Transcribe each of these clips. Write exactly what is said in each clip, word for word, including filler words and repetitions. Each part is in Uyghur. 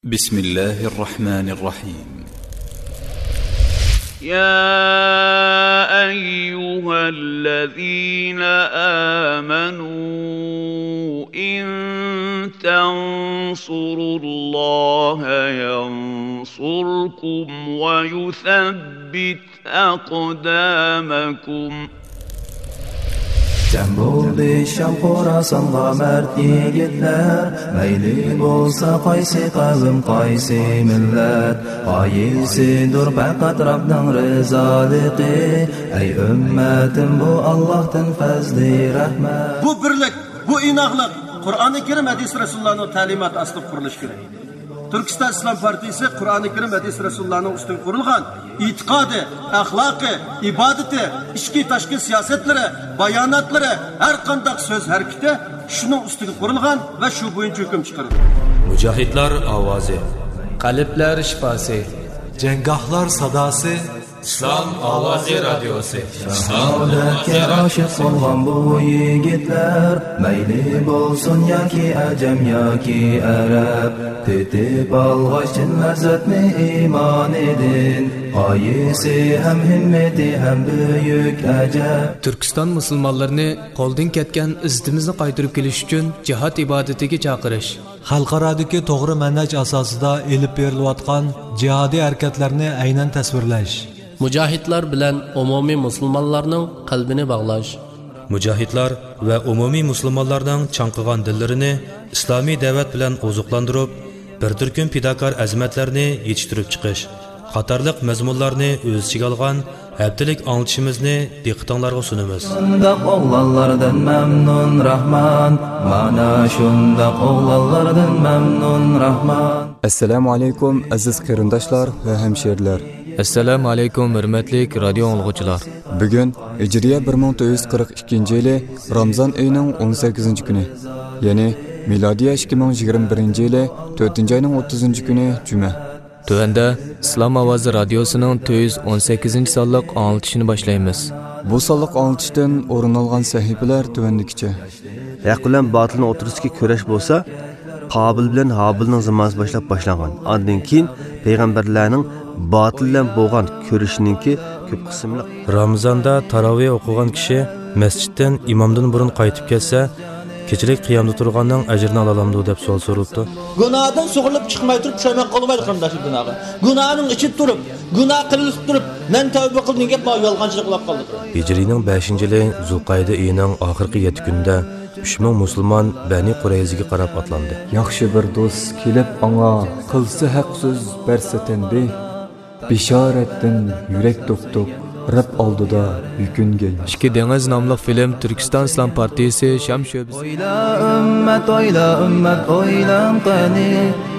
بسم الله الرحمن الرحيم. يا أيها الذين آمنوا إن تنصروا الله ينصركم ويثبت أقدامكم. جەم بولدى شام خوراسانغا مەرد يىگىتلەر، مەيلى بولسا قايسى قەۋم، قايسى مىللەت، غايىسىدۇر پەقەت رەبنىڭ رىزالىقى. ئەي ئۈممەتىم، بۇ ئاللاھتىن پەزلى رەھمەت. بۇ بىرلىك، بۇ ئىناقلىق قۇرئانى كەرىم، ھەدىس رەسۇلۇللانىڭ تەلىماتى ئاستىدا قۇرۇلۇشى كېرەك. تۈركىستان ئىسلام پارتىيىسى قۇرئانى كەرىم، ھەدىس رەسۇلۇللانىڭ ئۈستىگە قۇرۇلغان ئېتىقادى، ئەخلاقى، ئىبادىتى، ئىچكى تاشقى سىياسەتلىرى، باياناتلىرى، ھەر قانداق سۆز ھەرىكىتى شۇنىڭ ئۈستىگە قۇرۇلغان ۋە شۇ بويىچە ھۆكۈم چىقىرىدۇ. مۇجاھىدلار ئاۋازى. قەلبلەر شىپاسى. جەڭگاھلار ساداسى. ئىسلام ئاۋازى رادىيوسى. شاھادەتكە ئاشىق بولغان بۇ يىگىتلەر، مەيلى بولسۇن ياكى ئەجەم ياكى ئەرەب، تېتىپ ئالغاچ چىن لەززەتنى ئىمانىدىن، غايىسى ھەم ھىممىتى ھەم بۈيۈك ئەجەب. تۈركىستان مۇسۇلمانلىرىنى قولدىن كەتكەن ئىززىتىمىزنى قايتۇرۇپ كېلىش ئۈچۈن جىھاد ئىبادىتىگە چاقىرىش. خەلقئارادىكى توغرا مەنھەج ئاساسىدا ئېلىپ بېرىلىۋاتقان جىھادىي ھەرىكەتلەرنى ئەينەن تەسۋىرلەش. مۇجاھىدلار بىلەن ئومۇمىي مۇسۇلمانلارنىڭ قەلبىنى باغلاش. مۇجاھىدلار ۋە ئومۇمىي مۇسۇلمانلارنىڭ چاڭقىغان دىللىرىنى ئىسلامىي دەۋەت بىلەن ئوزۇقلاندۇرۇپ، بىر تۈركۈم پىداكار ئەزىمەتلەرنى يېتىشتۈرۈپ چىقىش قاتارلىق مەزمۇنلارنى ئۆز ئىچىگە ئالغان ھەپتىلىك ئاڭلىتىشىمىزنى دىققىتىڭلارغا سۇنىمىز. شۇنداق ئوغلانلاردىن مەمنۇن راھمان، مانا شۇنداق ئوغلانلاردىن مەمنۇن راھمان. ئەسسالامۇ ئەلەيكۇم، ئەزىز قېرىنداشلار ۋە ھەمشېرىلەر. ئەسسالامۇ ئەلەيكۇم، ھۆرمەتلىك رادىيو ئاڭلىغۇچىلار. بۈگۈن ھىجرىيە بىر مىڭ تۆت يۈز قىرىق ئىككىنچى يىلى رامزان ئېيىنىڭ ئون سەككىزىنچى كۈنى، يەنى مىلادىيە ئىككى مىڭ يىگىرمە بىرىنچى يىلى تۆتىنچى ئاينىڭ ئوتتۇزىنچى كۈنى جۈمە. تۆۋەندە ئىسلام ئاۋازى رادىيوسىنىڭ تۆت يۈز ئون سەككىزىنچى سانلىق ئاڭلىتىشىنى باشلايمىز. بۇ سانلىق ئاڭلىتىشتىن ئورۇن ئالغان سەھىپىلەر تۆۋەندىكىچە. ھەق بىلەن باتىلنىڭ ئوتتۇرىسىدىكى كۈرەش بولسا، قابىل بىلەن ھابىلنىڭ زامانىسى باشلاپ باشلانغان. ئاندىن كېيىن پەيغەمبەرلەرنىڭ باتىل بىلەن بولغان كۈرىشىنىڭكى كۆپ قىسىملىق. رامىزاندا تاراۋىھ ئوقۇغان كىشى مەسچىتتىن ئىمامدىن بۇرۇن قايتىپ كەتسە، كېچىلىك قىيامدا تۇرغاننىڭ ئەجرىنى ئالالامدۇ دەپ سوئال سورىلىپتۇ. گۇناھدىن سۇغۇرۇلۇپ چىقماي تۇرۇپ پۇشايمان قىلمايدۇ قېرىنداشلار گۇناھقا. گۇناھنىڭ ئىچىدە تۇرۇپ، گۇناھ قىلىۋېتىپ تۇرۇپ، مەن تەۋبە قىلدىم دېگەن گەپ ماۋۇ يالغانچىلىق بولۇپ قالدى. ھىجرىينىڭ بەشىنچى يىلى زۇلقەئىدە ئېيىنىڭ ئاخىرقى يەتتە كۈنىدە ئۈچ مىڭ مۇسۇلمان بەنى قۇرەيزىگە قاراپ ئاتلاندى. ياخشى بىر دوست كېلىپ ئاڭا، قىلسا ھەق سۆز، بەرسە تەنبىھ. بېشارەتتىن يۈرەك دوپدۇپ، رەب ئالدىدا يۈكۈنگەن. ئىككى دېڭىز ناملىق فىلىم تۈركىستان ئىسلام پارتىيىسى شام شۆبىسى. ئويلا ئۈممەت، ئويلا ئۈممەت، ئويلاڭ قېنى،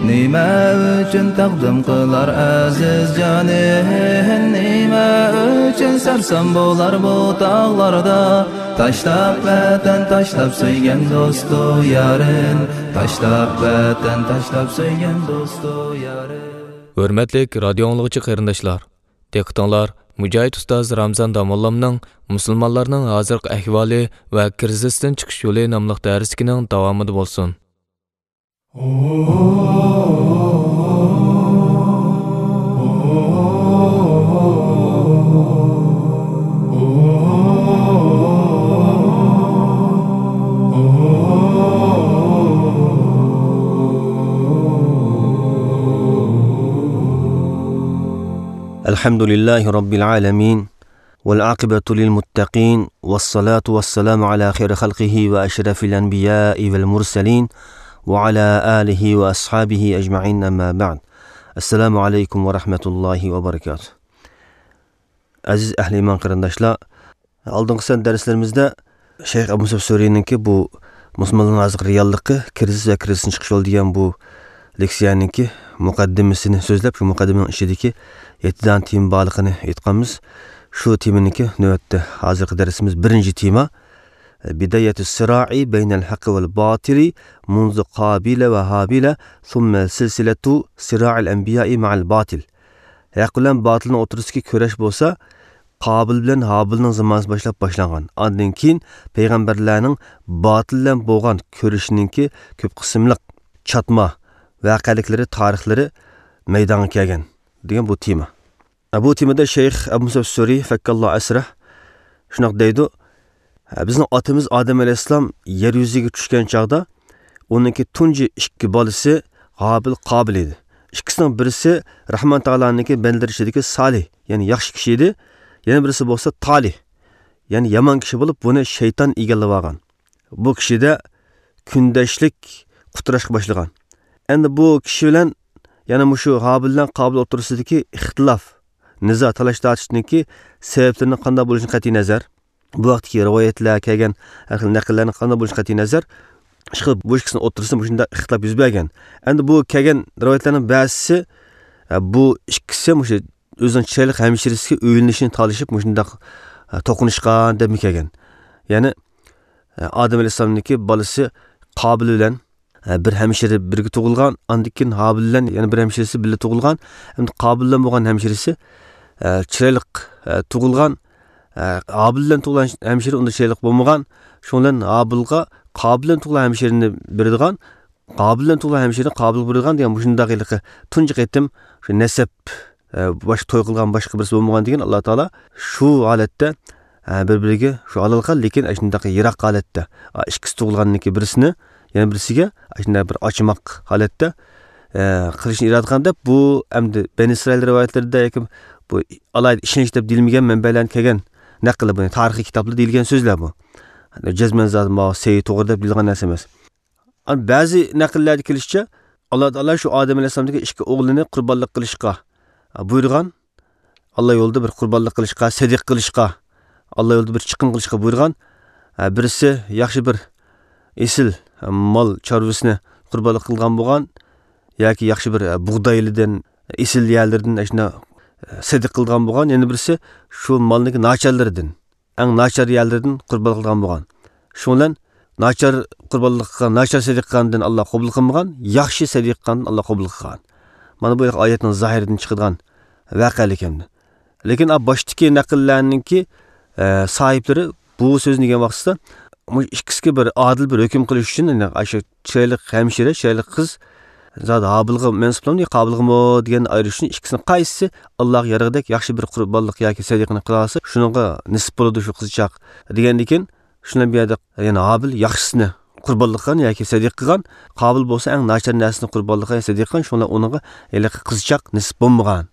نېمە ئۈچۈن تەقدىم قىلار ئەزىز جانى؟ نېمە ئۈچۈن سەرسان بولار بۇ تاغلاردا؟ تاشلاپ ۋەتەن، تاشلاپ سۆيگەن دوستۇ يارىن، تاشلاپ ۋەتەن، تاشلاپ سۆيگەن دوستۇ يارىن. ھۆرمەتلىك رادىيو ئاڭلىغۇچى قېرىنداشلار، دىققىتىڭلار مۇجاھىد ئۇستاز رامزان داموللامنىڭ مۇسۇلمانلارنىڭ ھازىرقى ئەھۋالى ۋە كىرىزىستىن چىقىش يولى ناملىق دەرسلىكىنىڭ داۋامىدا بولسۇن. الحمد لله رب العالمين، والعاقبة للمتقين، والصلاة والسلام على خير خلقه وأشرف الأنبياء والمرسلين، وعلى آله وأصحابه أجمعين، أما بعد. السلام عليكم ورحمة الله وبركاته. ئەزىز ئەھلى ئىمان قېرىنداشلار، ئالدىنقى سان دەرسلىرىمىزدە شەيخ ئەبۇ مۇسەب سۈرىنىڭكى بۇ مۇسۇلمانلارنىڭ ھازىرقى رېئاللىقى، كىرىزىس ۋە كىرىزىستىن چىقىش يولى دېگەن بۇ لېكسىيەنىڭكى مۇقەددىمىسىنى سۆزلەپ، شۇ مۇقەددىمىنىڭ ئىچىدىكى يەتتە دانە تېما بارلىقىنى ئېيتقانمىز. شۇ تېمىنىڭكى نۆۋەتتە ھازىرقى دەرسىمىز بىرىنچى تېما، بداية الصراع بين الحق والباطل منذ قابيل وهابيل ثم سلسلة صراع الأنبياء مع الباطل. ھەق بىلەن باتىلنىڭ ئوتتۇرىسىدىكى كۈرەش بولسا، قابىل بىلەن ھابىلنىڭ زامانىسى باشلاپ باشلانغان. ئاندىن كېيىن پەيغەمبەرلەرنىڭ باتىل بىلەن بولغان كۈرىشىنىڭكى كۆپ قىسىملىق چاتما ۋەقەلىكلىرى، تارىخلىرى مەيدانغا كەلگەن دېگەن بۇ تېما. بۇ تېمىدا شەيخ ئەبۇ مۇسەب سۈرى فەككاللا ئەسرە شۇنداق دەيدۇ، بىزنىڭ ئاتىمىز ئادەم ئەلەيھىسسالام يەر يۈزىگە چۈشكەن چاغدا ئۇنىڭكى تۇنجى ئىككى بالىسى ھابىل، قابىل ئىدى. ئىككىسىنىڭ بىرسى رەھمان تائالانىڭكى بەندىلىرى ئىچىدىكى سالىھ، يەنى ياخشى كىشى ئىدى. يەنە بىرسى بولسا تالىھ، يەنى يامان كىشى بولۇپ، بۇنى شەيتان ئىگىلەپ ئالغان. بۇ كىشىدە كۈندەشلىك قۇتراشقا باشلىغان. ئەمدى بۇ كىشى بىلەن يەنە مۇشۇ ھابىل بىلەن قابىل ئوتتۇرىسىدىكى ئىختىلاپ، نىزا، تالاش-تارتىشنىڭكى سەۋەبلىرىنىڭ قانداق بولۇشىدىن قەتئىي نەزەر، بۇ ھەقتىكى رىۋايەتلەر كەلگەن ھەر خىل نەقىللەرنىڭ قانداق بولۇشىدىن قەتئىي نەزەر، ئىشقىلىپ بۇ ئىككىسىنىڭ ئوتتۇرىسىدا مۇشۇنداق ئىختىلاپ يۈز بەرگەن. ئەمدى بۇ كەلگەن رىۋايەتلەرنىڭ بەزىسى، بۇ ئىككىسى مۇشۇ ئۆزىنىڭ چىرايلىق ھەمشىرىسىگە ئۆيلىنىشنى تالىشىپ مۇشۇنداق توقۇنۇشقان دەپمۇ كەلگەن. يەنى ئادەم ئەلەيھىسسالامنىڭكى بالىسى قابىل بىلەن بىر ھەمشىرە بىرگە تۇغۇلغان، ئاندىن كېيىن ھابىل بىلەن يەنە بىر ھەمشىرىسى بىللە تۇغۇلغان. ئەمدى قابىل بىلەن بولغان ھەمشىرىسى چىرايلىق تۇغۇلغان. ھابىل بىلەن تۇغۇلغان ھەمشىرە ئۇنداق چىرايلىق بولمىغان. شۇنىڭ بىلەن ھابىلغا قابىل بىلەن تۇغۇلغان ھەمشىرىنى بېرىدىغان، قابىل بىلەن تۇغۇلغان ھەمشىرىنى قابىلغا بېرىدىغان دېگەن مۇشۇنداق ھېلىقى تۇنجى قېتىم شۇ نەسەب، باشقا توي قىلغان باشقا بىرسى بولمىغان دېگەن ئاللا تائالا شۇ ھالەتتە بىر-بىرىگە شۇ ھالال قىلغان، لېكىن ئاشۇنداق يىراق ھالەتتە، ئىككىسى تۇغۇلغاندىن كېيىن بىرسىنى يەنە بىرسىگە ئاشۇنداق بىر ئاچىماق ھالەتتە قىلىشنى ئىرادە قىلغان دەپ، بۇ ئەمدى بەنى ئىسرائىل رىۋايەتلىرىدە ياكى بۇ ئالاھىدە ئىشەنچ دەپ دېيىلمىگەن مەنبەلەرنىڭ كەلگەن نەقىلى، بۇنى تارىخىي كىتابلاردا دېيىلگەن سۆزلەر بۇ. جەزمەن زادى ماۋۇ سەھىھ توغرا دەپ دېيىلغان نەرسە ئەمەس. ئەمما بەزى نەقىللەردە كېلىشىچە، ئاللا تائالا شۇ ئادەم ئەلەيھىسسالامدىكى ئىككى ئوغلىنى قۇربانلىق قىلىشقا بۇيرۇغان، ئاللا يولىدا بىر قۇربانلىق قىلىشقا، سەدىقە قىلىشقا، ئاللا يولىدا بىر چىقىم قىلىشقا بۇيرۇغان. بىرسى ياخشى بىر ئېسىل مال چارۋىسىنى قۇربانلىق قىلغان بولغان ياكى ياخشى بىر بۇغدايلىدىن، ئېسىل يەرلىرىدىن ئاشۇنداق سەدىقە قىلغان بولغان، يەنە بىرسى شۇ مالنىڭكى ناچارلىرىدىن، ئەڭ ناچار يەرلىرىدىن قۇربانلىق قىلغان بولغان. شۇنىڭ بىلەن ناچار قۇربانلىق قىلغان، ناچار سەدىقە قىلغاندىن ئاللا قوبۇل قىلمىغان، ياخشى سەدىقە قىلغاندىن ئاللا قوبۇل قىلغان. مانا بۇ ئايەتنىڭ زاھىرىدىن چىقىدىغان ۋەقەلىك ئەمدى. لېكىن ئا باشتىكى نەقىللەرنىڭكى، ئە، ساھىبلىرى بۇ سۆزنى دېگەن ۋاقتىدا، مۇشۇ ئىككىسىگە بىر ئادىل بىر ھۆكۈم قىلىش ئۈچۈن، يەنى ئاشۇ چىرايلىق ھەمشىرە، چىرايلىق قىز، زادى ھابىلغا مەنسۇپلامدۇ يا قابىلغىمۇ دېگەننى ئايرىش ئۈچۈن، ئىككىسىنىڭ قايسىسى ئاللاغا يارىغۇدەك ياخشى بىر قۇربانلىق ياكى سەدىقىنى قىلالىسا، شۇنىڭغا نېسىپ بولىدۇ شۇ قىزچاق دېگەندىكىن، شۇنىڭ بۇ يەردە يەنى ھابىل ياخشىسىنى قۇربانلىق قىلغان ياكى سەدىقە قىلغان، قابىل بولسا ئەڭ ناچار نەرسىنى قۇربانلىق قىلغان، سەدىقە قىلغان، شۇڭا ئۇنىڭغا ھېلىقى قىزچاق نېسىپ بولمىغان.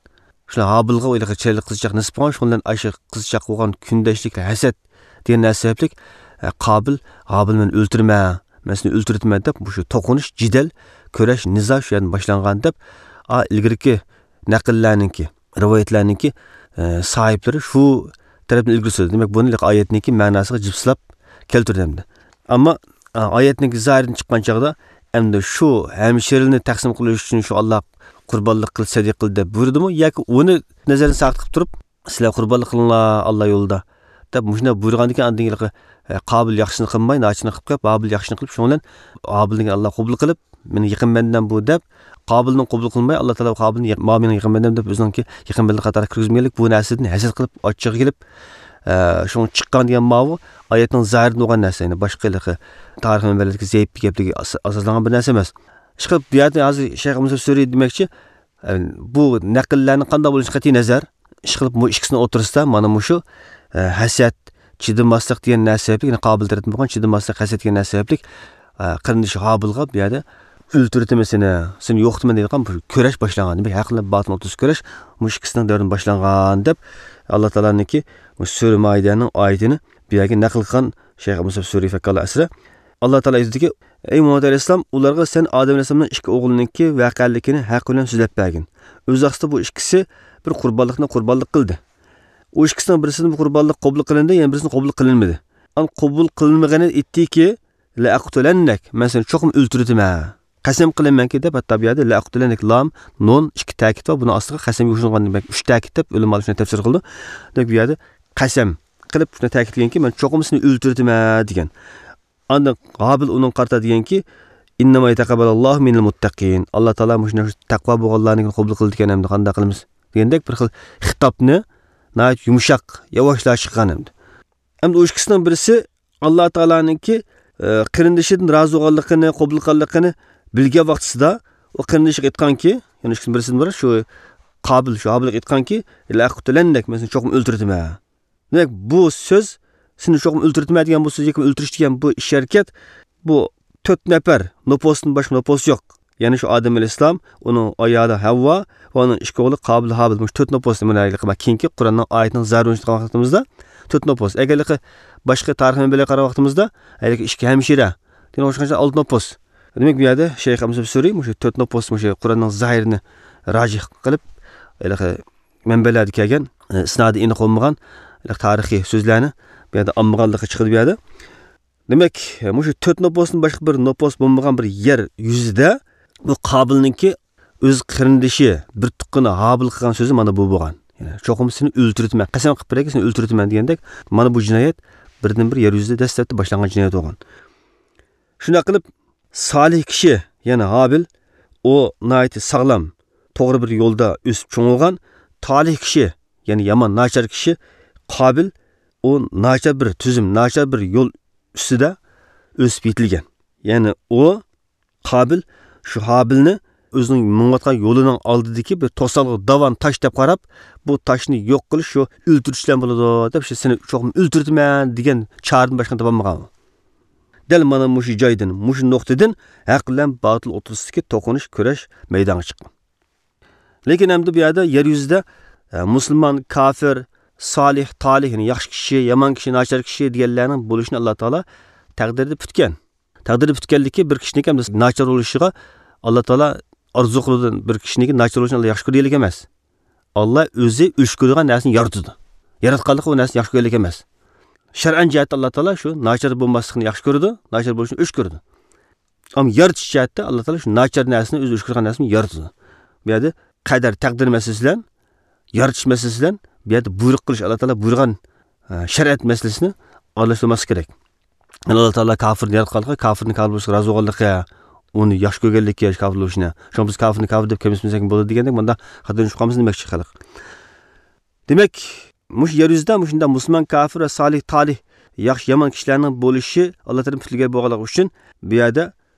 شۇڭا ھابىلغا ھېلىقى چىرايلىق قىزچاق نېسىپ بولغان، شۇنىڭ بىلەن ئاشۇ قىزچاققا بولغان كۈندەشلىك ھەسەت دېگەن نەرسە سەۋەبلىك، ئە، قابىل، ھابىل مەن ئۆلتۈرىمەن، مەن سېنى ئۆلتۈرۈۋېتىمەن دەپ، مۇشۇ توقۇنۇش، جېدەل، كۈرەش، نىزا شۇ يەردىن باشلانغان دەپ، ئا، ئىلگىرىكى نەقىللەرنىڭكى، رىۋايەتلەرنىڭكى، ئە، ساھىبلىرى شۇ تەرەپنى ئىلگىرى سۈردى. دېمەك، بۇنى ھېلىقى ئايەتنىڭكى مەناسىغا جىپسىلاپ كەلتۈردى ئەمدى. ئەمما، ئا، ئايەتنىڭكى زاھىرىدىن چىققان چاغدا، ئەمدى شۇ ھەمشىرىنى تەقسىم قىلىش ئۈچۈن شۇ ئاللا قۇربانلىق قىل، سەدىقە قىل دەپ بۇيرۇدىمۇ ياكى ئۇنى نەزەردىن ساقىت قىلىپ تۇرۇپ، سىلەر قۇربانلىق قىلىڭلار ئاللا يولىدا دەپ مۇشۇنداق بۇيرۇغاندىكىن، ئاندىن ھېلىقى، ئە، قابىل ياخشىسىنى قىلماي، ناچىنى قىلىپ قويۇپ، ھابىل ياخشىنى قىلىپ، شۇنىڭ بىلەن ھابىلنى ئاللا قوبۇل قىلىپ، مېنىڭ يېقىن بەندەم بۇ دەپ، قابىلنى قوبۇل قىلماي، ئاللا تائالا قابىلنى يېق-، ماۋۇ مېنىڭ يېقىن بەندەم دەپ ئۆزىنىڭكى يېقىن بەندە قاتارىغا كىرگۈزمىگەنلىك بۇ نەرسىدىن ھەسەت قىلىپ، ئاچچىقى كېلىپ، ئە، شۇڭا چىققان دېگەن ماۋۇ ئايەتنىڭ زاھىرىدىن بولغان نەرسە، يەنى باشقا ھېلىقى تارىخ مەنبەلەردىكى زەئىپ گەپلەرگە ئاس-، ئاساسلانغان بىر نەرسە ئەمەس. ئىشقىلىپ، بۇ يەردە ھازىر شەيخ مۇسەب سۈرى دېمەكچى، ئە، بۇ نەقىللەرنى قانداق بولۇشى قەتئىي نەزەر، ئىشقىلىپ، بۇ ئىككىسىنىڭ ئوتتۇرىسىدا مانا مۇشۇ، ئە، ھەسەت، چىدىماسلىق دېگەن نەرسە سەۋەبلىك، يەنى قابىل تەرەپتىن بولغان چىدىماسلىق، ھەسەت دېگەن نەرسە سەۋەبلىك، ئە، قېرىندىشى ھابىلغا بۇ يەردە ئۆلتۈرۈۋېتىمەن سېنى، سېنى يوقىتىمەن دەيدىغان بىر كۈرەش باشلانغان. دېمەك، ھەق بىلەن باتىل ئوتتۇرىسىدا كۈرەش مۇشۇ ئىككىسىنىڭ دەۋرىدىن باشلانغان دەپ، ئاللا تائالانىڭكى مۇشۇ سۈرە مائىدەنىڭ ئايىتىنى بۇ يەرگە نەقىل قىلغان شەيخ ئەبۇ مۇسەب سۈرى فەككاللا ئەسرە. ئاللا تائالا ئېيتىدۇكى، ئەي مۇھەممەد ئەلەيھىسسالام، ئۇلارغا سەن ئادەم ئەلەيھىسسالامنىڭ ئىككى ئوغلىنىڭكى ۋەقەلىكىنى ھەق بىلەن سۆزلەپ بەرگىن. ئۆز ۋاقتىدا بۇ ئىككىسى بىر قۇربانلىقنى قۇربانلىق قىلدى. ئۇ ئىككىسىنىڭ بىرسىدىن بۇ قۇربانلىق قوبۇل قىلىندى، يەنە بىرسىدىن قوبۇل قىلىنمىدى. ئان قوبۇل قىلىنمىغىنى ئېيتتىكى، لەئەقتۇلەننەك، مەن سېنى چوقۇم ئۆلتۈرۈۋېتىمەن. قەسەم قىلىمەنكى دەپ، ھەتتا بۇ يەردە لەئەقتۇلەننەك، لام، نۇن، ئىككى تەكىت بار، بۇنىڭ ئاستىغا قەسەمگە قوشۇلغان دېمەك، ئۈچ تەكىت دەپ ئۆلىمالار شۇنداق تەپسىر قىلىدۇ. دېمەك، بۇ يەردە قەسەم قىلىپ شۇنداق تەكىتلىگەنكى، مەن چوقۇم سېنى ئۆلتۈرۈۋېتىمەن دېگەن. ئاندىن ھابىل ئۇنىڭغا قارىتا دېگەنكى، ئىننەما يەتەقەببەلۇللاھۇ مىنەل مۇتتەقىن. ئاللا تائالا مۇشۇنداق تەقۋا بولغانلارنىڭكىنى قوبۇل قىلىدىكەن، ئەمدى قانداق قىلىمىز؟ دېگەندەك بىر خىل خىتابنى ناھايىتى يۇمشاق، ياۋاشلاشقان ئەمدى. ئەمدى ئۇ ئىككىسىنىڭ بىرسى ئاللا تائالانىڭكى، ئە، قېرىندىشىدىن رازى بولغانلىقىنى، قوبۇل قىلغانلىقىنى بىلگەن ۋاقتىسىدا، ئۇ قېرىندىشىغا ئېيتقانكى، يەنى ئىككىسىنىڭ بىرسىدىن بىر شۇ قابىل، شۇ ھابىلغا ئېيتقانكى، «لەئەقتۇلەننەك، مەن سېنى چوقۇم ئۆلتۈرىدىمەن.» دېمەك، بۇ سۆز، «سېنى چوقۇم ئۆلتۈرىدىمەن» دېگەن بۇ سۆز ياكى ئۆلتۈرۈش دېگەن بۇ ئىش ھەرىكەت، بۇ تۆت نەپەر نوپۇستىن باشقا نوپۇس يوق. يەنى شۇ ئادەم ئەلەيھىسسالام، ئۇنىڭ ئايالى ھەۋۋا ۋە ئۇنىڭ ئىككى ئوغلى قابىل، ھابىل. مۇشۇ تۆت نوپۇس، مانا ھېلىقى كېيىنكى قۇرئاننىڭ ئايىتىنىڭ زەھىرىنى ئوينىتىدىغان ۋاقتىمىزدا تۆت نوپۇس. ئەگەر ھېلىقى باشقا تارىخىي مەنبەلەرگە قارىغان ۋاقتىمىزدا، ھېلىقى ئىككى ھەمشىرە دېگەن ئوخشىغانچە ئالتە نوپۇس. دېمەك، بۇ يەردە شەيخ ئەمسە سۈرى مۇشۇ تۆت نوپۇس، مۇشۇ قۇرئاننىڭ زاھىرىنى راجىھ قىلىپ، ھېلىقى مەنبەلەردە كەلگەن، ئە، ئىسنادى ئېنىق بولمىغان، ھېلىقى تارىخىي سۆزلەرنى بۇ يەردە ئالمىغانلىقى چىقىدۇ بۇ يەردە. دېمەك، مۇشۇ تۆت نوپۇستىن باشقا بىر نوپۇس بولمىغان بىر يەر يۈزىدە بۇ قابىلنىڭكى ئۆز قېرىندىشى، بىر تۇغقىنى ھابىل قىلغان سۆزى مانا بۇ بولغان. يەنى، «چوقۇم سېنى ئۆلتۈرتىمەن، قەسەم قىلىپ بېرەيكى، سېنى ئۆلتۈرتىمەن» دېگەندەك، مانا بۇ جىنايەت بىردىنبىر يەر يۈزىدە دەسلەپتە باشلانغان جىنايەت بولغان. شۇنداق قىلىپ، سالىھ كىشى، يەنى ھابىل، ئۇ ناھايىتى ساغلام، توغرا بىر يولدا ئۆسۈپ چوڭ بولغان. تالىھ كىشى، يەنى يامان، ناچار كىشى قابىل، ئۇ ناچار بىر تۈزۈم، ناچار بىر يول ئۈستىدە ئۆسۈپ يېتىلگەن. يەنى ئۇ قابىل شۇ ھابىلنى ئۆزىنىڭ مېڭىۋاتقان يولىنىڭ ئالدىدىكى بىر توسالغۇ، داۋان تاش دەپ قاراپ، بۇ تاشنى يوق قىلىش، شۇ ئۆلتۈرۈش بىلەن بولىدۇ دەپ، شۇ سېنى چوقۇم ئۆلتۈرتىمەن دېگەن چارىدىن باشقىنى تاپالمىغان. دەل مانا مۇشۇ جايدىن، مۇشۇ نۇقتىدىن ھەق بىلەن باتىل ئوتتۇرىسىدىكى توقۇنۇش، كۈرەش مەيدانغا چىققان. لېكىن ئەمدى بۇ يەردە يەر يۈزىدە، ئە، مۇسۇلمان، كاپىر، سالىھ، تالىھ، يەنى ياخشى كىشى، يامان كىشى، ناچار كىشى دېگەنلەرنىڭ بولۇشىنى ئاللا تائالا تەقدىردە پۈتكەن. تەقدىردە پۈتكەنلىكى بىر كىشىنىڭكى ئەمدى ناچار بولۇشىغا ئاللا تائالا ئارزۇ قىلىدۇ، بىر كىشىنىڭكى ناچار بولۇشىنى ئاللا ياخشى كۆرگەنلىك ئەمەس. ئاللا ئۆزى ئۆچ كۆرىدىغان نەرسىنى يارىتىدۇ. ياراتقانلىقى ئۇ نەرسىنى ياخشى كۆرگەنلىك ئەمەس. شەرئەن جەھەتتە ئاللا تائالا شۇ ناچار بولماسلىقنى ياخشى كۆرىدۇ، ناچار بولۇشنى ئۆچ كۆرىدۇ. ئەمما يارىتىش جەھەتتە ئاللا تائالا شۇ ناچار نەرسىنى، ئۆزى ئۆچ كۆرىدىغان نەرسىنى يارىتىدۇ. بۇ يەردە قەدەر، تەقدىر مەسىلىسى بىلەن، يارىتىش مەسىلىسى بىلەن، بۇ يەردە بۇيرۇق قىلىش، ئاللا تائالا بۇيرۇغان، ئە، شەرىئەت مەسىلىسىنى ئارىلاشتۇرماسلىق كېرەك. ئاللا تائالا كاپىرنى ياراتقانلىقى، كاپىرنى كاپىر بولۇشقا رازى بولغانلىقى، ئۇنى ياخشى كۆرگەنلىكى، كاپىر بولۇشىنى. شۇڭا بىز كاپىرنى كاپىر دەپ كەمسىتمىسەك بولىدۇ دېگەندەك، مۇنداق خاتالىنىش قالمىسۇن دېمەكچى خەلق. دېمەك، مۇشۇ يەر يۈزىدە مۇشۇنداق مۇسۇلمان، كاپىر ۋە سالىھ، تالىھ، ياخشى، يامان كىشىلەرنىڭ بولۇشى ئاللا تەرىپىدىن پۈتۈلگەن بولغانلىقى ئۈچۈن بۇ يەردە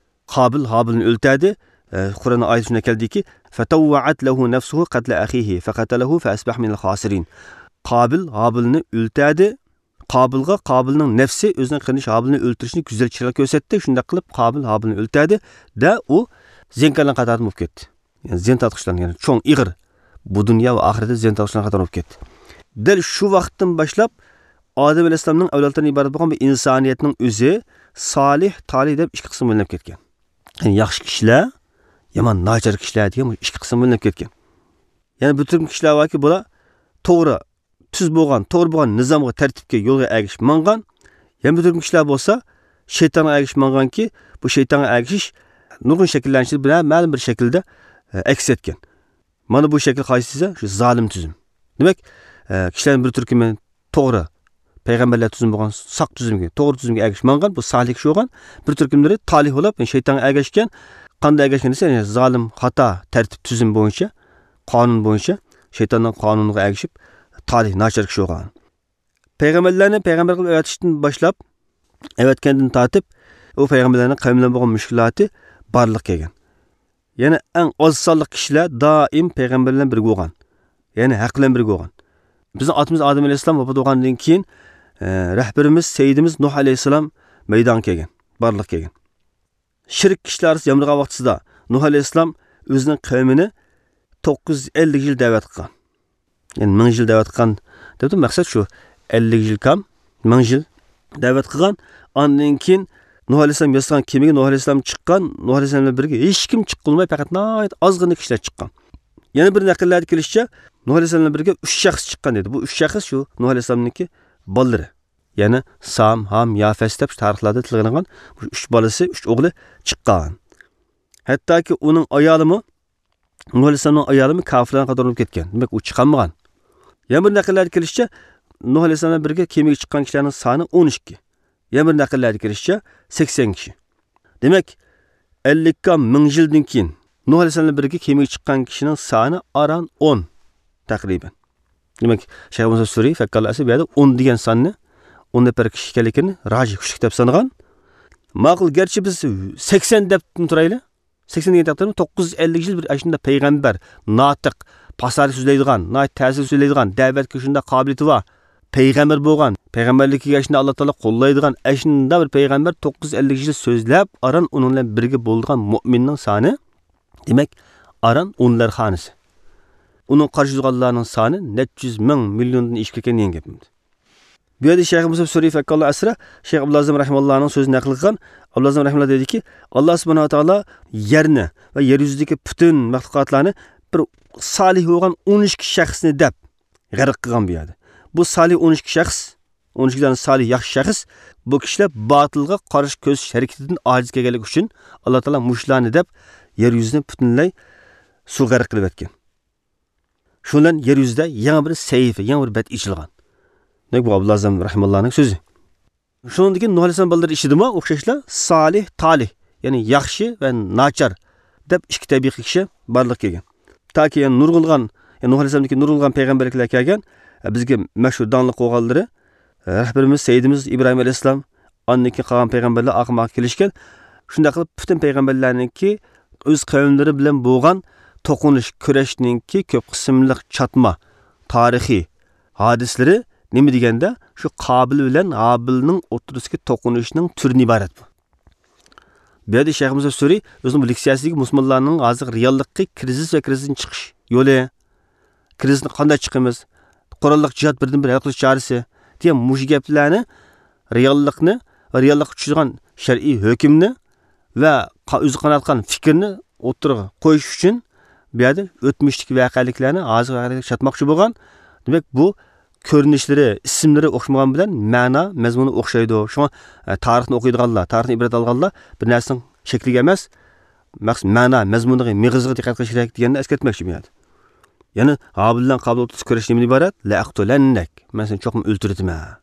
قابىل ھابىلنى ئۆلتۈردى. ئە، قۇرئاننىڭ ئايىتى شۇنداق كەلدىكى، «فتوعت له نفسه قتل أخيه فقتله فأصبح من الخاسرين». قابىل ھابىلنى ئۆلتۈردى. قابىلغا قابىلنىڭ نەپسى ئۆزىنىڭ قېرىندىشى ھابىلنى ئۆلتۈرۈشنى گۈزەل چىرايلىق كۆرسەتتى. شۇنداق قىلىپ قابىل ھابىلنى ئۆلتۈردى. دە ئۇ زىيانكارلارنىڭ قاتارىدىن بولۇپ كەتتى. يەنى زىيان تارتقۇچىلارنىڭ، يەنى چوڭ، ئېغىر، بۇ دۇنيا ۋە ئاخىرەتتە زىيان تارتقۇچىلارنىڭ قاتارىدىن بولۇپ كەتتى. دەل شۇ ۋاقىتتىن باشلاپ ئادەم ئەلەيھىسسالامنىڭ ئەۋلادلىرىدىن ئىبارەت بولغان بۇ ئىنسانىيەتنىڭ ئۆزى سالىھ، تالىھ دەپ ئىككى قىسىمغا بۆلۈنۈپ كەتكەن. يەنى ياخشى كىشىلەر، يامان، ناچار كىشىلەر دېگەن بۇ ئىككى قىسىمغا بۆلۈنۈپ كەتكەن. يەنى بىر تۈركۈم كىشىلەر باركى، بۇلار توغرا، تۈز بولغان، توغرا بولغان نىزامغا، تەرتىپكە، يولغا ئەگىشىپ ماڭغان. يەنە بىر تۈركۈم كىشىلەر بولسا شەيتانغا ئەگىشىپ ماڭغانكى، بۇ شەيتانغا ئەگىشىش نۇرغۇن شەكىللەرنىڭ ئىچىدە بىر مەلۇم بىر شەكىلدە، ئە، ئەكس ئەتكەن. مانا بۇ شەكىل قايسى دېسە، شۇ زالىم تۈزۈم. دېمەك، ئە، كىشىلەرنىڭ بىر تۈركۈمى توغرا، پەيغەمبەرلەر تۈزۈمى بولغان ساق تۈزۈمگە، توغرا تۈزۈمگە ئەگىشىپ ماڭغان، بۇ سالىھ كىشى بولغان. بىر تۈركۈملىرى تالىھ بولۇپ، شەيتانغا ئەگەشكەن. قانداق ئەگەشكەن دېسە، يەنى زالىم، خاتا، تەرتىپ، تۈزۈم بويىچە، قانۇن بويىچە، شەيتاننىڭ قانۇنىغا ئەگىشىپ، تالىھ، ناچار كىشى بولغان. پەيغەمبەرلەرنى پەيغەمبەر قىلىپ ئەۋەتىشتىن باشلاپ، ئەۋەتكەندىن تارتىپ، ئۇ پەيغەمبەرلەرنىڭ قەۋمى بىلەن بولغان مۈشكۈلاتى بارلىققا كەلگەن. يەنى ئەڭ ئاز سانلىق كىشىلەر دائىم پەيغەمبەر بىلەن بىرگە بولغان. يەنى ھەق بىلەن بىرگە بولغان. بىزنىڭ ئاتىمىز ئادەم ئەلەيھىسسالام ۋاپات بولغاندىن كېيىن، ئە، رەھبىرىمىز، سەييىدىمىز نۇھ ئەلەيھىسسالام مەيدانغا كەلگەن، بارلىققا كەلگەن. شىرك كىشىلەر ئارىسىدا يامرىغان ۋاقتىسىدا نۇھ ئەلەيھىسسالام ئۆزىنىڭ قەۋمىنى توققۇز يۈز ئەللىك يىل دەۋەت قىلغان. يەنى مىڭ يىل دەۋەت قىلغان دەپتۇ، مەقسەت شۇ، ئەللىك يىل كام، مىڭ يىل دەۋەت قىلغان. ئاندىن كېيىن نۇھ ئەلەيھىسسالام ياسىغان كېمىگە نۇھ ئەلەيھىسسالام چىققان، نۇھ ئەلەيھىسسالام بىلەن بىرگە ھېچكىم چىققىلى بولماي، پەقەت ناھايىتى ئازغىنە كىشىلەر چىققان. يەنە بىر نەقىللەردە كېلىشىچە، نۇھ ئەلەيھىسسالام بىلەن بىرگە ئۈچ شەخس چىققان دېدى. بۇ ئۈچ شەخس شۇ نۇھ ئەلەيھىسسالامنىڭكى بالىلىرى. يەنى سام، ھام، يافەس دەپ شۇ تارىخلاردا تىلغا ئېلىنغان بۇ ئۈچ بالىسى، ئۈچ ئوغلى چىققان. ھەتتاكى ئۇنىڭ ئايالىمۇ، نۇھ ئەلەيھىسسالامنىڭ ئايالىمۇ كاپىرلارنىڭ قاتارىدا بولۇپ كەتكەن. دېمەك، ئۇ چىقالمىغان. يەنە بىر نەقىللەردە كېلىشىچە، نۇھ ئەلەيھىسسالام بىلەن بىرگە كېمىگە چىققان كىشىلەرنىڭ سانى ئون ئىككى. يەنە بىر نەقىللەردە كېلىشىچە، سەكسەن كىشى. دېمەك، ئەللىك كام مىڭ يىلدىن كېيىن نۇھ ئەلەيھىسسالام بىلەن بىرگە كېمىگە چىققان كىشىنىڭ سانى ئاران ئون تەقرىبەن. دېمەك، شەيخ مۇسا سۈرى فەككاللا ئەسىر بۇ يەردە ئون دېگەن ساننى، ئون نەپەر كىشى ئىكەنلىكىنى راجىھ، كۈچلۈك دەپ سانىغان. ماقۇل، گەرچە بىز سەكسەن دەپ تۇرايلى، سەكسەن دېگەن تەقدىردىمۇ، توققۇز يۈز ئەللىك يىل بىر ئاشۇنداق پەيغەمبەر، ناتىق، پاساھەت سۆزلەيدىغان، ناھايىتى تەسىرلىك سۆزلەيدىغان، دەۋەتكە شۇنداق قابىلىيىتى بار، پەيغەمبەر بولغان، پەيغەمبەرلىككە ئاشۇنداق ئاللا تائالا قوللايدىغان ئاشۇنداق بىر پەيغەمبەر توققۇز يۈز ئەللىك يىل سۆزلەپ، ئاران ئۇنىڭ بىلەن بىرگە بولىدىغان مۆمىننىڭ سانى، دېمەك، ئاران ئونلار خانىسى. ئۇنىڭ قارشى تۇرغانلارنىڭ سانى نەچچە يۈز مىڭ، مىليوندىن ئېشىپ كەتكەن دېگەن گەپمىز. بۇ يەردە شەيخ مۇسەب سۈرى فەككاللا ئەسرا، شەيخ ئابدۇللازىم رەھىماللانىڭ سۆزىنى نەقىل قىلغان. ئابدۇللازىم رەھىماللا دەيدىكى، ئاللا سۇبھانەھۇ ۋە تائالا يەرنى ۋە يەر يۈزىدىكى پۈتۈن مەخلۇقاتلارنى بىر سالىھ بولغان ئون ئىككى شەخسنى دەپ غەرق قىلغان بۇ يەردە. بۇ سالىھ ئون ئىككى شەخس، ئون ئىككى دانە سالىھ ياخشى شەخس، بۇ كىشىلەر باتىلغا قارشى كۆرسىتىش ھەرىكىتىدىن ئاجىز كەلگەنلىكى ئۈچۈن، ئاللا تائالا مۇشۇلارنى دەپ يەر يۈزىنى پۈتۈنلەي سۇغا غەرق قىلىۋەتكەن. شۇ بىلەن يەر يۈزىدە يېڭى بىر سەھىپە، يېڭى بىر بەت ئېچىلغان. دېمەك، بۇ ئابدۇللا ئەزەم رەھىماللانىڭ سۆزى. شۇنىڭدىن كېيىن نۇھ ئەلەيھىسسالام بالىلىرى ئىچىدىمۇ ئوخشاشلا سالىھ، تالىھ، يەنى ياخشى ۋە ناچار دەپ ئىككى تەبىقە كىشى بارلىققا كەلگەن. تاكى يەنە نۇرغۇنلىغان، يەنى نۇھ ئەلەيھىسسالامدىن كېيىن نۇرغۇنلىغان پەيغەمبەرلەر كەلگەن، بىزگە مەشھۇر داڭلىق بولغانلىرى، رەھبىرىمىز، سەييىدىمىز ئىبراھىم ئەلەيھىسسالام، ئاندىن كېيىن قالغان پەيغەمبەرلەر ئارقىمۇ ئارقا كېلىشكەن. شۇنداق قىلىپ، پۈتۈن پەيغەمبەرلەرنىڭكى ئۆز قەۋملىرى بىلەن بولغان توقۇنۇش، كۈرەشنىڭكى كۆپ قىسىملىق چاتما تارىخىي ھادىسىلىرى نېمە دېگەندە، شۇ قابىل بىلەن ھابىلنىڭ ئوتتۇرىسىدىكى توقۇنۇشنىڭ تۈرىدىن ئىبارەت بۇ. بۇ يەردە شەيخ مۇسەب سۈرى ئۆزىنىڭ بۇ لېكسىيەسىدىكى مۇسۇلمانلارنىڭ ھازىرقى رېئاللىقى، كىرىزىس ۋە كىرىزىستىن چىقىش يولى، كىرىزىستىن قانداق چىقىمىز، قوراللىق جىھاد بىردىنبىر ھەل قىلىش چارىسى دېگەن مۇشۇ گەپلەرنى رېئاللىقنى، رېئاللىققا چۈشىدىغان شەرئىي ھۆكۈمنى ۋە قا-، ئۆزى قاناتقان پىكىرنى ئوتتۇرىغا قويۇش ئۈچۈن بۇ يەردە ئۆتمۈشتىكى ۋەقەلىكلەرنى ھازىرقى ۋەقەلىكلەرگە چاتماقچى بولغان. دېمەك، بۇ كۆرۈنۈشلىرى، ئىسىملىرى ئوخشىمىغان بىلەن مەنا، مەزمۇنى ئوخشايدۇ. شۇڭا، ئە، تارىخنى ئوقۇيدىغانلار، تارىخنى ئىبرەت ئالغانلار بىر نەرسىنىڭ شەكلىگە ئەمەس، مەقسەت مەنا، مەزمۇنىغا، مېغىزىغا دىققەت قىلىش كېرەك دېگەننى ئەسكەرتمەكچى بۇ يەردە. يەنى ھابىل بىلەن قابىل ئوتتۇرىسىدا كۈرەش نېمىدىن ئىبارەت؟ لەئەقتۇلەننەك، مەن سېنى چوقۇم ئۆلتۈرۈتىمەن.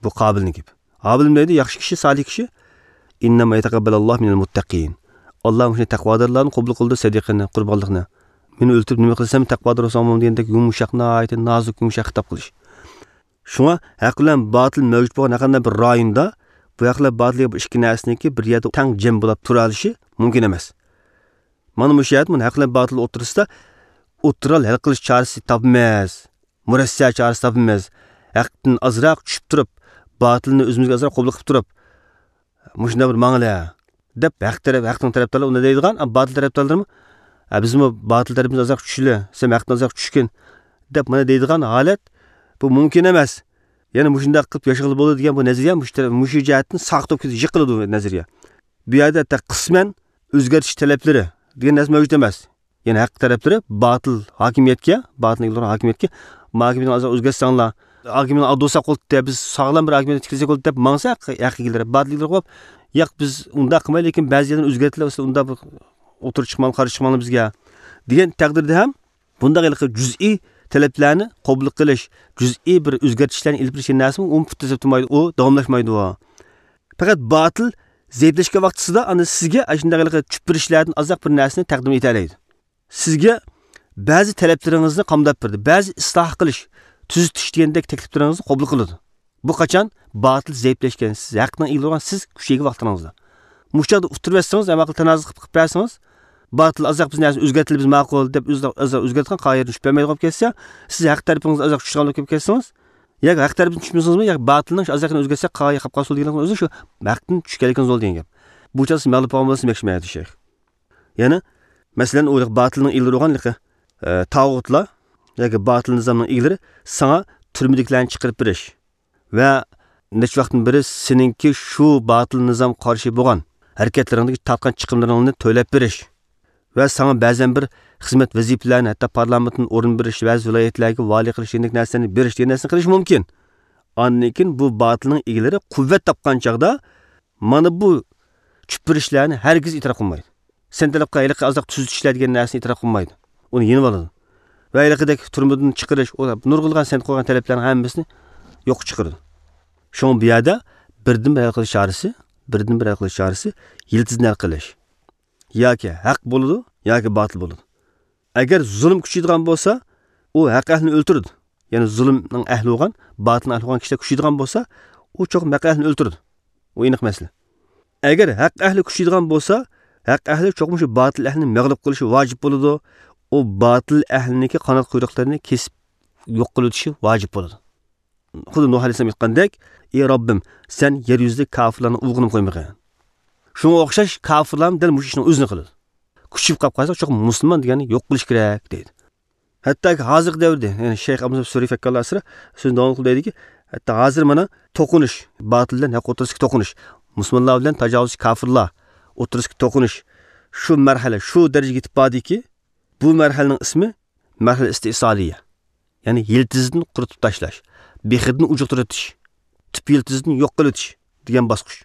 بۇ قابىلنىڭ گېپى. ھابىل نېمە دەيدۇ؟ ياخشى كىشى، سالىھ كىشى. ئىننەمما يەتەقەببەلۇللاھۇ مىنەل مۇتتەقىن. ئاللا مۇشۇ تەقۋادارلاردىن قوبۇل قىلىدۇ سەدىقىنى، قۇربانلىقنى. مېنى ئۆلتۈرۈپ نېمە قىلىسەن، تەقۋادار بولساڭمۇ دېگەندەك يۇمشاق، ناھايىتى نازۇك، يۇمشاق خىتاب قىلىش. شۇڭا ھەق بىلەن باتىل مەۋجۇت بولغان ھەر قانداق بىر رايوندا بۇ ھەق بىلەن باتىل دېگەن بۇ ئىككى نەرسىنىڭكى بىر يەردە تەڭ جەم بولاپ تۇرالىشى مۇمكىن ئەمەس. مانا مۇشۇ يەردە مانا ھەق بىلەن باتىل ئوتتۇرىسىدا ئوتتۇرا ھەل قىلىش چارىسى تاپىمىز، مۇرەسسە چارىسى تاپىمىز. ھەقتىن ئازراق چۈشۈپ تۇرۇپ، باتىلنى ئۆزىمىزگە ئازراق قوبۇل قىلىپ تۇرۇپ، مۇشۇنداق بىر ماڭىلە دەپ، ھەق تەرەپ، ھەقنىڭ تەرەپدارلىرى ئۇنداق دەيدىغان، ئەمما باتىل تەرەپدارلىرىمۇ، ھە، بىزمۇ باتىل تەرىپىمىز ئازراق چۈشىلى، سەن ھەقتىن ئازراق چۈشكىن دەپ مانا دەيدىغان ھالەت، بۇ مۇمكىن ئەمەس. يەنى مۇشۇنداق قىلىپ ياشىغىلى بولىدۇ دېگەن بۇ نەزەرىيە مۇشۇ تەرەپ، مۇشۇ جەھەتتىن ساقىت بولۇپ كېتىدۇ، يىقىلىدۇ بۇ نەزەرىيە. بۇ يەردە ھەتتا قىسمەن ئۆزگەرتىش تەلەپلىرى دېگەن نەرسە مەۋجۇت ئەمەس. يەنى ھەق تەرەپلىرى باتىل ھاكىمىيەتكە، باتىل ئىگىلىرى ھاكىمىيەتكە، ما ھاكىمىيەتنى ئازراق ئۆزگەرتسەڭلار، ھاكىمىيەتنى ئالدۇرساق بولدى، بىز ساغلام بىر ھاكىمىيەت تىكلىسەك بولدى دەپ ماڭسا، ھەق ئىگىلىرى، باتىل ئىگىلىرى قويۇپ، ياق، بىز ئۇنداق قىلمايلى، لېكىن بەزى يەردىن ئۆزگەرتىلە، سىلەر ئۇنداق بىر ئوتتۇرىغا چىقماڭلار، قارشى چىقماڭلار بىزگە دېگەن تەقدىردە ھەم بۇنداق ھېلىقى جۈزئىي تەلەپلەرنى قوبۇل قىلىش، جۈزئىي بىر ئۆزگەرتىشلەرنى ئېلىپ بېرىش دېگەن نەرسىمۇ ئۇنى پۇت تېزەپ تۇرمايدۇ، ئۇ داۋاملاشمايدۇ. پەقەت باتىل زەئىپلەشكەن ۋاقتىسىدا ئاندىن سىزگە ئاشۇنداق ھېلىقى چۈشپۈرۈشلەردىن ئازراق بىر نەرسىنى تەقدىم ئېتەلەيدۇ. سىزگە بەزى تەلەپلىرىڭىزنى قامداپ بېرىدۇ، بەزى ئىسلاھ قىلىش، تۈزىتىش دېگەندەك تەكلىپلىرىڭىزنى قوبۇل قىلىدۇ. بۇ قاچان باتىل زەئىپلەشكەن، سىز ھەقنىڭ ئىگىلىرى بولغان، سىز كۈچەيگەن ۋاقتىڭىزدا. مۇشۇ چاغدا ئۇتتۇرۇۋەتسىڭىز، ھەم ئاقىل تانازا قىلىپ، قىلىپ بەرسىڭىز، باتىل ئازراق بىز نەرسىنى ئۆزگەرتىلى، بىز ماقۇل دەپ ئۆزى ئازراق ئۆزگەرتكەن قايىدىن چۈشۈپ بەرمەيدىغان بولۇپ كەتسە، سىز ھەق تەرىپىڭىزدە ئازراق چۈشىدىغان بولۇپ كېلىپ كەتسىڭىز، ياكى ھەق تەرىپىنى چۈشمىسىڭىزمۇ، ياكى باتىلنىڭ ئازراقىنى ئۆزگەرتسەك قايىغا قاپقان سول دېگىنىڭىز ئۆزى شۇ ھەقتىن چۈشكەنلىكىڭىز بولدى دېگەن گەپ. بۇ چاغدا سىز مەغلۇپ بولغان بولسا ياخشىمۇ شەيخ. يەنى، مەسىلەن، ئۇ باتىلنىڭ ئىگىلىرى بولغان، ئە، تاغۇتلار ياكى باتىل نىزامنىڭ ئىگىلىرى ساڭا تۈرمىدىكىلەرنى چىقىرىپ بېرىش ۋە نەچچە ۋاقىتتىن بېرى سېنىڭكى شۇ باتىل نىزام قارشى بولغان ھەرىكەتلىرىڭدىكى تارتقان چىقىملىرىڭنى تۆلەپ بېرىش ۋە ساڭا بەزەن بىر خىزمەت ۋەزىپىلەرنى، ھەتتا پارلامېنتتىن ئورۇن بېرىش، بەزى ۋىلايەتلەرگە ۋالىي قىلىش دېگەندەك نەرسىلەرنى بېرىش دېگەن نەرسىنى قىلىشى مۇمكىن. ئاندىن كېيىن بۇ باتىلنىڭ ئىگىلىرى قۇۋۋەت تاپقان چاغدا مانا بۇ چۈشپۈرۈشلەرنى ھەرگىز ئېتىراپ قىلمايدۇ. سەن تەلەپ قىلغان ھېلىقى ئازراق تۈزىتىشلەر دېگەن نەرسىنى ئېتىراپ قىلمايدۇ. ئۇنى يېنىۋالىدۇ. ۋە ھېلىقىدەك تۈرمىدىن چىقىرىش، ئۇ نۇرغۇنلىغان سەن قويغان تەلەپلەرنىڭ ھەممىسىنى يوققا چىقىرىدۇ. شۇڭا بۇ يەردە بىردىنبىر ھەل قىلىش چارىسى، بىردىنبىر ھەل قىلىش چارىسى يىلتىزنى ھەل قىلىش. ياكى ھەق بولىدۇ، ياكى باتىل بولىدۇ. ئەگەر زۇلۇم كۈچىيىدىغان بولسا، ئۇ ھەق ئەھلىنى ئۆلتۈرىدۇ. يەنى زۇلۇمنىڭ ئەھلى بولغان، باتىلنىڭ ئەھلى بولغان كىشىلەر كۈچىيىدىغان بولسا، ئۇ چوقۇم ھەق ئەھلىنى ئۆلتۈرىدۇ. ئۇ ئېنىق مەسىلە. ئەگەر ھەق ئەھلى كۈچىيىدىغان بولسا، ھەق ئەھلى چوقۇم شۇ باتىل ئەھلىنى مەغلۇپ قىلىشى ۋاجىپ بولىدۇ. ئۇ باتىل ئەھلىنىڭكى قانات قۇيرۇقلىرىنى كېسىپ يوق قىلىۋېتىشى ۋاجىپ بولىدۇ. خۇددى نۇھ ئەلەيھىسسالام ئېيتقاندەك، ئى رەببىم، سەن يەر يۈزىدە كاپىرلارنىڭ ئۇۋىقىنى قويمىغىن. شۇڭا ئوخشاش كاپىرلارمۇ دەل مۇشۇ ئىشنىڭ ئۆزىنى قىلىدۇ. كۈچىيىپ قاپ قالساق، چوقۇم مۇسۇلمان دېگەننى يوق قىلىش كېرەك دەيدۇ. ھەتتاكى ھازىرقى دەۋردە، يەنى شەيخ ئابدۇلسەمەد سۈرى فەككاللا ئەسرى سۆزىنى داۋام قىلىپ دەيدىكى، ھەتتا ھازىر مانا توقۇنۇش، باتىل بىلەن ھەق ئوتتۇرىسىدىكى توقۇنۇش، مۇسۇلمانلار بىلەن تاجاۋۇزچى كاپىرلار ئوتتۇرىسىدىكى توقۇنۇش شۇ مەرھەلە، شۇ دەرىجىگە يېتىپ باردىكى، بۇ مەرھەلىنىڭ ئىسمى مەرھەلە ئىستىئسالىيە. يەنى يىلتىزىدىن قۇرۇتۇپ تاشلاش، بېخىدىن ئۇجۇقتۇرۇۋېتىش، تۈپ يىلتىزىدىن يوق قىلىۋېتىش دېگەن باسقۇچ.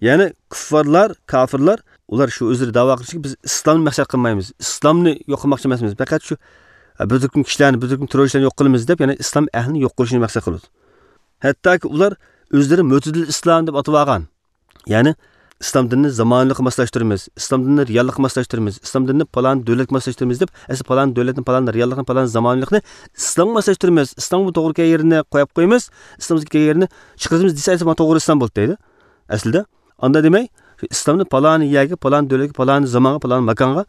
يەنى كۇففارلار، كاپىرلار، ئۇلار شۇ ئۆزلىرى داۋا قىلىشىكى، بىز ئىسلامنى مەقسەت قىلمايمىز، ئىسلامنى يوق قىلماقچى ئەمەسمىز، پەقەت شۇ، ئە، بىر تۈركۈم كىشىلەرنى، بىر تۈركۈم تېررورچىلارنى يوق قىلىمىز دەپ، يەنى ئىسلام ئەھلىنى يوق قىلىشنى مەقسەت قىلىدۇ. ھەتتاكى ئۇلار ئۆزلىرى مۆتىدىل ئىسلام دەپ ئاتىۋالغان. يەنى ئىسلام دىنىنى زامانىۋىلىققا ماسلاشتۇرىمىز، ئىسلام دىنىنى رېئاللىققا ماسلاشتۇرىمىز، ئىسلام دىنىنى پالان دۆلەتكە ماسلاشتۇرىمىز دەپ، ئەسلى پالان دۆلەتنى، پالان رېئاللىقنى، پالان زامانىۋىلىقنى ئىسلامغا ماسلاشتۇرىمىز، ئىسلامغا توغرا كەلگەن يېرىنى قويۇپ قويىمىز، ئىسلامغا كەلگەن يېرىنى چىقىرىمىز دېسە، ئەسلى مانا توغرا ئىسلام بولدى دەيدۇ. ئەسلىدە ئاندا دېمەي، شۇ ئىسلامنى پالان يەرگە، پالان دۆلەتكە، پالان زامانغا، پالان ماكانغا،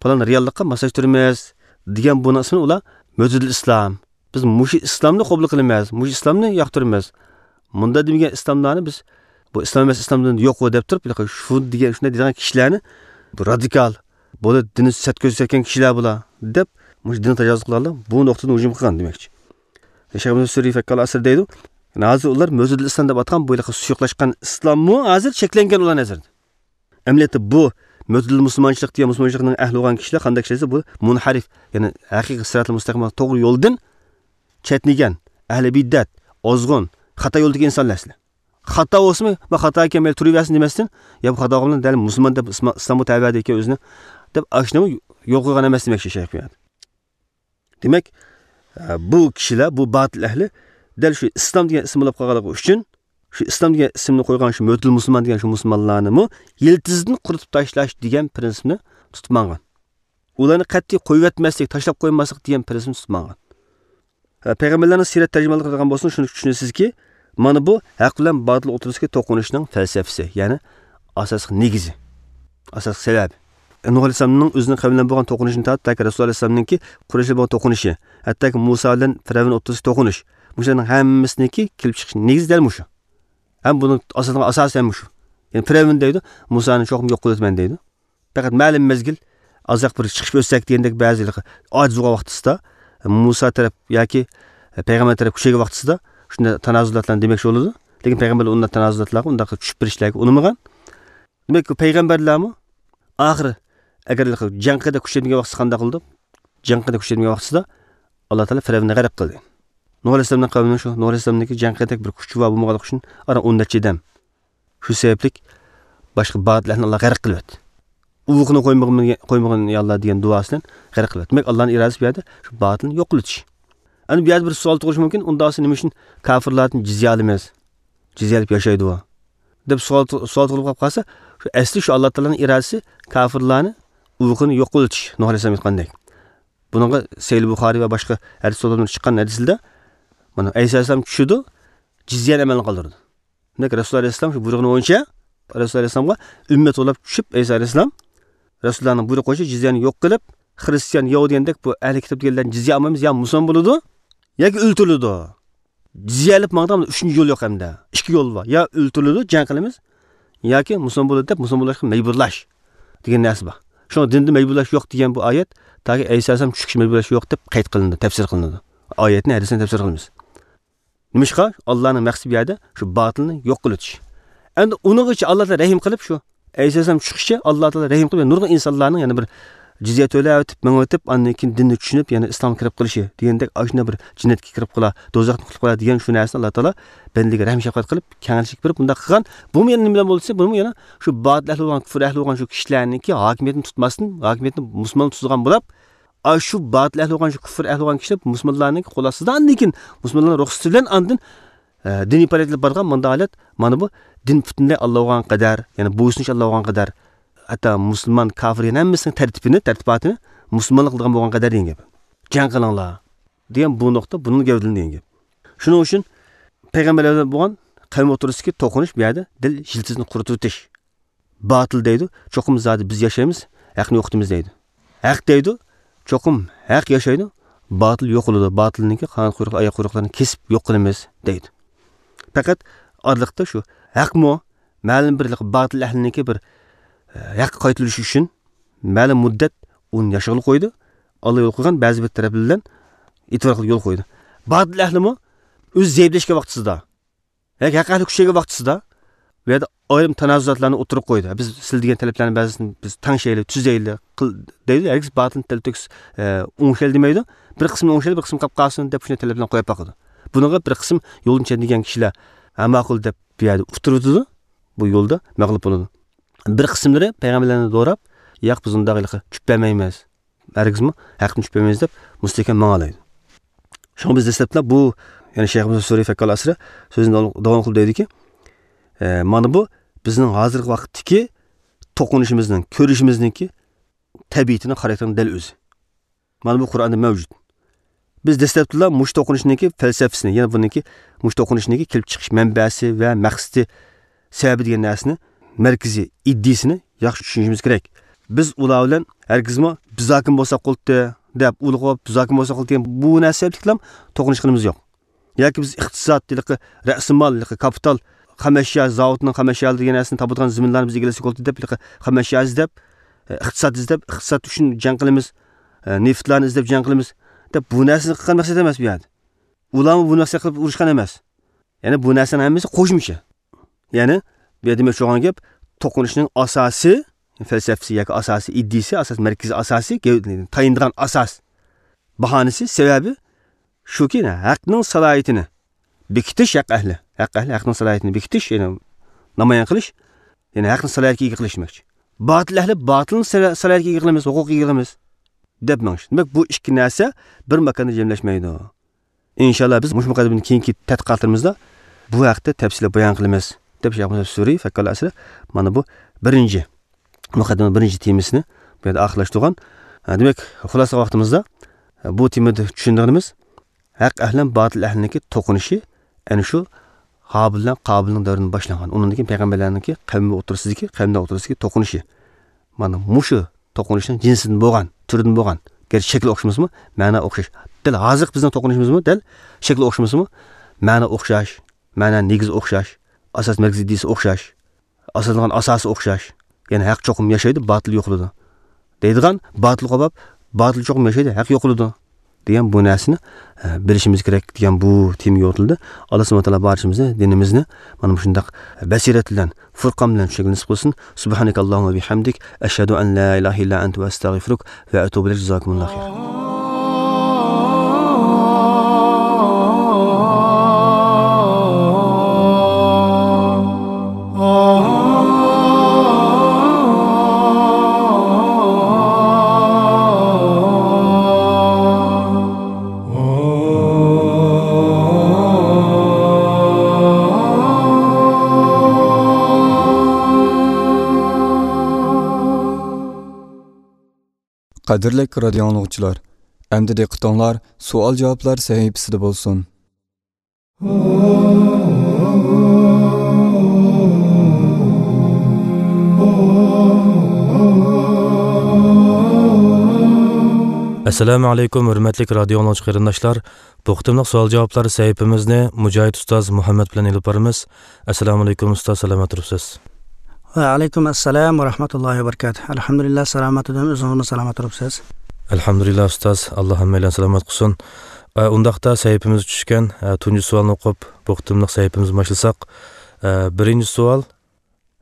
پالان رېئاللىققا ماسلاشتۇرىمىز دېگەن بۇنىڭ ئىسمىنى ئۇلار مۆتىدىل ئىسلام. بىز مۇشۇ ئىسلامنى قوبۇل قىلىمىز، مۇشۇ ئىسلامنى ياقتۇرىمىز. مۇنداق دېمىگەن ئىسلاملارنى بىز، بۇ ئىسلام ئەمەس، ئىسلامدىن يوق ئۇ دەپ تۇرۇپ، شۇ دېگەن، شۇنداق دېگەن كىشىلەرنى بۇ رادىكال، بۇلار دىننى سەت كۆرسەتكەن كىشىلەر بۇلار دەپ، مۇشۇ دىننى تاجاۋۇز قىلغانلار بۇ نۇقتىدىن ھۇجۇم قىلغان دېمەكچى. شەيخ ئەبۇ سۈرى فەككال ئەسىر دەيدۇ. ھازىر ئۇلار مۆتىدىل ئىسلام دەپ ئاتقان بۇ ھېلىقى سۇيۇقلاشقان ئىسلاممۇ ھازىر چەكلەنگەن ئۇلار نەزىرىدە. ئەمەلىيەتتە بۇ مۆتىدىل مۇسۇلمانچىلىق دېگەن مۇسۇلمانچىلىقنىڭ ئەھلى بولغان كىشىلەر قانداق كىشىلەر دېسە، بۇ مۇنھەرىف، يەنى ھەقىقىي سىراتىل مۇستەقىم، توغرا يولدىن چەتنىگەن، ئەھلى بىدئەت، ئازغۇن، خاتا يولدىكى ئىنسانلار سىلەر. خاتا بولسىمۇ، ما خاتا ئىكەن، مەيلى تۇرۇۋەرسۇن دېمەستىن، يا بۇ خاتا بولغان دەل مۇسۇلمان دەپ ئىسما-، ئىسلامغا تەۋە دەيدىكەن ئۆزىنى، دەپ ئاشۇنى يول قويغان ئەمەس دېمەكچى شەيخ بۇ يەردە. دېمەك، ئە، بۇ كىشىلەر، بۇ باتىل ئەھلى دەل شۇ ئىسلام دېگەن ئىسىم بولاپ قالغانلىقى ئۈچۈن، شۇ ئىسلام دېگەن ئىسىمنى قويغان شۇ مۆتىل مۇسۇلمان دېگەن شۇ مۇسۇلمانلارنىمۇ يىلتىزىدىن قۇرۇتۇپ تاشلاش دېگەن پرىنسىپنى تۇتۇپ ماڭغان. ئۇلارنى قەتئىي قويۇۋەتمەسلىك، تاشلاپ قويماسلىق دېگەن پرىنسىپنى تۇتۇپ ماڭغان. ھە، پەيغەمبەرلەرنىڭ سىرەت تەرجىمانلىقىدا قىلغان بولسىمۇ، شۇنى چۈشىنىسىزكى، مانا بۇ ھەق بىلەن باتىل ئوتتۇرىسىدىكى توقۇنۇشنىڭ پەلسەپىسى، يەنى ئاساسلىق نېگىزى، ئاساسلىق سەۋەبى. نۇھ ئەلەيھىسسالامنىڭ ئۆزىنىڭ قەۋمى بىلەن بولغان توقۇنۇشىدىن تارتىپ، تاكى رەسۇل ئەلەيھىسسالامنىڭكى قۇرەيش بىلەن بولغان توقۇنۇشى، ھەتتاكى مۇسا بىلەن پىرئەۋن ئوتتۇرىسىدىكى توقۇنۇش، مۇشۇلارنىڭ ھەممىسىنىڭكى كېلىپ چىقىش نېگىزى دەل مۇشۇ. ھەم بۇنىڭ ئاساسىنىڭ ئاساسى ھەم مۇشۇ. يەنى پىرئەۋن دەيدۇ، مۇسانى چوقۇم يوق قىلىۋېتىمەن دەيدۇ. پەقەت مەلۇم مەزگىل، ئازراق بىر چىقىپ ئۆتسەك دېگەندەك بەزى ئاجىز بولغان ۋاقتىسىدا، مۇسا تەرەپ ياكى پەيغەمبەر تەرەپ كۈچەيگەن ۋاقتىسىدا شۇنداق تانازۇلاتلارنى دېمەكچى بولىدۇ. لېكىن پەيغەمبەرلەر ئۇنداق تانازۇلاتلارغا، ئۇنداق چۈشۈپ بېرىشلەرگە ئۇنىمىغان. دېمەك، بۇ پەيغەمبەرلەرمۇ ئاخىرى ئەگەر جەڭ قىلدەك كۈچەيمىگەن ۋاقتىسى قانداق قىلىدۇ؟ جەڭ قىلدەك كۈچەيمىگەن ۋاقتىسىدا ئاللا تائالا پىرئەۋننى غەرق قىلدى. نۇھ ئەلەيھىسسالامنىڭ قەۋمىنىڭ شۇ، نۇھ ئەلەيھىسسالامنىڭكى جەڭ قىلدەك بىر كۈچى بار بولمىغانلىقى ئۈچۈن ئاران ئون نەچچە ئادەم شۇ سەۋەبلىك باشقا باتىل ئەھلىنى ئاللا غەرق قىلىۋەتتى. ئۇۋىقىنى قويمىغىن، قويمىغىن يا ئاللا دېگەن دۇئاسى بىلەن غەرق قىلىۋەتتى. دېمەك، ئاللانىڭ ئىرادىسى بۇ يەردە شۇ باتىلنى يوق قىلىۋېتىش. ئەنە بۇ يەردە بىر سوئال تۇغۇلۇشى مۇمكىن، ئۇنداق بولسا نېمە ئۈچۈن كاپىرلاردىن جىزيە ئالىمىز؟ جىزيە ئېلىپ ياشايدۇ دەپ سوئال، سوئال تۇغۇلۇپ قالىپ قالسا، شۇ ئەسلى شۇ ئاللا تائالانىڭ ئىرادىسى كاپىرلارنى ئۇۋىقىنى يوق قىلىۋېتىش، نۇھ ئەلەيھىسسالام ئېيتقاندەك. بۇنىڭغا سەھىھ بۇخارىي ۋە باشقا ھەدىس كىتابلاردا چىققان ھەدىسىدە، مانا، ئەيسا ئەلەيھىسسالام چۈشىدۇ، جىزيەنى ئەمەلدىن قالدۇرىدۇ. دېمەك، رەسۇلۇللا ئەلەيھىسسالام شۇ بۇيرۇغىنى بويىچە، رەسۇلۇللا ئەلەيھىسسالامغا ئۈممەت بولاپ چۈشۈپ، ئەيسا ئەلەيھىسسالام رەسۇلۇللانىڭ بۇيرۇقى بويىچە جىزيەنى يوق قىلىپ، خىرىستىيان، يەھۇدىي دېگەندەك بۇ ئەھلى كىتاب دېگەنلەردىن جىزيە ئالمايمىز، يا مۇسۇلمان بولىدۇ، ياكى ئۆلتۈرۈلىدۇ. جىزيە ئېلىپ ماڭىدىغان ئۈچىنچى يول يوق ئەمدى. ئىككى يول بار. يا ئۆلتۈرۈلىدۇ، جەڭ قىلىمىز، ياكى مۇسۇلمان بولىدۇ دەپ مۇسۇلمان بولۇشقا مەجبۇرلاش دېگەن نەرسە بار. شۇڭا دىندا مەجبۇرلاش يوق دېگەن بۇ ئايەت تاكى ئەيسا ئەلەيھىسسالام چۈشكىچە مەجبۇرلاش يوق دەپ قەيت قىلىنىدۇ، تەپسىر قىلىنىدۇ. ئايەتنى، ھەدىسنى تەپسىر قىلىمىز. نېمىشقا؟ ئاللانىڭ مەقسىتى بۇ يەردە شۇ باتىلنى يوق قىلىۋېتىش. ئەمدى ئۇنىڭغىچە ئاللا تائالا رەھىم قىلىپ شۇ ئەيسا ئەلەيھىسسالام چۈشكىچە ئاللا تائالا رەھىم قىلىپ، نۇرغۇن ئىنسانلارنىڭ يەنە بىر جىزيە تۆلەۋېتىپ، مېڭىۋېتىپ، ئاندىن كېيىن دىننى چۈشىنىپ، يەنە ئىسلامغا كىرىپ قېلىشى دېگەندەك، ئاشۇنداق بىر جەننەتكە كىرىپ قالا، دوزاختىن قۇتۇلۇپ قالا دېگەن شۇ نەرسىنى ئاللا تائالا بەندىگە رەھىم شەپقەت قىلىپ، كەڭچىلىك بېرىپ، بۇنداق قىلغان. بۇمۇ يەنە نېمە بىلەن بولدى دېسە، بۇنىمۇ يەنە شۇ باتىل ئەھلى بولغان، كۇفر ئەھلى بولغان شۇ كىشىلەرنىڭكى ھاكىمىيەتنى تۇتماستىن، ھاكىمىيەتنى مۇسۇلمانلار تۇتىدىغان بولاپ، ئاشۇ باتىل ئەھلى بولغان شۇ كۇفر ئەھلى بولغان كىشىلەر مۇسۇلمانلارنىڭكى قول ئاستىدا، ئاندىن كېيىن مۇسۇلمانلارنىڭ رۇخسىتى بىلەن ئاندىن، ئە، دىنىي پائالىيەتلەر بارغان مۇنداق ھالەت، مانا بۇ دىن پۈتۈنلەي ئاللا بولغان قەدەر، يەنى بويسۇنۇش ئاللا بولغان قەدەر، ھەتتا مۇسۇلمان كاپىر يەنە ھەممىسىنىڭ تەرتىپىنى، تەرتىپاتىنى مۇسۇلمانلىق قىلىدىغان بولغان قەدەر دېگەن گەپ. جەڭ قىلىڭلار دېگەن بۇ نۇقتا بۇنىڭ گەۋدىلىنى دېگەن گەپ. شۇنىڭ ئۈچۈن پەيغەمبەرلەر بىلەن بولغان قەۋم ئوتتۇرىسىدىكى توقۇنۇش بۇ يەردە دەل يىلتىزنى قۇرۇتۇۋېتىش. باتىل دەيدۇ، چوقۇم زادى بىز ياشايمىز، ھەقنى يوقىتىمىز دەيدۇ. ھەق دەيدۇ، چوقۇم ھەق ياشايدۇ، باتىل يوقىلىدۇ، باتىلنىڭكى قانات قۇيرۇق، ئاياق قۇيرۇقلىرىنى كېسىپ يوق قىلىمىز دەيدۇ. پەقەت ئارىلىقتا شۇ ھەقمۇ مەلۇم بىر باتىل ئەھلىنىڭكى بىر، ئە، ھەققە قايتۇرۇلۇشى ئۈچۈن مەلۇم مۇددەت ئۇنى ياشىغىلى قويىدۇ. ئاللا يول قويغان بەزى بىر تەرەپلەر بىلەن ئېتىبار قىلىپ يول قويىدۇ. باتىل ئەھلىمۇ ئۆزى زەئىپلەشكەن ۋاقتىسىدا ياكى ھەق ئەھلى كۈچەيگەن ۋاقتىسىدا بۇ يەردە ئايرىم تانازۇلاتلارنى ئوتتۇرىغا قويىدۇ. بىز سىلە دېگەن تەلەپلەرنى بەزىسىنى بىز تەڭشەيلى، تۈزەيلى، قىل دەيدۇ. ھەرگىز باتىلنى تەلتۆكۈس، ئە، ئوڭشايلى دېمەيدۇ. بىر قىسمىنى ئوڭشايلى، بىر قىسمى قاپ قالسۇن دەپ شۇنداق تەلەپلەرنى قويۇپ باقىدۇ. بۇنىڭغا بىر قىسىم يولدىن چەتنىگەن كىشىلەر ھە ماقۇل دەپ بۇ يەردە ئۇتتۇرۇۋېتىدۇ. بۇ يولدا مەغلۇپ بولىدۇ. بىر قىسىملىرى پەيغەمبەرلەرنى دوراپ، ياق، بىز ئۇنداق ھېلىقى چۈپ بەرمەيمىز، ھەرگىزمۇ ھەقنى چۈپ بەرمەيمىز دەپ مۇستەھكەم ماڭالايدۇ. شۇڭا بىز دەسلەپلا بۇ، يەنى شەيخىمىز سۈرى فەككال ئەسرى سۆزىنى داۋام، داۋام قىلىپ دەيدۇكى، ئە، مانا بۇ بىزنىڭ ھازىرقى ۋاقىتتىكى توقۇنۇشىمىزنىڭ، كۆرۈشىمىزنىڭكى تەبىئىتىنىڭ، خاراكتېرىنىڭ دەل ئۆزى. مانا بۇ قۇرئاندا مەۋجۇت. بىز دەسلەپتىلا مۇشۇ توقۇنۇشنىڭكى پەلسەپىسىنى، يەنى بۇنىڭكى مۇشۇ توقۇنۇشنىڭكى كېلىپ چىقىش مەنبەسى ۋە مەقسىتى، سەۋەبى دېگەن نەرسىنى، مەركىزىي ئىدىيىسىنى ياخشى چۈشىنىشىمىز كېرەك. بىز ئۇلار بىلەن ھەرگىزمۇ بىز ھاكىم بولساق بولدى دەپ ئۇلىغا بىز ھاكىم بولساق بولدى دېگەن بۇ نەرسە سەۋەبلىكلام توقۇنۇشقىنىمىز يوق. ياكى بىز ئىقتىساد، ھېلىقى رەسىمال، ھېلىقى كاپىتال، خام ئەشيا، زاۋۇتنىڭ خام ئەشيالىرى دېگەن نەرسىنى تاپىدىغان زېمىنلارنى بىز ئىگىلىسەك بولدى دەپ، ھېلىقى خام ئەشيا ئىزدەپ، ئە، ئىقتىساد ئىزدەپ، ئىقتىساد ئۈچۈن جەڭ قىلىمىز، ئە، نېفىتلارنى ئىزدەپ جەڭ قىلىمىز دەپ بۇ نەرسىنى قىلغان مەقسەت ئەمەس بۇ يەردە. ئۇلارمۇ بۇ نەرسە قىلىپ ئۇرۇشقان ئەمەس. يەنى بۇ نەرسىنىڭ ھەممىسى قوشمىچە. يەنى بۇ يەردە دېمەكچى بولغان گەپ، توقۇنۇشنىڭ ئاساسىي فەلسەپىسى ياكى ئاساسىي ئىدىيىسى، ئاساسىي مەركىزىي ئاساسى، گەۋ-، تايىنىدىغان ئاساس، باھانىسى، سەۋەبى شۇكى، ھەقنىڭ سالاھىيىتىنى بېكىتىش، ھەق ئەھلى، ھەق ئەھلى ھەقنىڭ سالاھىيىتىنى بېكىتىش، يەنى نامايان قىلىش، يەنى ھەقنى سالاھىيەتكە ئىگە قىلىش دېمەكچى. باتىل ئەھلى باتىلنى سالا-، سالاھىيەتكە ئىگە قىلىمىز، ھوقۇققا ئىگە قىلىمىز دەپ مېڭىش. دېمەك، بۇ ئىككى نەرسە بىر ماكاندا جەملەشمەيدۇ. ئىنشاللا، بىز مۇشۇ مۇقەددىمىدىن كېيىنكى تەتقىقاتلىرىمىزدا بۇ ھەقتە تەپسىلىي بايان قىلىمىز، دەپ شەيخ مۇھەممەد سۈرى فەككال ئەسرى مانا بۇ بىرىنچى مۇقەددىمە، بىرىنچى تېمىسىنى بۇ يەردە ئاخىرلاشتۇرغان. ھە، دېمەك، خۇلاسە ۋاقتىمىزدا بۇ تېمىدا چۈشەنگىنىمىز، ھەق ئەھلى بىلەن باتىل ئەھلىنىڭكى توقۇنۇشى ئەنە شۇ ھابىل بىلەن قابىلنىڭ دەۋرىدىن باشلانغان. ئۇنىڭدىن كېيىن پەيغەمبەرلەرنىڭكى قەۋمى ئوتتۇرىسىدىكى، قەۋملەر ئوتتۇرىسىدىكى توقۇنۇشى. مانا مۇشۇ توقۇنۇشنىڭ جىنسىدىن بولغان، تۈرىدىن بولغان. گەرچە شەكلى ئوخشىمىسىمۇ، مەنە ئوخشاش. دەل ھازىرقى بىزنىڭ توقۇنۇشىمىزمۇ، دەل شەكلى ئوخشىمىسىمۇ، مەنە ئوخشاش، مەنە نېگىزى ئوخشاش، ئاساس مەركىزىي ئىدىيىسى ئوخشاش، ئاساسلانغان ئاساسى ئوخشاش. يەنى ھەق چوقۇم ياشايدۇ، باتىل يوقىلىدۇ دەيدىغان، باتىل قوباپ، باتىل چوقۇم ياشايدۇ، ھەق يوقىلىدۇ دېگەن بۇ نەرسىنى، ئە، بىلىشىمىز كېرەك دېگەن بۇ تېما يورۇتۇلدى. ئاللا سۇبھانەھۇ ۋە تائالا بارچىمىزنى دىنىمىزنى مانا مۇشۇنداق بەسىرەت بىلەن، فۇرقان بىلەن چۈشىنىشكە نېسىپ قىلسۇن. سۇبھانەكەللاھۇممە ۋە بىھەمدىك، ئەشھەدۇ ئەن لا ئىلاھە ئىللا ئەنتە ۋە ئەستەغفىرۇك ۋە ئەتۇبۇ ئىلەيك. جازاكۇمۇللاھۇ خەيرەن. قەدىرلىك رادىيو ئاڭلىغۇچىلار، ئەمدى دىققىتىڭلار سوئال-جاۋابلار سەھىپىسىدە بولسۇن. ئەسسالامۇ ئەلەيكۇم، ھۆرمەتلىك رادىيو ئاڭلىغۇچى قېرىنداشلار. بۇ قېتىملىق سوئال-جاۋابلار سەھىپىمىزنى مۇجاھىد ئۇستاز مۇھەممەد بىلەن ئېلىپ بارىمىز. ئەسسالامۇ ئەلەيكۇم ئۇستاز، سالامەت تۇرۇپسىز؟ ۋە ئەلەيكۇم ئەسسالام ۋە رەھمەتۇللاھى ۋە بەرىكاتۇھ. ئەلھەمدۇلىللا، سالامەت تۇردۇم. ئۆزىڭىزمۇ سالامەت تۇرۇپسىز؟ ئەلھەمدۇلىللا ئۇستاز، ئاللا ھەممەيلەننى سالامەت قىلسۇن. ئە، ئۇنداقتا سەھىپىمىزگە چۈشكەن، ئە، تۇنجى سوئالنى ئوقۇپ، بۇ قېتىملىق سەھىپىمىزنى باشلىساق. ئە، بىرىنچى سوئال،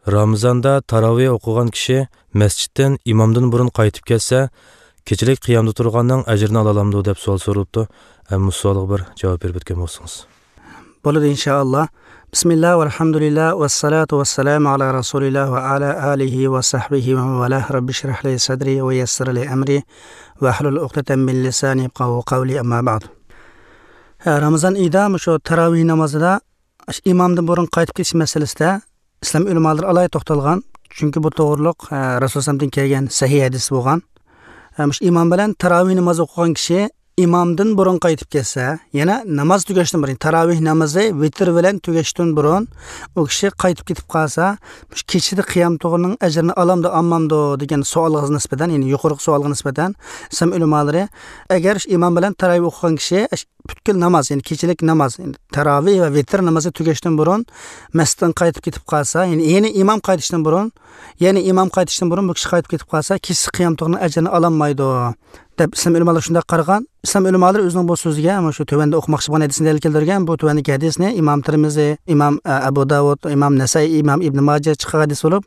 رامىزاندا تاراۋىھ ئوقۇغان كىشى مەسچىتتىن ئىمامدىن بۇرۇن قايتىپ كەلسە، كېچىلىك قىيامدا تۇرغاننىڭ ئەجرىنى ئالالامدۇ دەپ سوئال سورىلىپتۇ. ئە، مۇشۇ سوئالغا بىر جاۋاب بېرىپ ئۆتكەن بولسىڭىز. بولىدۇ، ئىنشائاللا. بىسمىللا ۋەلھەمدۇلىللا ۋەسسالاتۇ ۋەسسالامۇ ئالا رەسۇلىللا ۋە ئالا ئالىھى ۋە سەھبىھى ۋە مەن ۋالاھ. رەببىشرەھلى سەدرى ۋە يەسسىرلى ئەمرى ۋەھلۇل ئۇقدەتەن مىن لىسانى يەپقەھۇ قەۋلى، ئەمما بەئد. ھە، رامىزان ئېيىدا مۇشۇ تاراۋىھ نامازىدا ئىمامدىن بۇرۇن قايتىپ كېلىش مەسىلىسىدە ئىسلام ئۆلىمالىرى ئالاھىدە توختالغان. چۈنكى بۇ توغرۇلۇق، ھە، رەسۇل سەللەللاھۇ ئەلەيھى ۋەسەللەمدىن كەلگەن سەھىھ ھەدىس بولغان. ھە، مۇشۇ ئىمام بىلەن تاراۋىھ نامازى ئوقۇغان كىشى ئىمامدىن بۇرۇن قايتىپ كەتسە، يەنە ناماز تۈگەشتىن بۇرۇن، تاراۋىھ نامىزى ۋىتىر بىلەن تۈگەشتىن بۇرۇن ئۇ كىشى قايتىپ كېتىپ قالسا، مۇشۇ كېچىدە قىيام تۇغىنىڭ ئەجرىنى ئالامدۇ، ئالمامدۇ دېگەن سوئالغا نىسبەتەن، يەنى يۇقىرىقى سوئالغا نىسبەتەن ئىسلام ئۆلىمالىرى، ئەگەر ئىمام بىلەن تاراۋىھ ئوقۇغان كىشى پۈتكۈل ناماز، يەنى كېچىلىك ناماز، يەنى تاراۋىھ ۋە ۋىتىر نامىزى تۈگەشتىن بۇرۇن مەسچىتتىن قايتىپ كېتىپ قالسا، يەنى، يەنى ئىمام قايتىشتىن بۇرۇن، يەنى ئىمام قايتىشتىن بۇرۇن بۇ كىشى قايتىپ كېتىپ قالسا، كېچىسى قىيام تۇغىنىڭ ئەجرىنى ئالالمايدۇ، دەپ ئىسلام ئۆلىمالىرى شۇنداق قارىغان. ئىسلام ئۆلىمالىرى ئۆزىنىڭ بۇ سۆزىگە مانا شۇ تۆۋەندە ئوقۇماقچى بولغان ھەدىسنى دەلىل كەلتۈرگەن. بۇ تۆۋەندىكى ھەدىسنى ئىمام تىرمىزى، ئىمام، ئە، ئەبۇ داۋۇد، ئىمام نەسائىي، ئىمام ئىبنى ماجە چىققان ھەدىس بولۇپ،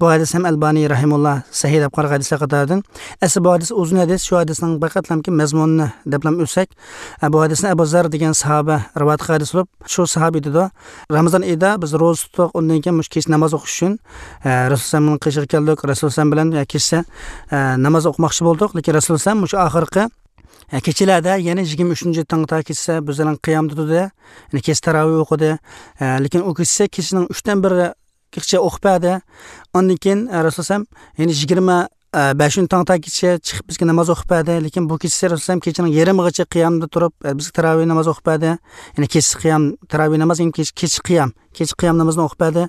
بۇ ھەدىس ھەم ئەلبانى رەھىمۇللا سەھىھ دەپ قارىغان ھەدىسلەر قاتارىدىن. ئەسلى بۇ ھەدىس ئۇزۇن ھەدىس، شۇ ھەدىسنىڭ پەقەتلەمكى مەزمۇنىنى دەپلەم ئۆتسەك، ئە، بۇ ھەدىسنى ئەبۇ زەر دېگەن ساھابە رىۋايەت قىلغان ھەدىس بولۇپ، شۇ ساھابە ئېيتىدۇ، رامىزان ئېيىدا بىز روزا تۇتتۇق، ئۇندىن كېيىن مۇشۇ كېچە ناماز ئوقۇش ئۈچۈن، ئە، رەسۇل ئەلەيھىسسالامنىڭ قېشىغا كەلدۇق، رەسۇل ئەلەيھىسسالام بىلەن، ئە، كېچىسى، ئە، ناماز ئوقۇماقچى بولدۇق، لېكىن رەسۇل ئەلەيھىسسالام مۇشۇ ئاخىرقى، ئە، كېچىلەردە، يەنى يىگىرمە ئۈچىنچى تاڭ تا كېچىسى بىز بىلەن قىيامدا تۇردى، يەنى كېچە تاراۋىھ ئوقۇدى، ئە، لېكىن ئۇ كېچىسى كېچىنىڭ ئۈچتىن بىرىگىچە ئوقۇپ بەردى. ئاندىن كېيىن، ئە، رەسۇل ئەلەيھىسسالام يەنى يىگىرمە، ئە، بەشىنچى تاڭ تا كېچىسى چىقىپ بىزگە ناماز ئوقۇپ بەردى. لېكىن بۇ كېچىسى رەسۇل ئەلەيھىسسالام كېچىنىڭ يېرىمىغىچە قىيامدا تۇرۇپ، ئە، بىزگە تاراۋىھ ناماز ئوقۇپ بەردى. يەنى كېچىسى قىيام، تاراۋىھ ناماز، يەنى كېچە، كېچە قىيام، كېچە قىيام نامىزىنى ئوقۇپ بەردى.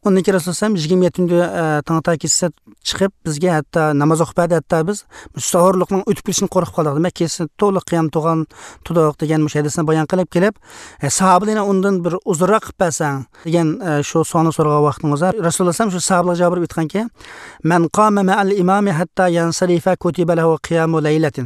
ئۇندىن كېيىن رەسۇل ئەلەيھىسسالام يىگىرمە يەتتىنچى، ئە، تاڭ تا كېچىسى چىقىپ، بىزگە ھەتتا ناماز ئوقۇپ بەردى، ھەتتا بىز سەھۇرلۇقنىڭ ئۆتۈپ كېتىشىنى قورقۇپ قالدۇق. دېمەك، كېچىسى تولا قىيام تۇغان، تۇردۇق دېگەن مۇشۇ ھەدىسنى بايان قىلىپ كېلىپ، ئە، ساھابىلەرنى ئۇندىن بىر ئۇزۇنراق قىلىپ بەرسەڭ دېگەن، ئە، شۇ سوئالنى سورىغان ۋاقتىڭىزدا، رەسۇلۇللا ئەلەيھىسسالام شۇ ساھابىلەرگە جاۋاب بېرىپ ئېيتقانكى، مَنْ قَامَ مَعَ الْإِمَامِ حَتَّى يَنْصَرِفَ كُتِبَ لَهُ قِيَامُ لَيْلَةٍ.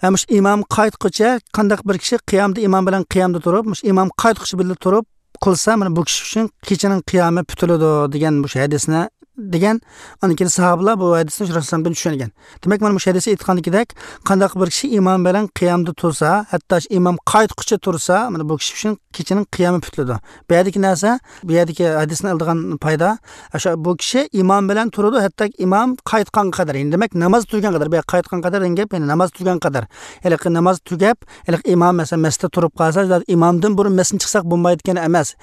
ھە، مۇشۇ ئىمام قايتقۇچە، قانداق بىر كىشى قىيامدا ئىمام بىلەن قىيامدا تۇرۇپ، مۇشۇ ئىمام قايتقۇچە بىللە تۇرۇپ قىلسا، مانا بۇ كىشى ئۈچۈن كېچىنىڭ قىيامى پۈتۈلىدۇ دېگەن مۇشۇ ھەدىسنى دېگەن. ئاندىن كېيىن ساھابىلار بۇ ھەدىسنى رەسۇلۇللادىن چۈشەنگەن. دېمەك، مانا مۇشۇ ھەدىستە ئېيتقاندىكىدەك، قانداق بىر كىشى ئىمام بىلەن قىيامدا تۇرسا، ھەتتا شۇ ئىمام قايتقۇچە تۇرسا، مانا بۇ كىشى ئۈچۈن كېچىنىڭ قىيامى پۈتۈلىدۇ. بۇ يەردىكى نەرسە، بۇ يەردىكى ھەدىستىن ئېلىدىغان پايدا، ئاشۇ بۇ كىشى ئىمام بىلەن تۇرىدۇ، ھەتتا ئىمام قايتقانغا قەدەر. يەنى دېمەك، ناماز تۈگىگەن قەدەر. بۇ يەردە قايتقان قەدەر دېگەن گەپ، يەنى ناماز تۈگىگەن قەدەر. ھېلىقى ناماز تۈگەپ، ھېلىقى ئىمام، مەسىلەن، مەسچىتتە تۇرۇپ قالسا، ئىمامدىن بۇرۇن مەسچىتتىن چىقساق بولمايدىكەن ئەمەس.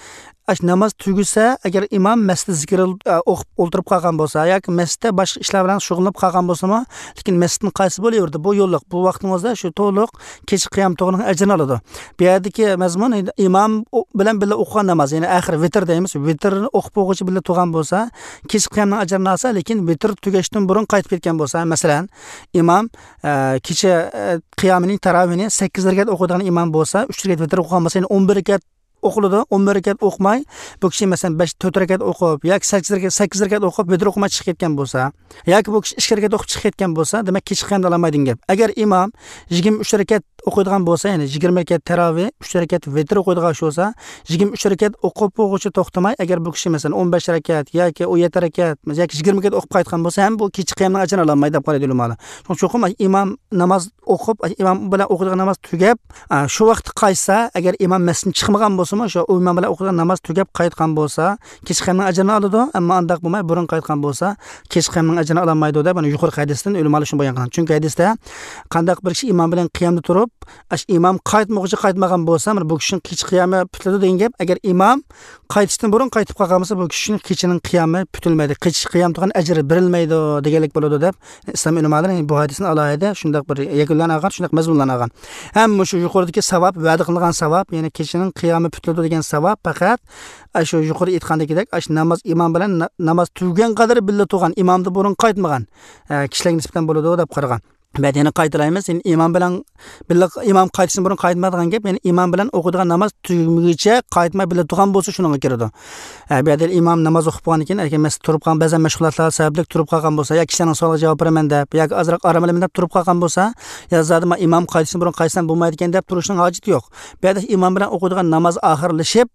ئاشۇ ناماز تۈگىسە، ئەگەر ئىمام مەسچىتتە زىكىر، ئە، ئوقۇپ ئولتۇرۇپ قالغان بولسا ياكى مەسچىتتە باشقا ئىشلار بىلەن شۇغۇللىنىپ قالغان بولسىمۇ، لېكىن مەسچىتتىن قايسا بولۇۋېرىدۇ، بۇ يوللۇق، بۇ ۋاقتىڭىزدا شۇ تولۇق كېچە قىيام تۇغىنىڭ ئەجرىنى ئالىدۇ. بۇ يەردىكى مەزمۇن ئىمام ئو-، بىلەن بىللە ئوقۇغان ناماز، يەنى ئاخىر ۋىتىر دەيمىز، ۋىتىرنى ئوقۇپ بولغۇچە بىللە تۇرغان بولسا، كېچە قىيامنىڭ ئەجرىنى ئالسا، لېكىن ۋىتىر تۈگەشتىن بۇرۇن قايتىپ كەتكەن بولسا، مەسىلەن، ئىمام، ئە، كېچە، ئە، قىيامىنى، تاراۋىھنى سەككىز رەكەت ئوقۇيدىغان ئىمام بولسا، ئۈچ رەكەت ۋىتىر ئوقۇغان بولسا، يەنى ئون بىر رەكەت ئوقۇلىدۇ. ئون بىر رەكەت ئوقۇماي، بۇ كىشى، مەسىلەن، بەش، تۆت رەكەت ئوقۇپ ياكى سەككىز رەكەت، سەككىز رەكەت ئوقۇپ، ۋىتىر ئوقۇماي چىقىپ كەتكەن بولسا، ياكى بۇ كىشى ئىككى رەكەت ئوقۇپ چىقىپ كەتكەن بولسا، دېمەك، كېچە قىيامدا ئالالمايدۇ دېگەن گەپ. ئەگەر ئىمام يىگىرمە ئۈچ رەكەت ئوقۇيدىغان بولسا، يەنى يىگىرمە رەكەت تاراۋىھ، ئۈچ رەكەت ۋىتىر ئوقۇيدىغان كىشى بولسا، يىگىرمە ئۈچ رەكەت ئوقۇپ بولغۇچە توختىماي، ئەگەر بۇ كىشى، مەسىلەن، ئون بەش رەكەت ياكى ئون يەتتە رەكەت ياكى يىگىرمە رەكەت ئوقۇپ قايتقان بولسا، ھەم بۇ كېچە قىيامنىڭ ئەجرىنى ئالالمايدۇ دەپ قارايدۇ ئۆلىمالار. شۇڭا چوقۇم ئىمام ناماز ئوقۇپ، ئىمام بىلەن ئوقۇيدىغان ناماز تۈگەپ، ئا، شۇ ۋاقىتتا قايتسا، ئەگەر ئىمام مەسچىتتىن چىقمىغان بولسىمۇ، شۇ ئىمام بىلەن ئوقۇيدىغان ناماز تۈگەپ قايتقان بولسا، كېچە قىيامنىڭ ئەجرىنى ئالىدۇ، ئەمما ئانداق بولماي، بۇرۇن قايتقان بولسا، كېچە قىيامنىڭ ئەجرىنى ئالالمايدۇ دەپ، مانا يۇقىرىقى ھەدىستىن ئۆلىمالار شۇنى بايان قىلغان. چۈنكى ھەدىستە، قانداق بىر كىشى ئىمام بىلەن قىيامدا تۇرۇپ، ئاشۇ ئىمام قايتمىغۇچە قايتمىغان بولسا، مانا بۇ كىشىنىڭ كېچە قىيامى پۈتۈلىدۇ دېگەن گەپ. ئەگەر ئىمام قايتىشتىن بۇرۇن قايتىپ قالغان بولسا، بۇ كىشىنىڭ كېچىنىڭ قىيامى پۈتۈلمەيدۇ. كېچە قىيام تۇغان ئەجرى بېرىلمەيدۇ دېگەنلىك بولىدۇ دەپ، ئىسلام ئۆلىمالىرى بۇ ھەدىسنى ئالاھىدە شۇنداق بىر يەكۈنلەرنى ئالغان، شۇنداق مەزمۇنلارنى ئالغان. ھەم مۇشۇ يۇقىرىدىكى ساۋاب، ۋەدە قىلىنغان ساۋاب، يەنى كېچىنىڭ قىيامى پۈتۈلىدۇ دېگەن ساۋاب پەقەت ئاشۇ يۇقىرى ئېيتقاندىكىدەك، ئاشۇ ناماز، ئىمام بىلەن نا-، ناماز تۈگىگەن قەدەر بىللە تۇرغان، ئىمامدىن بۇرۇن قايتمىغان، ئە، كىشىلەرگە نىسبەتەن بولىدۇ دەپ قارىغان. بەدىنى قايتىلايمىز. يەنى ئىمام بىلەن بىللە، ئىمام قايتىشتىن بۇرۇن قايتمايدىغان گەپ، يەنى ئىمام بىلەن ئوقۇيدىغان ناماز تۈگىمىگىچە قايتماي بىللە تۇرغان بولسا، شۇنىڭغا كىرىدۇ. ئە، بۇ يەردە ئىمام ناماز ئوقۇپ بولغاندىن كېيىن، ئەگەر مەسىلەن تۇرۇپ قالغان، بەزەن مەشغۇلاتلار سەۋەبلىك تۇرۇپ قالغان بولسا، يا كىشىلەرنىڭ سوئالىغا جاۋاب بېرىمەن دەپ، ياكى ئازراق ئارام ئالىمەن دەپ تۇرۇپ قالغان بولسا، يا زادى مەن ئىمام قايتىشتىن بۇرۇن قايتسام بولمايدىكەن دەپ تۇرۇشنىڭ ھاجىتى يوق. بۇ يەردە ئىمام بىلەن ئوقۇيدىغان ناماز ئاخىرلىشىپ،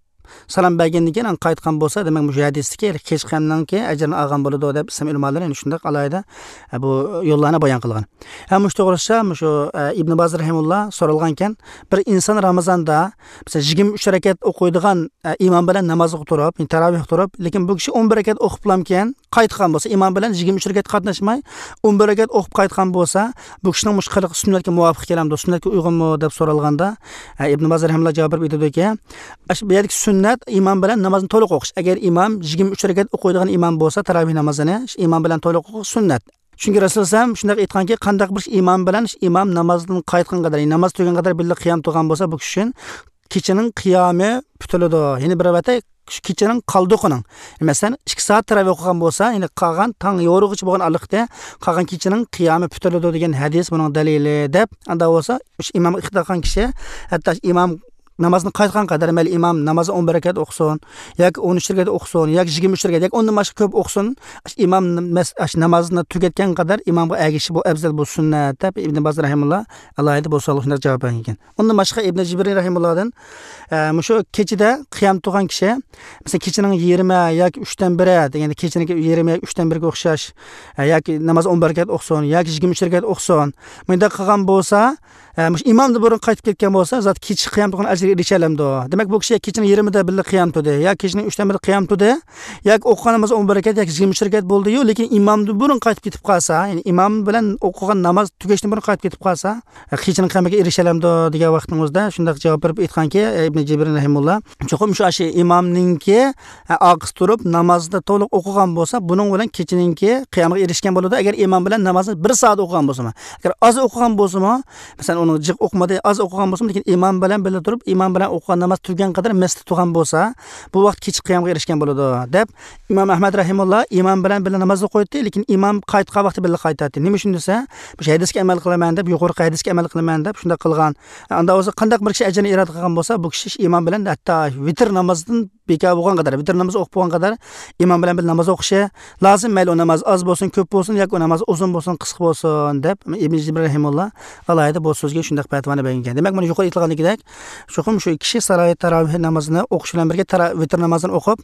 سالام بەرگەندىن كېيىن قايتقان بولسا، دېمەك، مۇشۇ ھەدىستىكى كېچە قىيامنىڭكى ئەجرىنى ئالغان بولىدۇ دەپ ئىسلام ئۆلىمالىرى يەنە شۇنداق ئالاھىدە، ئە، بۇ يوللارنى بايان قىلغان. ھەم مۇشۇ توغرىسىدا مۇشۇ، ئە، ئىبن باز رەھىمۇللا سورالغانكەن، بىر ئىنسان رامىزاندا، مەسىلەن، يىگىرمە ئۈچ رەكەت ئوقۇيدىغان، ئە، ئىمام بىلەن نامازغا تۇرۇپ، يەنى تاراۋىھ تۇرۇپ، لېكىن بۇ كىشى ئون بىر رەكەت ئوقۇپلامكەن، قايتقان بولسا، ئىمام بىلەن يىگىرمە ئۈچ رەكەت قاتناشماي، ئون بىر رەكەت ئوقۇپ قايتقان بولسا، بۇ كىشىنىڭ مۇشۇ قىلىقى سۈننەتكە مۇۋاپىق كېلەمدۇ، سۈننەتكە ئۇيغۇنمۇ دەپ سورالغاندا، ئە، ئىبن باز رەھىمۇللا جاۋاب بېرىپ ئېيتىدۇكى، ئاشۇ بۇ يەردىكى سۈننەت ئىمام بىلەن نامازنى تولۇق ئوقۇش. ئەگەر ئىمام يىگىرمە ئۈچ رەكەت ئوقۇيدىغان ئىمام بولسا، تاراۋىھ نامازىنى ئىمام بىلەن تولۇق ئوقۇش سۈننەت. چۈنكى رەسۇلۇللاھ ئەلەيھىسسالام شۇنداق ئېيتقانكى، قانداق بىر ئىمام بىلەن شۇ ئىمام نامازدىن قايتقان قەدەر، ناماز تۈگىگەن قەدەر بىللە قىيام تۇرغان بولسا، بۇ كىشى ئۈچۈن كېچىنىڭ قىيامى پۈتۈلىدۇ. يەنى بىر رىۋايەتتە، شۇ كېچىنىڭ قالدۇقىنىڭ، مەسىلەن، ئىككى سائەت تەراۋىھ ئوقۇغان بولسا، يەنى قالغان تاڭ يورۇغۇچە بولغان ئارىلىقتا قالغان كېچىنىڭ قىيامى پۈتۈلىدۇ دېگەن ھەدىس بۇنىڭ دەلىلى دەپ، ئاندا بولسا شۇ ئىمامغا ئىقتىدا قىلغان كىشى، ھەتتا شۇ ئىمام نامازدىن قايتقان قەدەر، مەيلى ئىمام نامازى ئون بىر رەكەت ئوقۇسۇن، ياكى ئون ئۈچ رەكەت ئوقۇسۇن، ياكى يىگىرمە ئۈچ رەكەت، ياكى ئوندىن باشقا كۆپ ئوقۇسۇن، شۇ ئىمام نەمەز-، شۇ نامازنى تۈگەتكەن قەدەر ئىمامغا ئەگىشىش بۇ ئەۋزەل، بۇ سۈننەت دەپ ئىبن باز رەھىمۇللا ئالاھىدە بۇ سوئالغا شۇنداق جاۋاب بەرگەن ئىكەن. ئۇندىن باشقا ئىبن جىبرىي رەھىمۇللادىن، ئە، مۇشۇ كېچىدە قىيام تۇرغان كىشى، مەسىلەن، كېچىنىڭ يېرىمى ياكى ئۈچتىن بىرى دېگەندە، كېچىنىڭكى يېرىمى ياكى ئۈچتىن بىرىگە ئوخشاش، ئە، ياكى ناماز ئون بىر رەكەت ئوقۇسۇن ياكى يىگىرمە ئۈچ رەكەت ئوقۇسۇن، مۇنداق قىلغان بولسا، ئە، مۇشۇ ئىمامدىن بۇرۇن قايتىپ كەتكەن بولسا، زات كېچە قىيام تۇرغان ئەجرىگە ئېرىشەلەمدۇ؟ دېمەك، بۇ كىشى كېچىنىڭ يېرىمىدا بىللە قىيام تۇردى ياكى كېچىنىڭ ئۈچتىن بىرىدە قىيام تۇردى ياكى ئوقۇغان نامىزى ئون بىر رەكەت ياكى يىگىرمە ئۈچ رەكەت بولدى-يۇ، لېكىن ئىمامدىن بۇرۇن قايتىپ كېتىپ قالسا، يەنى ئىمام بىلەن ئوقۇغان ناماز تۈگەشتىن بۇرۇن قايتىپ كېتىپ قالسا، كېچىنىڭ قىيامىغا ئېرىشەلەمدۇ دېگەن ۋاقتىڭىزدا شۇنداق جاۋاب بېرىپ ئېيتقانكى، ئىبن جىبرىن رەھىمۇللا، چوقۇم شۇ ئاشۇ ئىمامنىڭكى ئارقىسىدا تۇرۇپ نامازنى تولۇق ئوقۇغان بولسا، بۇنىڭ بىلەن كېچىنىڭكى قىيامىغا ئېرىشكەن بولىدۇ. ئەگەر ئىمام بىلەن نامازنى بىر سائەت ئوقۇغان بولسىمۇ، ئەگەر ئاز ئوقۇغان بولسىمۇ، مەسىلەن، ئۇنىڭ جىق ئوقۇمىدى، ئاز ئوقۇغان بولسىمۇ، لېكىن ئىمام بىلەن بىللە تۇرۇپ، ئىمام بىلەن ئوقۇغان ناماز تۈگىگەن قەدەر مەستە تۇرغان بولسا، بۇ ۋاقىت كېچە قىيامغا ئېرىشكەن بولىدۇ، دەپ ئىمام ئەھمەد رەھىمۇللا ئىمام بىلەن بىللە نامازنى قويدى، لېكىن ئىمام قايتقان ۋاقتى بىللە قايتاتتى. نېمە ئۈچۈن دېسە، مۇشۇ ھەدىسكە ئەمەل قىلىمەن دەپ، يۇقىرىقى ھەدىسكە ئەمەل قىلىمەن دەپ شۇنداق قىلغان. ئاندا بولسا قانداق بىر كىشى ئەجىرنى ئىرادە قىلغان بولسا، بۇ كىشى ئىمام بىلەن ھەتتا ۋىتىر نامازدىن بىكار بولغان قەدەر، ۋىتىر نامىزى ئوقۇپ بولغان قەدەر ئىمام بىلەن بىللە ناماز ئوقۇشى لازىم. مەيلى ئۇ ناماز ئاز بولسۇن، كۆپ بولسۇن ياكى ئۇ ناماز ئۇزۇن بولسۇن، قىسقا بولسۇن، دەپ ئىبن جىبرىن رەھىمۇللا ئالاھىدە بۇ سۆزگە شۇنداق پەتىۋانى بەرگەن ئىكەن. دېمەك، مانا يۇقىرى ئېيتىلغاندىكىدەك، چوقۇم شۇ كىشى ساراي تاراۋىھ نامىزىنى ئوقۇش بىلەن بىرگە تارا-، ۋىتىر نامازىنى ئوقۇپ،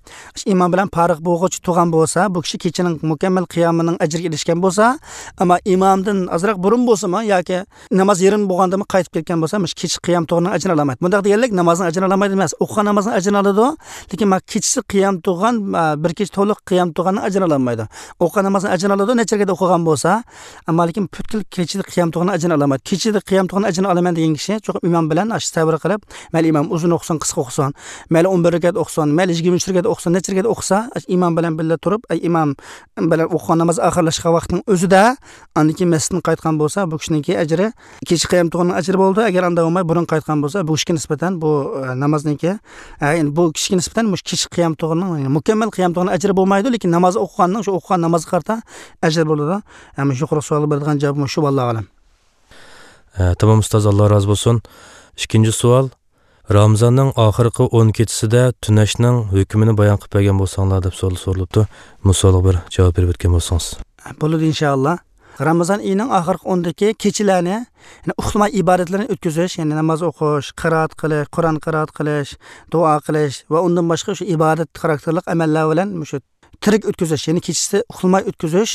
ئىمام بىلەن پارىغ بولغۇچە تۇرغان بولسا، بۇ كىشى كېچىنىڭ مۇكەممەل قىيامىنىڭ ئەجرىگە ئېرىشكەن بولسا، ئەمما ئىمامدىن ئازراق بۇرۇن بولسىمۇ ياكى ناماز يېرىم بولغاندىمۇ قايتىپ كەتكەن بولسا، مۇشۇ كېچە قىيام تۇغىنىڭ ئەجرىنى ئالالمايدۇ. بۇنداق دېگەنلىك نامازنىڭ ئەجرىنى ئالالمايدۇ ئەمەس، ئوقۇغان نامازنىڭ ئەجرىنى ئالىدۇ، لېكىن ما كېچىسى قىيام تۇغان، ما بىر كېچە تولۇق قىيام تۇغاننىڭ ئەجرىنى ئالالمايدۇ. ئوقۇغان نامازنىڭ ئەجرىنى ئالىدۇ، نەچچە رەكەت ئوقۇغان بولسا، ئەمما لېكىن پۈتكۈل كېچىدە قىيام تۇغاننىڭ ئەجرىنى ئالالمايدۇ. كېچىدە قىيام تۇغاننىڭ ئەجرىنى ئالىمەن دېگەن كىشى چوقۇم ئىمام بىلەن ئاشۇ سەۋر قىلىپ، مەيلى ئىمام ئۇزۇن ئوقۇسۇن، قىسقا ئوقۇسۇن، مەيلى ئون بىر رەكەت ئوقۇسۇن، مەيلى يىگىرمە ئۈچ رەكەت ئوقۇسۇن، نەچچە رەكەت ئوقۇسا، ئاشۇ ئىمام بىلەن بىللە تۇرۇپ، ئەي ئىمام بىلەن ئوقۇغان ناماز ئاخىرلاشقان ۋاقىتنىڭ ئۆزىدە ئاندىن كېيىن مەسچىتتىن قايتقان بولسا، بۇ كىشىنىڭكى ئەجرى كېچە قىيام تۇغىنىڭ ئەجرى بولىدۇ. ئەگەر ئاندا بولماي بۇرۇن قايتقان بولسا، بۇ كىشىگە نىسبەتەن بۇ، ئە، نامازنىڭكى، ئە، يەنى بۇ كىشىگە نىسبەتەن مۇشۇ كېچە قىيام تۇغىنىڭ، يەنى مۇكەممەل قىيام تۇغىنىڭ ئەجرى بولمايدۇ، لېكىن ناماز ئوقۇغاننىڭ، شۇ ئوقۇغان نامازغا قارىتا ئەجىر بولىدۇ. ئە، مۇشۇ يۇقىرىقى سوئالغا بېرىدىغان جاۋاب مۇشۇ، ۋاللاھۇ ئەلەم. ئە، تامام ئۇستاز، ئاللا رازى بولسۇن. ئىككىنچى سوئال، رامىزاننىڭ ئاخىرقى ئون كېچىسىدە تۈنەشنىڭ ھۆكمىنى بايان قىلىپ بەرگەن بولساڭلار دەپ سوئال سورىلىپتۇ. بۇ سوئالغا بىر جاۋاب بېرىپ ئۆتكەن بولسىڭىز. بولىدۇ، ئىنشائاللا. رامىزان ئېيىنىڭ ئاخىرقى ئوندىكى كېچىلەرنى، يەنى ئۇخلىماي ئىبادەتلەرنى ئۆتكۈزۈش، يەنى ناماز ئوقۇش، قىرائەت قىلىش، قۇرئان قىرائەت قىلىش، دۇئا قىلىش ۋە ئۇندىن باشقا شۇ ئىبادەت خاراكتېرلىق ئەمەللەر بىلەن مۇشۇ تىرىك ئۆتكۈزۈش، يەنى كېچىسى ئۇخلىماي ئۆتكۈزۈش،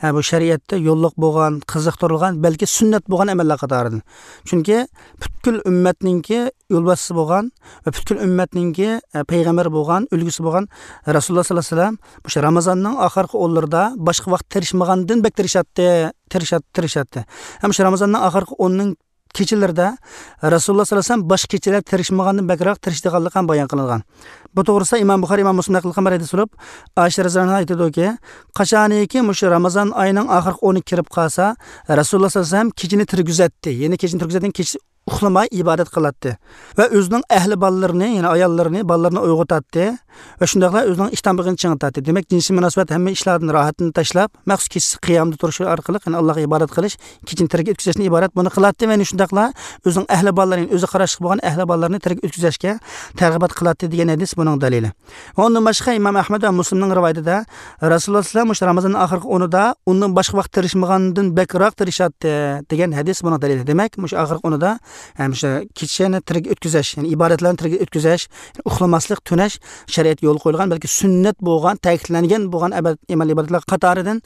ھە، بۇ شەرىئەتتە يوللۇق بولغان، قىزىقتۇرۇلغان، بەلكى سۈننەت بولغان ئەمەللەر قاتارىدىن. چۈنكى پۈتكۈل ئۈممەتنىڭكى يولباشچىسى بولغان ۋە پۈتكۈل ئۈممەتنىڭكى، ئە، پەيغەمبىرى بولغان، ئۈلگىسى بولغان رەسۇلۇللا ساللاللاھۇ ئەلەيھى ۋەسەللەم مۇشۇ رامىزاننىڭ ئاخىرقى ئونلىرىدا باشقا ۋاقىت تىرىشمىغاندىن بەك تىرىشاتتى، تىرىشات-، تىرىشاتتى. ھەم شۇ رامىزاننىڭ ئاخىرقى ئوننىڭ كېچىلىرىدە رەسۇلۇللا ساللاللاھۇ ئەلەيھى ۋەسەللەم باشقا كېچىلەر تىرىشمىغاندىن بەكرەك تىرىشىدىغانلىقى ھەم بايان قىلىنغان. بۇ توغرىسىدا ئىمام بۇخارىي، ئىمام مۇسلىم نەقىل قىلغان بىر ھەدىس بولۇپ، ئائىشە رەزىياللاھۇ ئەنھا ئېيتىدۇكى، قاچانكى مۇشۇ رامىزان ئايىنىڭ ئاخىرقى ئونى كىرىپ قالسا، رەسۇلۇللا ساللاللاھۇ ئەلەيھى ۋەسەللەم كېچىنى تىرگۈزەتتى. يەنى كېچىنى تىرگۈزەتتى، كېچىسى ئۇخلىماي ئىبادەت قىلاتتى. ۋە ئۆزىنىڭ ئەھلى بالىلىرىنى، يەنى ئاياللىرىنى، بالىلىرىنى ئويغىتاتتى. ۋە شۇنداقلا ئۆزىنىڭ ئىشتان بېغىنى چىڭىتاتتى. دېمەك، جىنسىي مۇناسىۋەت ھەممە ئىشلاردىن راھەتنى تاشلاپ، مەخسۇس كېچىسى قىيامدا تۇرۇش ئارقىلىق، يەنى ئاللاغا ئىبادەت قىلىش، كېچىنى تىرىك ئۆتكۈزۈشتىن ئىبارەت بۇنى قىلاتتى. ۋە يەنە شۇنداقلا ئۆزىنىڭ ئەھلى بالىلىرىنى، ئۆزىگە قاراشلىق بولغان ئەھلى بالىلىرىنى تىرىك ئۆتكۈزۈشكە تەرغىبات قىلاتتى دېگەن ھەدىس بۇنىڭ دەلىلى. ۋە ئۇندىن باشقا ئىمام ئەھمەد ۋە مۇسلىمنىڭ رىۋايىتىدە رەسۇلۇللا سەللەللاھۇ ئەلەيھى ۋەسەللەم مۇشۇ رامىزاننىڭ ئاخىرقى ئونىدا ئۇندىن باشقا ۋاقىت تىرىشمىغاندىن بەكرەك تىرىشاتتى دېگەن ھەدىس بۇنىڭ دەلىلى. دېمەك، مۇشۇ ئاخىرقى ئونىدا، ھەم شۇ كېچىنى تىرىك ئۆتكۈزۈش، يەنى ئىبادەتلەرنى تىرىك ئۆتكۈزۈش، ئۇخلىماسلىق، تۈنەش شەرىئەتتە يولغا قويۇلغان، بەلكى سۈننەت بولغان، تەكىتلەنگەن بولغان ئەبەد-، ئەمەل ئىبادەتلەر قاتارىدىن.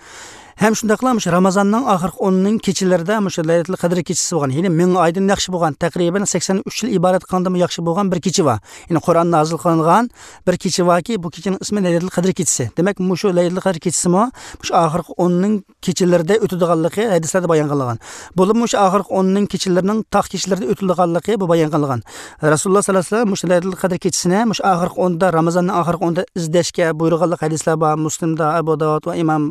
ھەم شۇنداقلا مۇشۇ رامىزاننىڭ ئاخىرقى ئونىنىڭ كېچىلىرىدە مۇشۇ لەيلەتۇل قەدر كېچىسى بولغان، يەنى مىڭ ئايدىن ياخشى بولغان، تەقرىبەن سەكسەن ئۈچ يىل ئىبادەت قىلغاندىنمۇ ياخشى بولغان بىر كېچە بار. يەنى قۇرئان نازىل قىلىنغان بىر كېچە باركى، بۇ كېچىنىڭ ئىسمى لەيلەتۇل قەدر كېچىسى. دېمەك، مۇشۇ لەيلەتۇل قەدر كېچىسىمۇ مۇشۇ ئاخىرقى ئوننىڭ كېچىلىرىدە ئۆتىدىغانلىقى ھەدىسلەردە بايان قىلىنغان. بولۇپمۇ مۇشۇ ئاخىرقى ئوننىڭ كېچىلىرىنىڭ تاق كېچىلىرىدە ئۆتىدىغانلىقى بۇ بايان قىلىنغان. رەسۇلۇللا سەللەللاھۇ ئەلەيھى ۋەسەللەم مۇشۇ لەيلەتۇل قەدر كېچىسىنى مۇشۇ ئاخىرقى ئوندا، رامىزاننىڭ ئاخىرقى ئوندا ئىزدەشكە بۇيرۇغانلىق ھەدىسلەر بار. مۇسلىمدا، ئەبۇ داۋۇد ۋە ئىمام،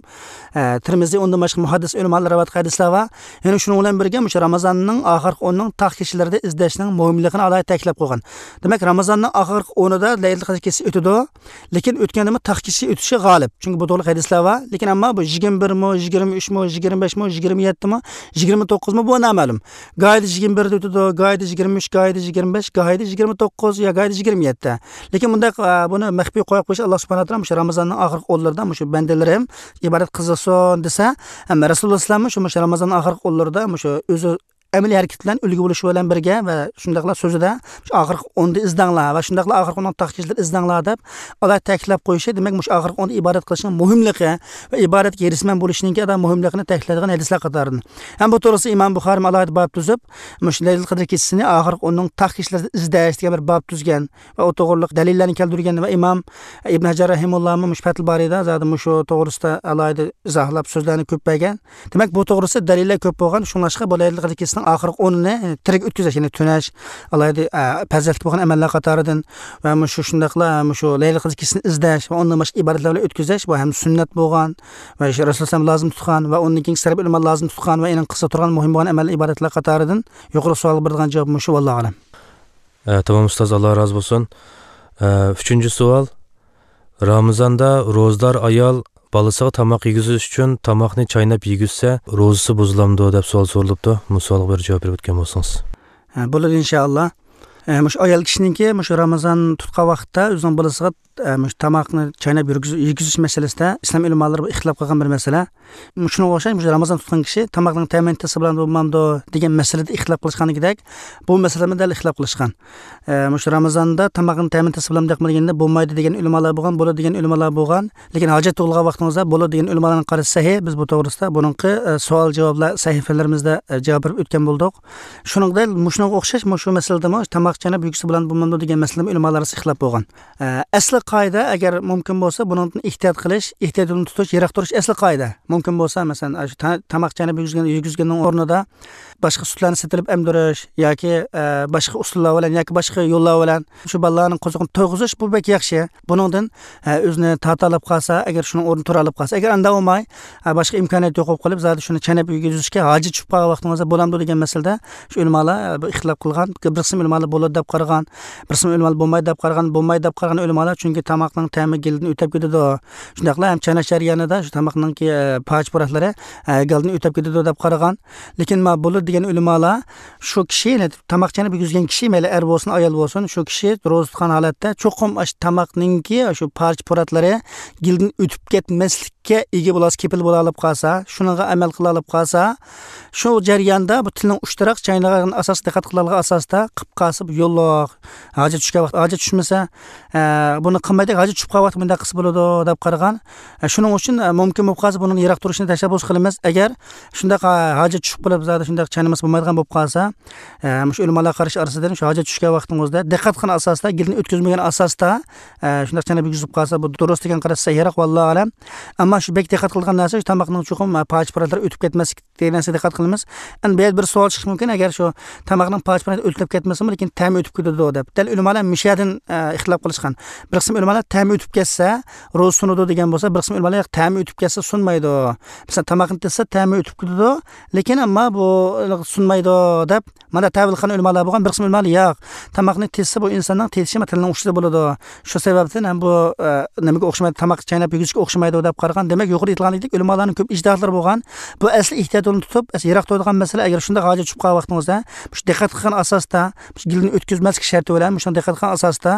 ئە، تىرمىزى مىزى، ئۇندىن باشقا مۇھەددىس ئۆلىمالار رىۋايەت قىلغان ھەدىسلەر بار. يەنە شۇنىڭ بىلەن بىرگە، مۇشۇ رامىزاننىڭ ئاخىرقى ئونىنىڭ تاغ كېچىلىرىدە ئىزدەشنىڭ مۇھىملىقىنى ئالاھىدە تەكىتلەپ قويغان. دېمەك، رامىزاننىڭ ئاخىرقى ئونىدا لەيلىتۇل قەدىر كېچىسى ئۆتىدۇ. لېكىن ئۆتكەندىمۇ تاغ كېچىسى ئۆتۈشى غالىب. چۈنكى بۇ توغرىلىق ھەدىسلەر بار. لېكىن ئەمما بۇ يىگىرمە بىرمۇ، يىگىرمە ئۈچمۇ، يىگىرمە بەشمۇ، يىگىرمە يەتتىمۇ، يىگىرمە توققۇزمۇ، بۇ نامەلۇم. گاھىدا يىگىرمە بىردە ئۆتىدۇ، گاھىدا يىگىرمە ئۈچ، گاھىدا يىگىرمە بەش، گاھىدا يىگىرمە توققۇز يا گاھىدا يىگىرمە يەتتە. لېكىن بۇنداق، ئە، بۇنى مەخپىي قويۇپ قويۇش، ئاللا سۇبھانەھۇ ۋە تائالا مۇشۇ رامىزاننىڭ ئاخىرقى ئونلىرىدا مۇشۇ بەندىلىرىم ئىبادەت قىلسۇن دېسە، ھەم رەسۇلۇللا ئەلەيھىسسالام مۇشۇ، مۇشۇ رامىزاننىڭ ئاخىرقى ئونلىرىدا مۇشۇ ئۆزى ئەمەلىي ھەرىكىتى بىلەن ئۈلگە بولۇشى بىلەن بىرگە ۋە شۇنداقلا سۆزىدە، «شۇ ئاخىرقى ئوندا ئىزدەڭلار ۋە شۇنداقلا ئاخىرقى ئوننىڭ تاغ كېچىلىرىدە ئىزدەڭلار» دەپ ئالاھىدە تەكىتلەپ قويۇشى، دېمەك، مۇشۇ ئاخىرقى ئوندا ئىبادەت قىلىشنىڭ مۇھىملىقى ۋە ئىبادەتكە ھېرىسمەن بولۇشنىڭكى ئادا مۇھىملىقىنى تەكىتلەيدىغان ھەدىسلەر قاتارىدىن. ھەم بۇ توغرىسىدا ئىمام بۇخارىيمۇ ئالاھىدە باب تۈزۈپ، مۇشۇ لەيلىتۇل قەدىر كېچىسىنى ئاخىرقى ئوننىڭ تاغ كېچىلىرىدە ئىزدەش دېگەن بىر باب تۈزگەن ۋە ئۇ توغرىلىق دەلىللەرنى كەلتۈرگەن ۋە ئىمام ئىبن ھەجەر رەھىمۇللامۇ مۇشۇ پەتھۇل بارىدا زادى مۇشۇ توغرىسىدا ئالاھىدە ئىزاھلاپ سۆزلەرنى كۆپ بەرگەن. دېمەك، بۇ توغرىسىدا دەلىللەر كۆپ بولغان، شۇڭلاشقا بۇ لەيلىتۇل قەدىر كېچىسىنىڭ ئاخىرقى ئونىنى تىرىك ئۆتكۈزۈش، يەنى تۈنەش، ئالاھىدە، ئە، پەزىلەتلىك بولغان ئەمەللەر قاتارىدىن ۋە مۇشۇ شۇنداقلا مۇشۇ لەيلىتۇل قەدىر كېچىسىنى ئىزدەش ۋە ئۇندىن باشقا ئىبادەتلەر بىلەن ئۆتكۈزۈش، بۇ ھەم سۈننەت بولغان ۋە شۇ رەسۇل سەللەللاھۇ ئەلەيھى ۋەسەللەم لازىم تۇتقان ۋە ئۇنىڭ كېيىنكى سەلەپ ئۆلىما لازىم تۇتقان ۋە ئېنىڭ قىلسا تۇرغان مۇھىم بولغان ئەمەل ئىبادەتلەر قاتارىدىن يۇقىرى سوئالغا بېرىدىغان جاۋاب مۇشۇ، ۋاللاھۇ ئەلەم. ئە، تامام ئۇستاز، ئاللا رازى بولسۇن. ئە، ئۈچىنچى سوئال. رامىزاندا روزىدار ئايال بالىسىغا تاماق يېگۈزۈش ئۈچۈن تاماقنى چايناپ يېگۈزسە، روزىسى بۇزۇلامدۇ دەپ سوئال سورىلىپتۇ. بۇ سوئالغا بىر جاۋاب بېرىپ ئۆتكەن بولسىڭىز. ھە، بولىدۇ ئىنشائاللا. ئە، مۇشۇ ئايال كىشىنىڭكى مۇشۇ رامىزان تۇتقان ۋاقىتتا ئۆزىنىڭ بالىسىغا، ئە، مۇشۇ تاماقنى چايناپ يېگۈز-، يېگۈزۈش مەسىلىسىدە ئىسلام ئۆلىمالىرى بىر ئىختىلاپ قىلغان بىر مەسىلە. شۇنىڭغا ئوخشاش، مۇشۇ رامىزان تۇتقان كىشى تاماقنىڭ تەمىنى تېتىسا بولامدۇ، بولمامدۇ دېگەن مەسىلىدە ئىختىلاپ قىلىشقاندىكىدەك، بۇ مەسىلىدىمۇ دەل ئىختىلاپ قىلىشقان. ئە، مۇشۇ رامىزاندا تاماقنىڭ تەمىنى تېتىسا بولامدۇ، ياقمىدۇ دېگەندە، بولمايدۇ دېگەن ئۆلىمالار بولغان، بولىدۇ دېگەن ئۆلىمالار بولغان. لېكىن ھاجەت تۇغۇلغان ۋاقتىڭىزدا بولىدۇ دېگەن ئۆلىمالارنىڭ قارىشى سەھىھ. بىز بۇ توغرىسىدا بۇرۇنقى، ئە، سوئال جاۋابلار سەھىفىلىرىمىزدە، ئە، جاۋاب بېرىپ ئۆتكەن بولدۇق. شۇنىڭغا دەل، مۇشۇنىڭغا ئوخشاش، مۇشۇ مەسىلىدىمۇ تاماق چايناپ يېگۈزسە بولامدۇ، بولمامدۇ دېگەن مەسىلىدىمۇ ئۆلىمالار ئارىسىدا ئىختىلاپ بولغان. ئە، ئەسلى قائىدە، ئەگەر مۇمكىن بولسا، بۇنىڭدىن ئېھتىيات قىلىش، ئېھتىيات يولىنى تۇتۇش، يىراق تۇرۇش ئەسلى قائىدە. مۇمكىن بولسا، مەسىلەن، ئاشۇ تا-، تاماق چايناپ يېگۈزگەن، يېگۈزگەننىڭ ئورنىدا باشقا سۈتلەرنى سېتىلىپ ئەمدۈرۈش ياكى، ئە، باشقا ئۇسۇللار بىلەن ياكى باشقا يوللار بىلەن شۇ بالىلارنىڭ قورسىقىنى تويغۇزۇش، بۇ بەك ياخشى. بۇنىڭدىن، ئە، ئۆزىنى تارتالاپ قالسا، ئەگەر شۇنىڭ ئورنىدا تۇرالاپ قالسا، ئەگەر ئانداق بولماي، ئە، باشقا ئىمكانىيەت يوق بولۇپ قېلىپ، زادى شۇنى چايناپ يېگۈزۈشكە ھاجەت چۈشۈپ قالغان ۋاقتىڭىزدا بولامدۇ دېگەن مەسىلىدە شۇ ئۆلىمالار، ئە، بىر ئىختىلاپ قىلغان. بىر قىسىم ئۆلىمالار بولىدۇ دەپ قارىغان، بىر قىسىم ئۆلىمالار بولمايدۇ دەپ قارىغان، بولمايدۇ دەپ قارىغان ئۆلىمالار، چۈنكى تاماقنىڭ تەمى گېلىدىن ئۆتۈپ كېتىدۇ. شۇنداقلا ھەم چايناش جەريانىدا شۇ تاماقنىڭكى، ئە، پارچە-پۇراتلىرى، ئە، گېلىدىن ئۆتۈپ كېتىدۇ دەپ قارىغان. لېكىن مانا بولىدۇ دېگەن ئۆلىمالار شۇ كىشى، يەنى تاماق چايناپ يېگۈزگەن كىشى، مەيلى ئەر بولسۇن، ئايال بولسۇن، شۇ كىشى روزا تۇتقان ھالەتتە چوقۇم ئاشۇ تاماقنىڭكى شۇ پارچە-پۇراتلىرى گېلىدىن ئۆتۈپ كەتمەسلىككە ئىگە بولالىسا، كېپىل بولالىپ قالسا، شۇنىڭغا ئەمەل قىلالىپ قالسا، شۇ جەرياندا بۇ تىلنىڭ ئۇچتىراق چاينىغان ئاساس، دىققەت قىلىدىغان ئاساستا قىلىپ قالسا، بۇ يوللۇق. ھاجەت چۈشكەن ۋاقىت، ھاجەت چۈشمىسە، ئە، بۇنى قىلمايدۇ، ھاجەت چۈشۈپ قالغان ۋاقىتتا مۇنداق قىلسا بولىدۇ دەپ قارىغان. ئە، شۇنىڭ ئۈچۈن، ئە، مۇمكىن بولۇپ قالسا، بۇنىڭ يىراق تۇرۇشىنى تەشەببۇس قىلىمىز. ئەگەر شۇنداق، ئە، ھاجەت چۈشۈپ قېلىپ، زادى شۇنداق چاينىمىسا بولمايدىغان بولۇپ قالسا، ئە، مۇشۇ ئۆلىمالار قارىشى ئارىسىدىن شۇ ھاجەت چۈشكەن ۋاقتىڭىزدا دىققەت قىلغان ئاساستا، گېلىنى ئۆتكۈزمىگەن ئاساستا، ئە، شۇنداق چايناپ يېگۈزۈپ قالسا، بۇ دۇرۇس دېگەن قاراش سەھىھراق، ۋاللاھۇ ئەلەم. ئەمما شۇ بەك دىققەت قىلىدىغان نەرسە، شۇ تاماقنىڭ چوقۇم، ئە، پارچە-پۇراتلىرى ئۆتۈپ كەتمەسلىك دېگەن نەرسىگە دىققەت قىلىمىز. ئەمدى بۇ يەردە بىر سوئال چىقىشى مۇمكىن، ئەگەر شۇ تاماقنىڭ پارچە-پۇراتى ئۆتۈپ كەتمىسىمۇ، لېكىن تەمى ئۆتۈپ كېتىدۇ دەپ. دەل ئۆلىمالار مۇشۇ يەردىن، ئە، ئىختىلاپ قىلىشقان. بىر قىسىم ئۆلىمالار تەمى ئۆتۈپ كەتسە، روزا سۇنىدۇ دېگەن بولسا، بىر قىسىم ئۆلىمالار ياق، تەمى ئۆتۈپ كەتسە سۇنمايدۇ. مەسىلەن، تاماقنى تېتىسا تەمى ئۆتۈپ كېتىدۇ، لېكىن ئەمما بۇ سۇنمايدۇ دەپ، مانا تەۋىل قىلغان ئۆلىمالار بولغان، بىر قىسىم ئۆلىمالار ياق. تاماقنى تېتىسا بۇ ئىنساننىڭ تېتىشى تىلنىڭ ئۇچىدا بولىدۇ. شۇ سەۋەبتىن ھەم بۇ، ئە، نېمىگە ئوخشىمايدۇ، تاماق چايناپ يېگۈزۈشكە ئوخشىمايدۇ دەپ قارىغان. دېمەك، يۇقىرىدا ئېيتىلغاندەك ئۆلىمالارنىڭ كۆپ ئىجتىھاتلىرى بولغان. بۇ ئەسلى ئېھتىيات يولىنى تۇتۇپ، ئەسلى يىراق تۇرىدىغان مەسىلە، ئەگەر شۇنداق ھاجەت چۈشۈپ قالغان ۋاقتىڭىزدا، مۇشۇ دىققەت قىلغان ئاساستا، مۇشۇ گېلىنى ئۆتكۈزمەسلىك شەرتى بىلەن، مۇشۇنى دىققەت قىلغان ئاساستا،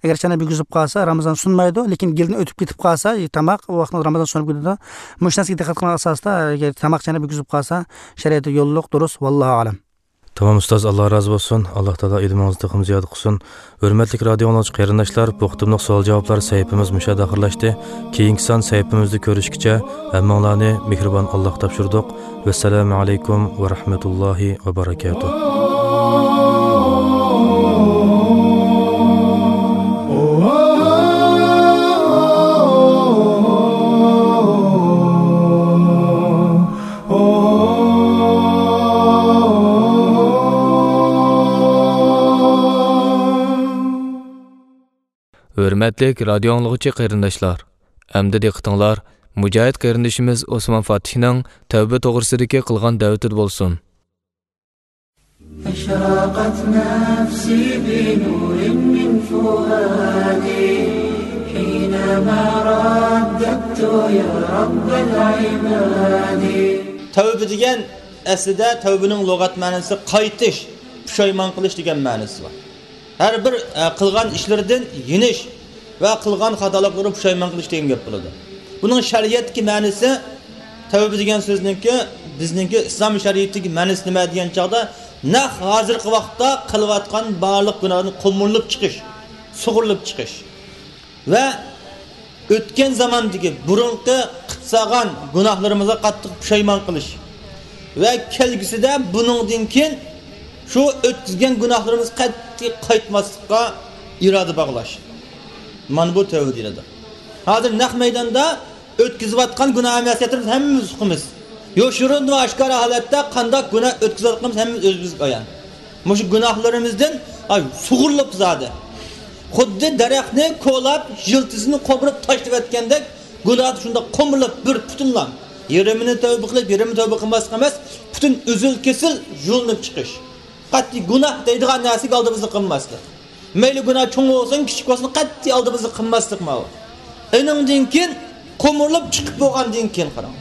ئەگەر چايناپ يېگۈزۈپ قالسا، رامىزان سۇنمايدۇ، لېكىن گېلىدىن ئۆتۈپ كېتىپ قالسا، تاماق، ئۇ ۋاقىتتا رامىزان سۇنۇپ كېتىدۇ. مۇشۇ نەرسىگە دىققەت قىلغان ئاساستا، ئەگەر تاماق چايناپ يېگۈزۈپ قالسا، شەرىئەتتە يوللۇق، دۇرۇس، ۋاللاھۇ ئەلەم. تامام ئۇستاز، ئاللا رازى بولسۇن. ئاللا تائالا ئىلمىڭىزنى تېخىمۇ زىيادە قىلسۇن. ھۆرمەتلىك رادىئو ئاڭلىغۇچى قېرىنداشلار، بۇ قېتىملىق سوئال جاۋابلار سەھىپىمىز مۇشۇ يەردە ئاخىرلاشتى. كېيىنكى سان سەھىپىمىزدە كۆرۈشكىچە ھەممىڭلارنى مېھرىبان ئاللاغا تاپشۇردۇق. ۋەسسالامۇ ئەلەيكۇم ۋە رەھمەتۇللاھى ۋە بەرەكاتۇھ. ھۆرمەتلىك رادىئو ئاڭلىغۇچى قېرىنداشلار، ئەمدى دىققىتىڭلار مۇجاھىد قېرىندىشىمىز ئوسمان فاتىھنىڭ تەۋبە توغرىسىدىكى قىلغان دەۋىتىدە بولسۇن. أشرقت نفسي بنور من فؤادي حينما رددت يا رب العباد. تەۋبە دېگەن ئەسلىدە تەۋبىنىڭ لۇغەت مەنىسى قايتىش، پۇشايمان قىلىش دېگەن مەنىسى بار. ھەر بىر، ئە، قىلغان ئىشلىرىدىن يېنىش ۋە قىلغان خاتالىقلىرىنى پۇشايمان قىلىش دېگەن گەپ بولىدۇ. بۇنىڭ شەرىئەتتىكى مەنىسى، تەۋبە دېگەن سۆزنىڭكى، بىزنىڭكى ئىسلام شەرىئىتىدىكى مەنىسى نېمە دېگەن چاغدا، نەق ھازىرقى ۋاقىتتا قىلىۋاتقان بارلىق گۇناھتىن قومۇرۇلۇپ چىقىش، سۇغۇرۇلۇپ چىقىش. ۋە ئۆتكەن زاماندىكى بۇرۇنقى قىلىپ سالغان گۇناھلىرىمىزغا قاتتىق پۇشايمان قىلىش ۋە كەلگۈسىدە بۇنىڭدىن كېيىن شۇ ئۆتكۈزگەن گۇناھلىرىمىزغا قەتئىي قايتماسلىققا ئىرادە باغلاش. مانا بۇ تەۋبە دېيىلىدۇ. ھازىر نەق مەيداندا ئۆتكۈزۈۋاتقان گۇناھ مەسىيەتلىرىمىز ھەممىمىز ئۇقىمىز. يوشۇرۇن ۋە ئاشكارا ھالەتتە قانداق گۇناھ ئۆتكۈزۈۋاتقىنىمىز ھەممىمىز ئۆزىمىزگە ئايان. مۇشۇ گۇناھلىرىمىزدىن، ئاي، سۇغۇرۇلۇپ زادى. خۇددى دەرەخنى كولاپ، يىلتىزىنى قومۇرۇپ تاشلىۋەتكەندەك، گۇناھ شۇنداق قومۇرۇلۇپ بىر پۈتۈنلا. يېرىمىنى تەۋبە قىلىپ، يېرىمىنى تەۋبە قىلماسلىق ئەمەس، پۈتۈن ئۈزۈل-كېسىل يۇلۇنۇپ چىقىش. قەتئىي گۇناھ دەيدىغان نەرسىگە ئالدىمىزنى قىلماسلىق. مەيلى گۇناھ چوڭ بولسۇن، كىچىك بولسۇن، قەتئىي ئالدىمىزنى قىلماسلىق ماۋۇ. ئېنىڭدىن كېيىن قومۇرۇلۇپ چىقىپ بولغاندىن كېيىن قاراڭ.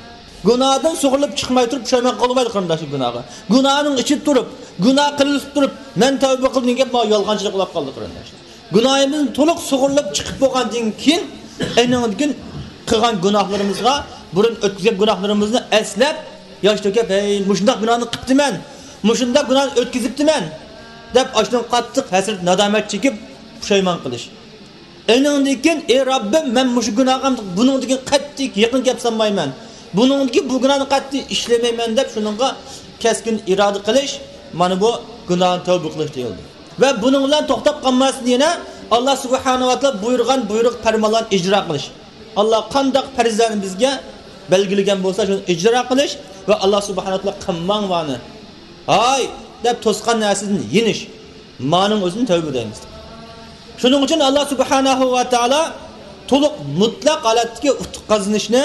گۇناھدىن سۇغۇرۇلۇپ چىقماي تۇرۇپ پۇشايمان قىلمايدۇ قېرىنداشلار گۇناھقا. گۇناھنىڭ ئىچىدە تۇرۇپ، گۇناھ قىلىپ تۇرۇپ، مەن تەۋبە قىلدىم دېگەن گەپ ماۋۇ يالغانچىلىق بولۇپ قالدى قېرىنداشلار. گۇناھىمىزدىن تولۇق سۇغۇرۇلۇپ چىقىپ بولغاندىن كېيىن، ئېنىڭدىن كېيىن قىلغان گۇناھلىرىمىزغا، بۇرۇن ئۆتكۈزگەن گۇناھلىرىمىزنى ئەسلەپ، ياش تۆكۈپ، ھەي، مۇشۇنداق گۇناھنى قىپتىمەن، مۇشۇنداق گۇناھنى ئۆتكۈزۈپتىمەن، دەپ ئاشۇنىڭغا قاتتىق ھەسرەت، نادامەت چېكىپ، پۇشايمان قىلىش. ئېنىڭدىن كېيىن، ئەي رەببىم، مەن مۇشۇ گۇناھقا بۇنىڭدىن كېيىن قەتئىي يېقىن گەپ سالمايمەن، بۇنىڭدىن كېيىن بۇ گۇناھنى قەتئىي ئىشلىمەيمەن، دەپ شۇنىڭغا كەسكىن ئىرادە قىلىش، مانا بۇ گۇناھنى تەۋبە قىلىش دېيىلدى. ۋە بۇنىڭ بىلەن توختاپ قالماستىن، يەنە ئاللا سۇبھانەھۇ ۋە تائالا بۇيرۇغان بۇيرۇق، پەرمانلارنى ئىجرا قىلىش. ئاللا قانداق پەرزلەرنى بىزگە بەلگىلىگەن بولسا، شۇنى ئىجرا قىلىش ۋە ئاللا سۇبھانەھۇ ۋە تائالا قىلماڭ بۇنى، ھاي، دەپ توسقان نەرسىدىن يېنىش. مانىڭ ئۆزىنى تەۋبە دەيمىز. شۇنىڭ ئۈچۈن ئاللا سۇبھانەھۇ ۋە تائالا تولۇق مۇتلەق ھالەتتىكى ئۇتۇق قازىنىشنى،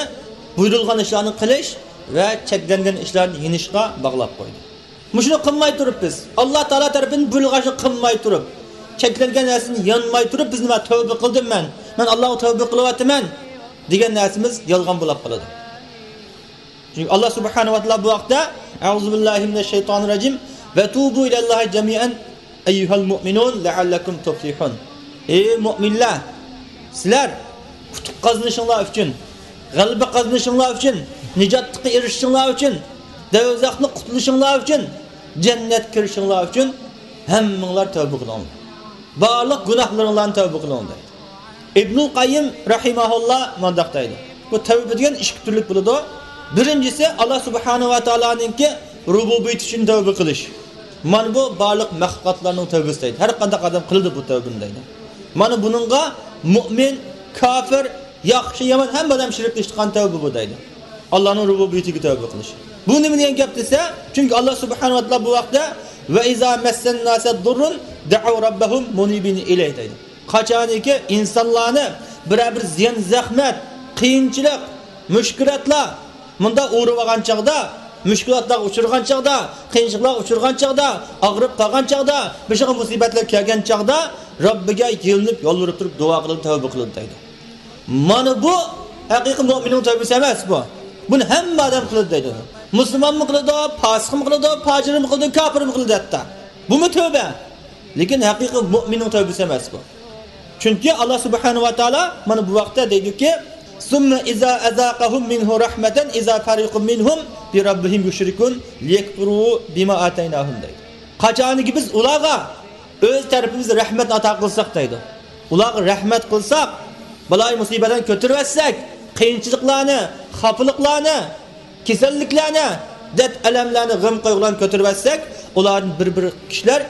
بۇيرۇلغان ئىشلارنى قىلىش ۋە چەكلەنگەن ئىشلاردىن يېنىشقا باغلاپ قويدى. مۇشۇنى قىلماي تۇرۇپ بىز، ئاللا تائالا تەرىپىدىن بۇيرۇلغان ئىشنى قىلماي تۇرۇپ، چەكلەنگەن نەرسىدىن يانماي تۇرۇپ، بىز نېمە، تەۋبە قىلدىم مەن، مەن ئاللاغا تەۋبە قىلىۋاتىمەن دېگەن نەرسىمىز يالغان بولاپ قالىدۇ. چۈنكى ئاللا سۇبھانەھۇ ۋە تائالا بۇ ھەقتە، «ئەئۇزۇ بىللاھى مىنەش شەيتانىر راجىم، ۋە تۇبۇ ئىلەللاھى جەمىئەن ئەييۇھەل مۇئمىنۇن لەئەللەكۇم تۇفلىھۇن.» ئەي مۇئمىنلەر، سىلەر ئۇتۇق قازىنىشىڭلار ئۈچۈن، غەلىبە قازىنىشىڭلار ئۈچۈن، نىجاتلىققا ئېرىشىشىڭلار ئۈچۈن، دوزاختىن قۇتۇلۇشۇڭلار ئۈچۈن، جەننەتكە كىرىشىڭلار ئۈچۈن ھەممىڭلار تەۋبە قىلىڭلار. بارلىق گۇناھلىرىڭلارنى تەۋبە قىلىڭ دەيدۇ. ئىبنۇل قەييىم رەھىمەھۇللا مۇنداق دەيدۇ، بۇ تەۋبە دېگەن ئىككى تۈرلۈك بولىدۇ. بىرىنچىسى، ئاللا سۇبھانەھۇ ۋە تائالانىڭكى رۇبۇبىيىتى ئۈچۈن تەۋبە قىلىش. مانا بۇ بارلىق مەخلۇقاتلارنىڭ تەۋبىسى دەيدۇ. ھەر قانداق ئادەم قىلىدۇ بۇ تەۋبىنى دەيدۇ. مانا بۇنىڭغا مۇئمىن، كاپىر، ياخشى، يامان ھەممە ئادەم شېرىك قىلىشىدىغان تەۋبە بۇ دەيدۇ. ئاللانىڭ رۇبۇبىيىتىگە تەۋبە قىلىش. بۇ نېمە دېگەن گەپ دېسە، چۈنكى ئاللا سۇبھانەھۇ ۋە تائالا بۇ ھەقتە، «ۋە ئىزا مەسسەنناسە زەررۇن دەئەۋ رەببەھۇم مۇنىبىنە ئىلەيھ» دەيدۇ. قاچانكى ئىنسانلارنى بىرەر بىر زىيان، زەخمەت، قىيىنچىلىق، مۈشكۈلاتلار مۇنداق ئۇرۇۋالغان چاغدا، مۈشكۈلاتلارغا ئۇچرىغان چاغدا، قىيىنچىلىقلارغا ئۇچرىغان چاغدا، ئاغرىپ قالغان چاغدا، بېشىغا مۇسىبەتلەر كەلگەن چاغدا رەببىگە يېلىنىپ، يالۋۇرۇپ تۇرۇپ دۇئا قىلىدۇ، تەۋبە قىلىدۇ دەيدۇ. مانا بۇ ھەقىقىي مۇئمىننىڭ تەۋبىسى ئەمەس بۇ. بۇنى ھەممە ئادەم قىلىدۇ دەيدۇ. مۇسۇلمانمۇ قىلىدۇ، پاسىقمۇ قىلىدۇ، پاجىرمۇ قىلىدۇ، كاپىرمۇ قىلىدۇ ھەتتا. بۇمۇ تەۋبە. لېكىن ھەقىقىي مۇئمىننىڭ تەۋبىسى ئەمەس بۇ. چۈنكى ئاللا سۇبھانەھۇ ۋە تائالا مانا بۇ ھەقتە دەيدۇكى، «سۇممە ئىزا ئەزاقەھۇم مىنھۇ رەھمەتەن ئىزا فەرىقۇن مىنھۇم بىرەببىھىم يۇشرىكۇن لىيەكفۇرۇ بىما ئاتەيناھۇم» دەيدۇ. قاچانكى بىز ئۇلارغا ئۆز تەرىپىمىزدىن رەھمەتنى ئاتا قىلساق دەيدۇ. ئۇلارغا رەھمەت قىلساق، بالايىمۇسىبەتلەرنى كۆتۈرۈۋەتسەك، قىيىنچىلىقلارنى، خاپىلىقلارنى، كېسەللىكلەرنى، دەرد-ئەلەملەرنى، غەم-قايغۇلارنى كۆتۈرۈۋەتسەك، ئۇلاردىن بىر-بىر كىشىلەر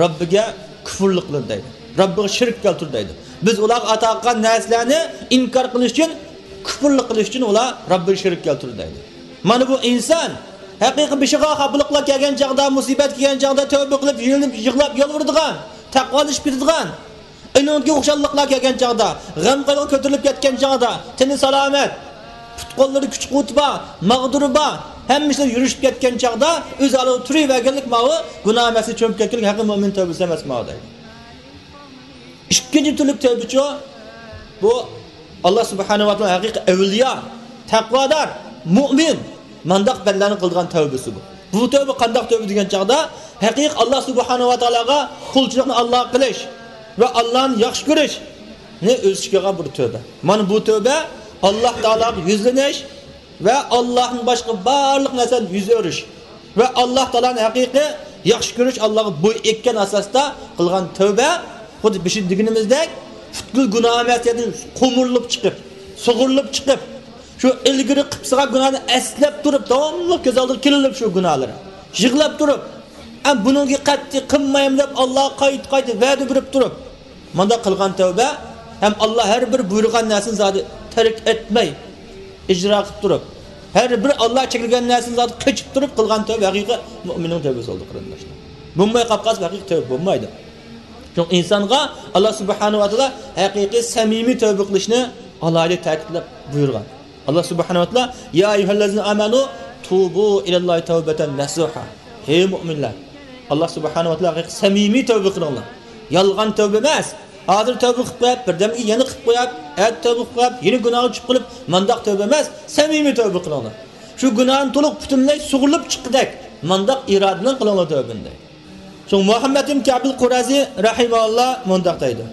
رەببىگە كۇفۇرلۇق قىلىدۇ دەيدۇ. رەببىگە شېرىك كەلتۈرىدۇ دەيدۇ. بىز ئۇلارغا ئاتا قىلغان نەرسىلەرنى ئىنكار قىلىش ئۈچۈن، كۇفۇرلۇق قىلىش ئۈچۈن ئۇلار رەببىگە شېرىك كەلتۈرىدۇ دەيدۇ. مانا بۇ ئىنسان ھەقىقىي بېشىغا خاپىلىقلار كەلگەن چاغدا، مۇسىبەت كەلگەن چاغدا تەۋبە قىلىپ، يېلىنىپ، يىغلاپ، يالۋۇرىدىغان، تەقۋالىشىپ كېتىدىغان، ئېنىڭدىن كېيىن خۇشاللىقلار كەلگەن چاغدا، غەم-قايغۇ كۆتۈرۈلۈپ كەتكەن چاغدا، تېنى سالامەت، پۇت-قوللىرىدا كۈچ-قۇۋۋىتى بار، ماغدۇرى بار، ھەممە ئىشلار يۈرۈشۈپ كەتكەن چاغدا ئۆز ھالىغا تۇرۇۋەرگەنلىك ماۋۇ گۇناھ ئەمەسكە چۆمۈپ كەتكەنلىك ھەقىقىي مۆمىن تەۋبىسى ئەمەس ماۋۇ دەيدۇ. ئىككىنچى تۈرلۈك تەۋبىچۇ، بۇ ئاللا سۇبھانەھۇ ۋە تائالا ھەقىقىي ئەۋلىيا، تەقۋادار، مۇئمىن، مانداق بەندىلەرنىڭ قىلىدىغان تەۋبىسى بۇ. بۇ تەۋبە قانداق تەۋبە دېگەن چاغدا، ھەقىقىي ئاللا سۇبھانەھۇ ۋە تائالاغا قۇلچىلىقنى ئاللاغا قىلىش ۋە ئاللانى ياخشى كۆرۈشنى ئۆز ئىچىگە ئالغان بىر تەۋبە. مانا بۇ تەۋبە ئاللا تائالاغا يۈزلىنىش ۋە ئاللاھتىن باشقا بارلىق نەرسىدىن يۈز ئۆرۈش ۋە ئاللا تائالانى ھەقىقىي ياخشى كۆرۈش، ئاللاغا بويۇن ئەگكەن ئاساستا قىلغان تەۋبە، خۇددى بېشىدا دېگىنىمىزدەك، پۈتكۈل گۇناھ مەسىلىدىن قومۇرۇلۇپ چىقىپ، سۇغۇرۇلۇپ چىقىپ، شۇ ئىلگىرى قىلىپ سالغان گۇناھنى ئەسلەپ تۇرۇپ، داۋاملىق كۆز ئالدىغا كېلىۋېرىپ شۇ گۇناھلىرى، يىغلاپ تۇرۇپ، ئەم بۇنىڭغا قەتئىي قىلمايمەن دەپ ئاللاغا قايتا-قايتا ۋەدە بېرىپ تۇرۇپ، مانداق قىلغان تەۋبە ھەم ئاللا ھەر بىر بۇيرۇغان نەرسىنى زادى تەرك ئەتمەي، ئىجرا قىلىپ تۇرۇپ، ھەر بىر ئاللا چەكلىگەن نەرسىنى زادى قېچىپ تۇرۇپ قىلغان تەۋبە ھەقىقىي مۆمىننىڭ تەۋبىسى بولىدۇ، قېرىنداشلار. بولماي قاپ قالسا، ھەقىقىي تەۋبە بولمايدۇ. شۇڭا ئىنسانغا ئاللا سۇبھانەھۇ ۋە تائالا ھەقىقىي سەمىمىي تەۋبە قىلىشنى ئالاھىدە تەكىتلەپ بۇيرۇغان. ئاللا سۇبھانەھۇ ۋە تائالا، يا ئەييۇھەللەزىنە ئامەنۇ توبۇ ئىلەللاھى تەۋبەتەن نەسۇھا. ھەي مۆمىنلەر! ئاللا سۇبھانەھۇ ۋە تائالا ھەقىقىي سەمىمىي تەۋبە قىلىڭلار. يالغان تەۋبە ئەمەس. ھازىر تەۋبە قىلىپ قويۇپ، بىردەمگە يەنە قىلىپ قويۇپ، ئەتە تەۋبە قىلىپ قويۇپ، يەنە گۇناھقا چۈشۈپ قېلىپ، مانداق تەۋبە ئەمەس، سەمىمىي تەۋبە قىلىڭلار. شۇ گۇناھنى تولۇق پۈتۈنلەي سۇغۇرۇلۇپ چىققۇدەك مانداق ئىرادە بىلەن قىلىڭلار تەۋبىنى دەيدۇ. شۇڭا مۇھەممەد ئىبن كەئبىل قۇرەزى رەھىمەھۇللا مۇنداق دەيدۇ.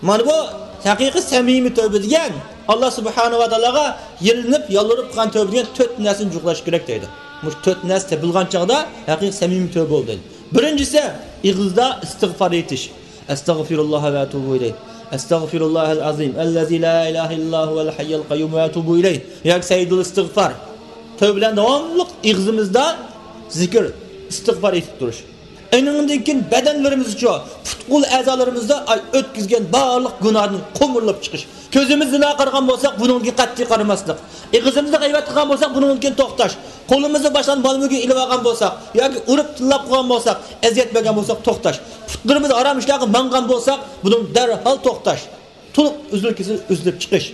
مانا بۇ ھەقىقىي سەمىمىي تەۋبە دېگەن، ئاللا سۇبھانەھۇ ۋە تائالاغا يېلىنىپ، يالۋۇرۇپ قىلغان تەۋبە دېگەن تۆت نەرسىنى جۇغلاش كېرەك دەيدۇ. مۇشۇ تۆت نەرسە تېپىلغان چاغدا ھەقىقىي سەمىمىي تەۋبە بولدى دەيدۇ. بىرىنچىسى، ئېغىزدا ئىستىغفار ئېيتىش. ئەستەغفىرۇللاھ ۋە ئەتۇبۇ ئىلەيھ. ئەستەغفىرۇللاھەل ئەزىم ئەللەزى لا ئىلاھە ئىللا ھۇۋەل ھەييۇل قەييۇم ۋە ئەتۇبۇ ئىلەيھ. ياكى سەييىدۇل ئىستىغفار. تەۋبە بىلەن داۋاملىق ئېغىزىمىزدا زىكىر، ئىستىغفار ئېيتىپ تۇرۇش. ئېنىڭدىن كېيىن بەدەنلىرىمىزچۇ، پۇت-قول ئەزالىرىمىزدا، ئاي، ئۆتكۈزگەن بارلىق گۇناھدىن قومۇرۇلۇپ چىقىش. كۆزىمىز زىنا قارىغان بولساق، بۇنىڭدىن كېيىن قەتئىي قارىماسلىق. ئېغىزىمىزدا غەيۋەت قىلغان بولساق، بۇنىڭدىن كېيىن توختاش. قولىمىزدا باشقىلارنىڭ مال-مۈلكىنى ئېلىۋالغان بولساق ياكى ئۇرۇپ تىللاپ قىلغان بولساق، ئەزىيەت بەرگەن بولساق، توختاش. پۇتلىرىمىز ھارام ئىشلارغا ماڭغان بولسا، بۇنىڭ دەرھال توختاش. تولۇق ئۈزۈل-كېسىل ئۈزۈلۈپ چىقىش.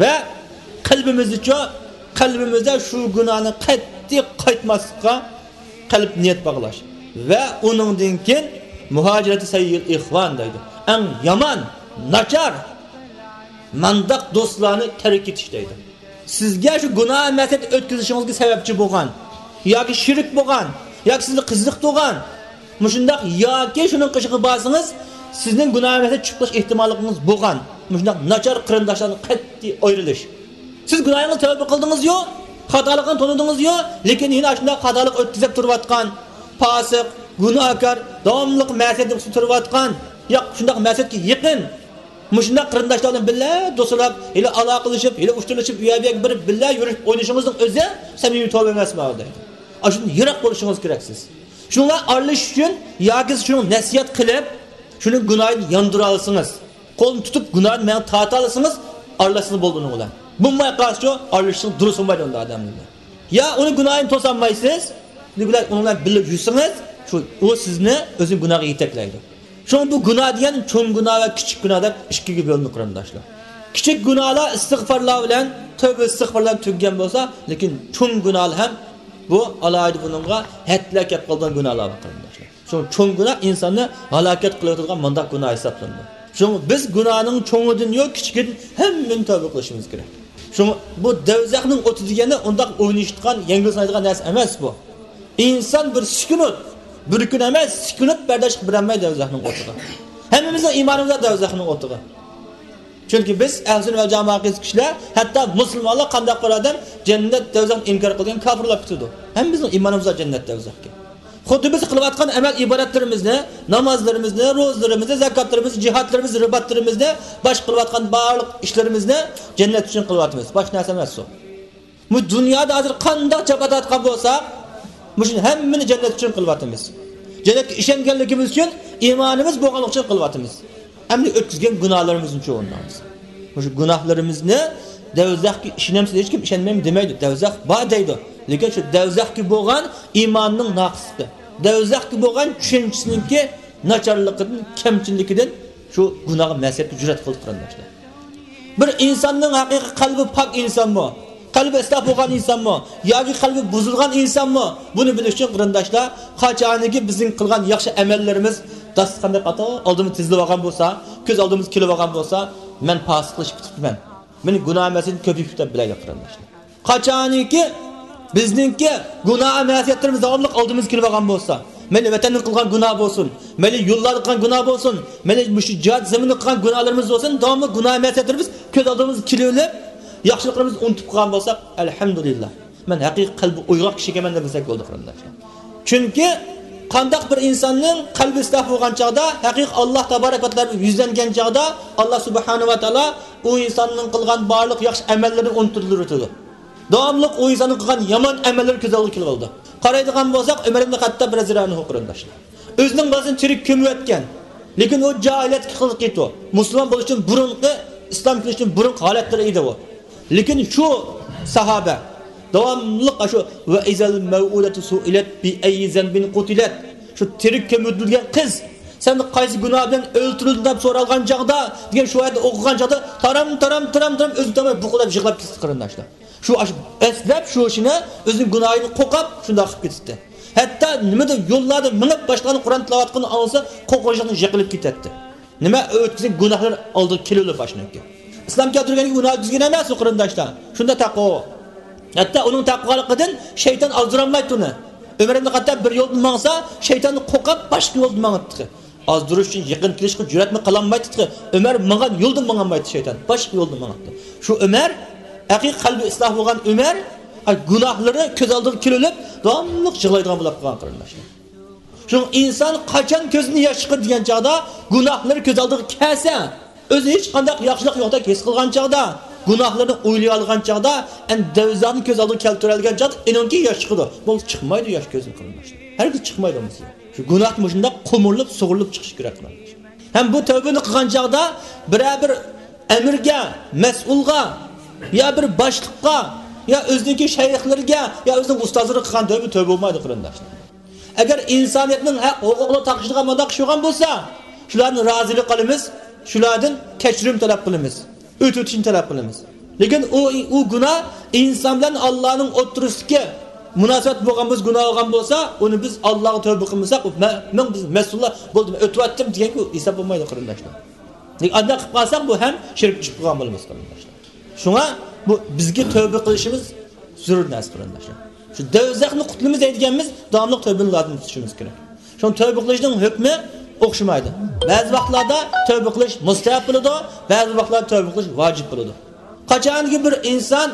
ۋە قەلبىمىزدىچۇ، قەلبىمىزدە شۇ گۇناھنى قەتئىي قايتماسلىققا قەلب نىيەت باغلاش. ۋە ئۇنىڭدىن كېيىن مۇھاجىرەتى سەييىل ئىخۋان دەيدۇ. ئەڭ يامان، ناچار، مانداق دوستلارنى تەرك ئېتىش دەيدۇ. سىزگە شۇ گۇناھ مەسىيەت ئۆتكۈزۈشىڭىزگە سەۋەبچى بولغان ياكى شېرىك بولغان ياكى سىزنى قىزىقتۇرغان مۇشۇنداق ياكى شۇنىڭ قېشىغا بارسىڭىز، سىزنىڭ گۇناھ مەسىيەت چۈشۈپ قېلىش ئېھتىماللىقىڭىز بولغان مۇشۇنداق ناچار قېرىنداشلاردىن قەتئىي ئايرىلىش. سىز گۇناھىڭىزنى تەۋبە قىلدىڭىزيۇ، خاتالىقىنى تونۇدىڭىزيۇ، لېكىن يەنە ئاشۇنداق خاتالىق ئۆتكۈزۈپ تۇرۇۋاتقان، پاسىق، گۇناھكار، داۋاملىق مەسىيەتنىڭ ئۈستىدە تۇرۇۋاتقان، ياق، شۇنداق مەسىيەتكە يېقىن، مۇشۇنداق قېرىنداشلار بىلەن بىللە دوستلاپ، ھېلى ئالاقىلىشىپ، ھېلى ئۇچرىشىپ، ئۇ يەر بۇ يەرگە بېرىپ بىللە يۈرۈپ ئوينىشىڭىزنىڭ ئۆزى سەمىمىي تەۋبە ئەمەسمۇ دەيدۇ. ئاشۇندىن يىراق بولۇشىڭىز كېرەك سىز. شۇڭا ئارىلىشىش ئۈچۈن ياكى سىز شۇنىڭ نەسىھەت قىلىپ، شۇنىڭ گۇناھىنى ياندۇرالىسىڭىز، قولىنى تۇتۇپ گۇناھىنى ماڭا تارتالىسىڭىز، ئارىلاشسىڭىز بولدى ئۇنىڭ بىلەن. بولماي قالسىچۇ، ئارىلىشىشنىڭ دۇرۇسى بولمايدۇ ئۇنداق ئادەم بىلەن. يا ئۇنىڭ گۇناھىنى توسالمايسىز، ئۇنىڭ بىلەن، ئۇنىڭ بىلەن بىللە يۈرسىڭىز، شۇ، ئۇ سىزنى ئۆزىنىڭ گۇناھىغا يېتەكلەيدۇ. شۇڭا بۇ گۇناھ دېگەن چوڭ گۇناھ ۋە كىچىك گۇناھ دەپ ئىككىگە بۆلۈنىدۇ قېرىنداشلار. كىچىك گۇناھلار ئىستىغفارلار بىلەن، تەۋبە ئىستىغفار بىلەن تۈگىگەن بولسا، لېكىن چوڭ گۇناھلار ھەم بۇ ئالاھىدە بۇنىڭغا ھەدلەر كەپ قالىدىغان گۇناھلار بار قېرىنداشلار. شۇڭا چوڭ گۇناھ ئىنساننى ھالاكەت قىلىۋېتىدىغان مانداق گۇناھ ھېسابلىنىدۇ. شۇڭا بىز گۇناھنىڭ چوڭىدىنيۇ، كىچىكىدىن ھەممىنى تەۋبە قىلىشىمىز كېرەك. شۇڭا بۇ دەۋزەخنىڭ ئوتى دېگەننى ئۇنداق ئوينىشىدىغان، يەڭگىل سىنايدىغان نەرسە ئەمەس بۇ. ئىنسان بىر سېكۇنت، بىر كۈن ئەمەس، سېكۇنت بەرداشلىق بېرەلمەيدۇ دەۋزەخنىڭ ئوتىغا. ھەممىمىزنىڭ ئىمانىمىز بار دەۋزەخنىڭ ئوتىغا. چۈنكى بىز ئەھلى سۈننە ۋەل جامائە ئەقىدىسى كىشىلەر، ھەتتا مۇسۇلمانلار قانداق بىر ئادەم جەننەت دەۋزەخنى ئىنكار قىلغان كاپىرلاپ كېتىدۇ. ھەممىمىزنىڭ ئىمانىمىز بار جەننەت دەۋزەخكە. خۇددى بىز قىلىۋاتقان ئەمەل ئىبادەتلىرىمىزنى، نامازلىرىمىزنى، روزىلىرىمىزنى، زاكاتلىرىمىزنى، جىھادلىرىمىزنى، رىباتلىرىمىزنى، باشقا قىلىۋاتقان بارلىق ئىشلىرىمىزنى جەننەت ئۈچۈن قىلىۋاتىمىز. باشقا نەرسە ئەمەس ئۇ. بۇ دۇنيادا ھازىر قانداق جاپا تارتقان بولساق، مۇشۇنى ھەممىنى جەننەت ئۈچۈن قىلىۋاتىمىز. جەننەتكە ئىشەنگەنلىكىمىز ئۈچۈن، ئىمانىمىز بولغانلىقى ئۈچۈن قىلىۋاتىمىز. ئەمدى ئۆتكۈزگەن گۇناھلىرىمىزنى چۈشىنىڭلار. مۇشۇ گۇناھلىرىمىزنى، دەۋزەخكە ئىشىنەمسىز؟ ھېچكىم ئىشەنمەيمەن دېمەيدۇ. دەۋزەخ بار دەيدۇ. لېكىن شۇ دەۋزەخكە بولغان ئىماننىڭ ناقىسلىقى، دەۋزەخكە بولغان چۈشەنچىسىنىڭكى ناچارلىقىدىن، كەمچىللىكىدىن شۇ گۇناھقا، مەسىيەتكە جۈرئەت قىلدى قېرىنداشلار. بىر ئىنساننىڭ ھەقىقىي قەلبى پاك ئىنسانمۇ؟ قەلبى ئىسلاھ بولغان ئىنسانمۇ ياكى قەلبى بۇزۇلغان ئىنسانمۇ؟ بۇنى بىلىش ئۈچۈن، قېرىنداشلار، قاچانكى بىزنىڭ قىلغان ياخشى ئەمەللىرىمىز داستىخاندەك ئالدىمىزدا تىزىلىپ ئالغان بولسا، كۆز ئالدىمىزغا كېلىپ ئالغان بولسا، مەن پاسىقلىشىپ كېتىپتىمەن، مېنىڭ گۇناھ مەسىيىتىم كۆپىيىپ كېتىپ بىلەيلى، قېرىنداشلار. قاچانكى بىزنىڭكى گۇناھ مەسىيەتلىرىمىز داۋاملىق ئالدىمىزغا كېلىپ ئالغان بولسا، مەيلى ۋەتەندە قىلغان گۇناھ بولسۇن، مەيلى يوللاردا قىلغان گۇناھ بولسۇن، مەيلى مۇشۇ جىھاد زېمىنىدا قىلغان گۇناھلىرىمىز بولسۇن، داۋاملىق گۇناھ مەسىيەتلىرىمىز كۆز ئالدىمىزغا كېلىۋېلىپ، ياخشىلىقلىرىمىزنى ئۇنتۇپ قالغان بولساق، ئەلھەمدۇلىللا، مەن ھەقىقىي قەلبى ئويغاق كىشى ئىكەنمەن دېسەك بولدى، قېرىنداشلار. چۈنكى قانداق بىر ئىنساننىڭ قەلبى ئىسلاھ بولغان چاغدا، ھەقىقىي ئاللا تابارەك ۋە تائالاغا يۈزلەنگەن چاغدا، ئاللا سۇبھانەھۇ ۋە تائالا ئۇ ئىنساننىڭ قىلغان بارلىق ياخشى ئەمەللىرىنى ئۇنتۇلدۇرۇۋېتىدۇ. داۋاملىق ئۇ ئىنساننىڭ قىلغان يامان ئەمەللىرى كۆز ئالدىغا كېلىۋالىدۇ. قارايدىغان بولساق، ئۆمەر ئىبن خەتتاب رەزىياللاھۇ ئەنھۇ، قېرىنداشلار، ئۆزىنىڭ بالىسىنى تىرىك كۆمۈۋەتكەن. لېكىن ئۇ جاھىلىيەتتىكى قىلىقى ئىدى. مۇسۇلمان بولۇشتىن بۇرۇنقى، ئىسلام كېلىشتىن بۇرۇنقى ھالەتلىرى ئىدى ئۇ. لېكىن شۇ ساھابە داۋاملىق شۇ، «ۋە ئىزەل مەۋئۇدەتۇ سۇئىلەت بىئەييى زەنبىن قۇتىلەت»، شۇ تىرىك كۆمۈۋېتىلگەن قىز، «سەن قايسى گۇناھ بىلەن ئۆلتۈرۈلدۈڭ؟» دەپ سورالغان چاغدا دېگەن شۇ ئايەتنى ئوقۇغان چاغدا تارام، تارام، تارام، تارام ئۆزىنى تۇتالماي بۇقۇلداپ يىغلاپ كېتىپتۇ، قېرىنداشلار. شۇ ئاش-، ئەسلەپ شۇ ئىشىنى، ئۆزىنىڭ گۇناھىدىن قورقۇپ شۇنداق قىلىپ كېتىپتۇ. ھەتتا نېمىدە يوللاردا مېڭىپ باشقىلارنىڭ قۇرئان تىلاۋەت قىلغىنىنى ئاڭلىسا، قورقۇنچلۇقتىن يىقىلىپ كېتەتتى. نېمە ئۆتكۈزگەن گۇناھلار ئالدىغا كېلىۋېلىپ باشلىنىدىكەن. ئىسلام كەلتۈرگەنگە گۇناھ ئۆتكۈزگەن ئەمەس ئۇ، قېرىنداشلار. شۇندا تەقۋا. ھەتتا ئۇنىڭ تەقۋالىقىدىن شەيتان ئازدۇرالمايتتى ئۇنى. ئۆمەر ئىبن خەتتاب بىر يولدىن ماڭسا، شەيتاندىن قورقۇپ باشقا يولدىن ماڭاتتى. ئازدۇرۇش ئۈچۈن يېقىن كېلىشكە جۈرئەتمۇ قىلالمايتتى. ئۆمەر ماڭغان يولدىن ماڭالمايتتى شەيتان. باشقا يولدىن ماڭاتتى. شۇ ئۆمەر، ھەقىقىي قەلبى ئىسلاھ بولغان ئۆمەر، ئاي، گۇناھلىرى كۆز ئالدىغا كېلىۋېلىپ، داۋاملىق يىغلايدىغان بولۇپ قالغان، قېرىنداشلار. شۇڭا ئىنسان قاچان كۆزىدىن ياش چىقىدۇ دېگەن چاغدا، گۇناھلىرى كۆز ئالدىغا كەلسە، ئۆزى ھېچقانداق ياخشىلىق يوقتەك ھېس قىلغان چاغدا، گۇناھلىرىنى ئويلىيالىغان چاغدا، ئەمدى دەۋزانى كۆز ئالدىغا كەلتۈرەلىگەن چاغدا ئېنىڭكى ياش چىقىدۇ. بولمىسا چىقمايدۇ ياش كۆزدىن، قېرىنداشلار. ھەرگىز چىقمايدۇ بولمىسا. شۇ گۇناھ مۇشۇنداق قومۇرۇلۇپ، سۇغۇرۇلۇپ چىقىشى كېرەك، قېرىنداشلار. ھەم بۇ تەۋبىنى قىلغان چاغدا بىرەر بىر ئەمىرگە، مەسئۇلغا، يا بىر باشلىققا، يا ئۆزىنىڭكى شەيخلىرىگە، يا ئۆزىنىڭ ئۇستازلىرىغا قىلغان تەۋبە تەۋبە بولمايدۇ، قېرىنداشلار. ئەگەر ئىنسانىيەتنىڭ ھەق ھوقۇقىغا تاقىشىدىغان مۇنداق ئىش بولغان بولسا، شۇلاردىن رازىلىق ئالىمىز، شۇلاردىن كەچۈرۈم تەلەپ قىلىمىز، ئۆتۈۋېتىشنى تەلەپ قىلىمىز. لېكىن ئۇ، ئۇ گۇناھ ئىنسان بىلەن ئاللانىڭ ئوتتۇرىسىدىكى مۇناسىۋەت بولغان بولسا، گۇناھ بولغان بولسا، ئۇنى بىز ئاللاغا تەۋبە قىلمىساق، ئۇ مە-، مەن، بىز مەسئۇللار بولدۇم، ئۆتۈۋەتتىم دېگەنگە ئۇ ھېساب بولمايدۇ، قېرىنداشلار. لېكىن ئانداق قىلىپ قالساق، بۇ ھەم شىرك چۈشۈپ قالغان بولىمىز، قېرىنداشلار. شۇڭا بۇ بىزگە تەۋبە قىلىشىمىز زۆرۈر نەرسە، قېرىنداشلار. شۇ دەۋزەخنى قۇتۇلىمىز دەيدىگەنمىز، داۋاملىق تەۋبىنى لازىم تۇتۇشىمىز كېرەك. شۇڭا تەۋبە قىلىشنىڭ ھۆكمى ئوخشىمايدۇ. بەزى ۋاقىتلاردا تەۋبە قىلىش مۇستەھەب بولىدۇ، بەزى ۋاقىتلاردا تەۋبە قىلىش ۋاجىپ بولىدۇ. قاچانكى بىر ئىنسان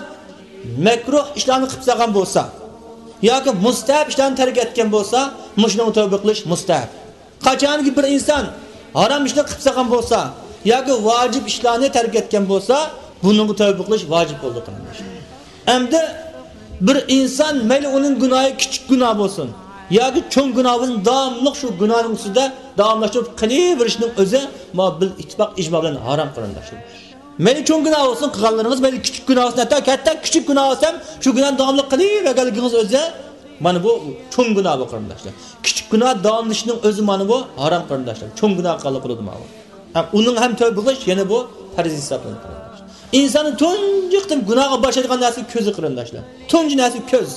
مەكرۇھ ئىشلارنى قىلىپ سالغان بولسا ياكى مۇستەھەب ئىشلارنى تەرك ئەتكەن بولسا، مۇشۇنىڭغا تەۋبە قىلىش مۇستەھەب. قاچانكى بىر ئىنسان ھارام ئىشنى قىلىپ سالغان بولسا ياكى ۋاجىپ ئىشلارنى تەرك ئەتكەن بولسا، بۇنىڭغا تەۋبە قىلىش ۋاجىپ بولىدۇ، قېرىنداش. ئەمدى بىر ئىنسان، مەيلى ئۇنىڭ گۇناھى كىچىك گۇناھ بولسۇن ياكى چوڭ گۇناھ بولسۇن، داۋاملىق شۇ گۇناھنىڭ ئۈستىدە داۋاملاشتۇرۇپ قېلىۋېرىشنىڭ ئۆزى، مانا، بىل ئىتتىپاق ئىجما بىلەن ھارام، قېرىنداشلار. مەيلى چوڭ گۇناھ بولسۇن قىلغانلىرىڭىز، مەيلى كىچىك گۇناھ بولسۇن، ھەتتا، ھەتتا كىچىك گۇناھ بولسا ھەم شۇ گۇناھنى داۋاملىق قىلىۋەرگەنلىكىڭىز ئۆزى، مانا بۇ چوڭ گۇناھ بۇ، قېرىنداشلار. كىچىك گۇناھ داۋاملىشىشنىڭ ئۆزى، مانا بۇ ھارام، قېرىنداشلار. چوڭ گۇناھ قىلغانلىق بولىدۇ مانا بۇ. ھەم ئۇنىڭ ھەم تەۋبە قىلىش يەنە بۇ پەرز ھېسابلىنىدۇ، قېرىنداشلار. ئىنساننى تۇنجى قېتىم گۇناھقا باشلايدىغان نەرسە كۆزى، قېرىنداشلار. تۇنجى نەرسە كۆز.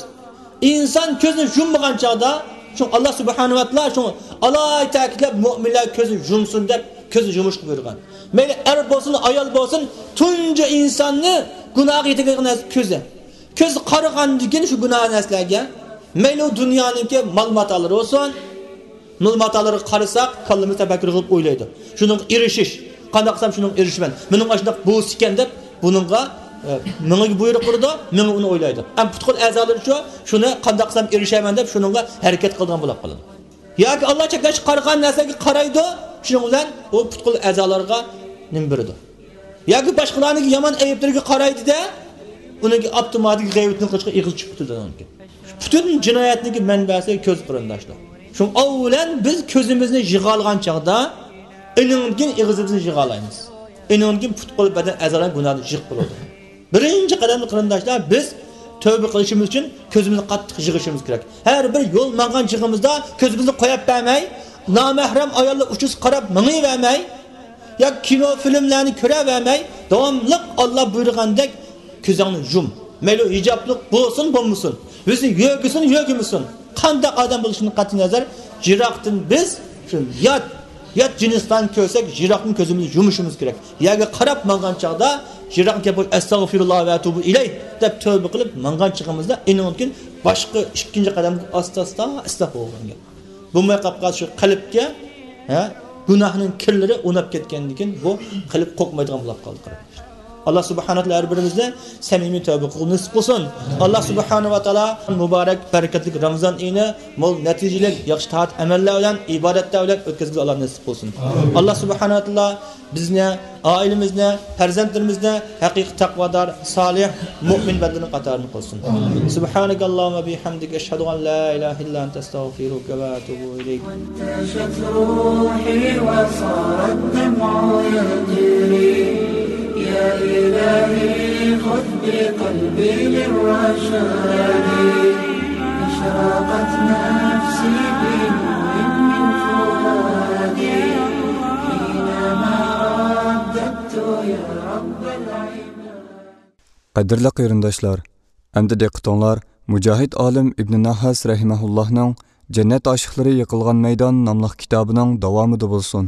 ئىنسان كۆزىنى يۇممىغان چاغدا، شۇ ئاللا سۇبھانەھۇ ۋە تائالا شۇ ئالاھىدە تەكىتلەپ، مۆمىنلەر كۆزىنى يۇمسۇن دەپ، كۆزىنى يۇمۇشقا بۇيرۇغان. مەيلى ئەر بولسۇن، ئايال بولسۇن، تۇنجى ئىنساننى گۇناھقا يېتەكلەيدىغان نەرسە كۆزى. كۆز قارىغاندىن كېيىن شۇ گۇناھ نەرسىلەرگە، مەيلى ئۇ دۇنيانىڭكى مال ماتالىرى بولسۇن، مال ماتالىرىغا قارىساق، كاللىمىز تەپەككۇر قىلىپ ئويلايدۇ. شۇنىڭغا ئېرىشىش، قانداق قىلسام شۇنىڭغا ئېرىشىمەن، مېنىڭ ئاشۇنداق بولسا ئىكەن دەپ، بۇنىڭغا، ئە، مېڭىگە بۇيرۇق قىلىدۇ، مېڭە ئۇنى ئويلايدۇ. ئەمما پۇت-قول ئەزالىرىچۇ، شۇنى قانداق قىلسام ئېرىشەمەن دەپ، شۇنىڭغا ھەرىكەت قىلىدىغان بولۇپ قالىدۇ. ياكى ئاللا چەكلەشكە قارىغان نەرسىگە قارايدۇ، شۇنىڭ بىلەن ئۇ پۇت-قول ئەزالارغا نېمە بېرىدۇ. ياكى باشقىلارنىڭ يامان ئەيىبلىرىگە قارايدۇ-دە، ئۇنىڭكى ئاپتوماتىك غەيۋىتىنى قىلىشقا ئېغىز چىقىپ كېتىدۇ ئۇنىڭكى. پۈتۈن جىنايەتنىڭكى مەنبەسى كۆز، قېرىنداشلار. شۇڭا ئاۋۋالەن بىز كۆزىمىزنى يىغالىغان چاغدا، ئېنىڭدىن كېيىن ئېغىزىمىزنى يىغالايمىز. ئېنىڭدىن كېيىن پۇت-قول، بەدەن ئەزالار گۇناھتىن يىغىپ بولىدۇ. بىرىنچى قەدەمدە، قېرىنداشلار، بىز تەۋبە قىلىشىمىز ئۈچۈن كۆزىمىزنى قاتتىق يىغىشىمىز كېرەك. ھەر بىر يول ماڭغان چېغىمىزدا كۆزىمىزنى قويۇپ بەرمەي، نامەھرەم ئاياللار ئۇچىسىغا قاراپ مېڭىۋەرمەي، ياكى كىنو، فىلىملەرنى كۆرۈۋەرمەي، داۋاملىق ئاللا بۇيرۇغاندەك كۆزۈڭنى يۇم. مەيلى ھىجابلىق بولسۇن، بولمىسۇن، بىزنى يۆگىسۇن، يۆگىمىسۇن، قانداق ئادەم بولۇشىدىن قەتئىينەزەر، يىراقتىن بىز شۇ يات، يات جىنسلارنى كۆرسەك، يىراقتىن كۆزىمىزنى يۇمۇشىمىز كېرەك. يەرگە قاراپ ماڭغان چاغدا، يىراقنى كۆرۈپ، ئەستەغفىرۇللا ۋە ئەتۇبۇ ئىلەيھ دەپ تۆبە قىلىپ ماڭغان چېغىمىزدا، ئېنىڭدىن كېيىن باشقا ئىككىنچى قەدەمگە ئاستا-ئاستا، ئاستا بولغان گەپ. بولماي قاپقان شۇ قەلبكە، ھە، گۇناھنىڭ كىرلىرى ئۇناپ كەتكەندىن كېيىن بۇ قەلب قورقمايدىغان بولۇپ قالدى، قاراپ. ئاللا سۇبھانەھۇ ۋە تائالا ھەر بىرىمىزنى سەمىمىي تەۋبە قىلغىلى نېسىپ قىلسۇن. ئاللا سۇبھانەھۇ ۋە تائالا مۇبارەك، بەرىكەتلىك رامىزان ئېيىنى مول نەتىجىلىك، ياخشى تائەت ئەمەللەر بىلەن، ئىبادەتلەر بىلەن ئۆتكۈزگىلى ئاللا نېسىپ قىلسۇن. ئاللا سۇبھانەھۇ ۋە تائالا بىزنى، ئائىلىمىزنى، پەرزەنتلىرىمىزنى ھەقىقىي تەقۋادار، سالىھ، مۇئمىن بەندىنىڭ قاتارىدا قىلسۇن. سۇبھانەكاللاھۇممە بىھەمدىك، ئەشھەدۇ ئەن لا ئىلاھە ئىللا ئەنتە، ئەستەغفىرۇكە ۋە ئەتۇبۇ ئىلەيك. وانتشت روحي وصار الدمع يجري، يا إلهي خذ بقلبي للرشاد، أشرقت نفسي بنور من فؤادي، حينما رددت يا رب العباد. قەدىرلىك قېرىنداشلار، ئەمدى دىققىتىڭلار مۇجاھىد ئالىم ئىبنى نەھھاس رەھىمەھۇللاھنىڭ جەننەت ئاشىقلىرى يىقىلغان مەيدان ناملىق كىتابىنىڭ داۋامىدا بولسۇن.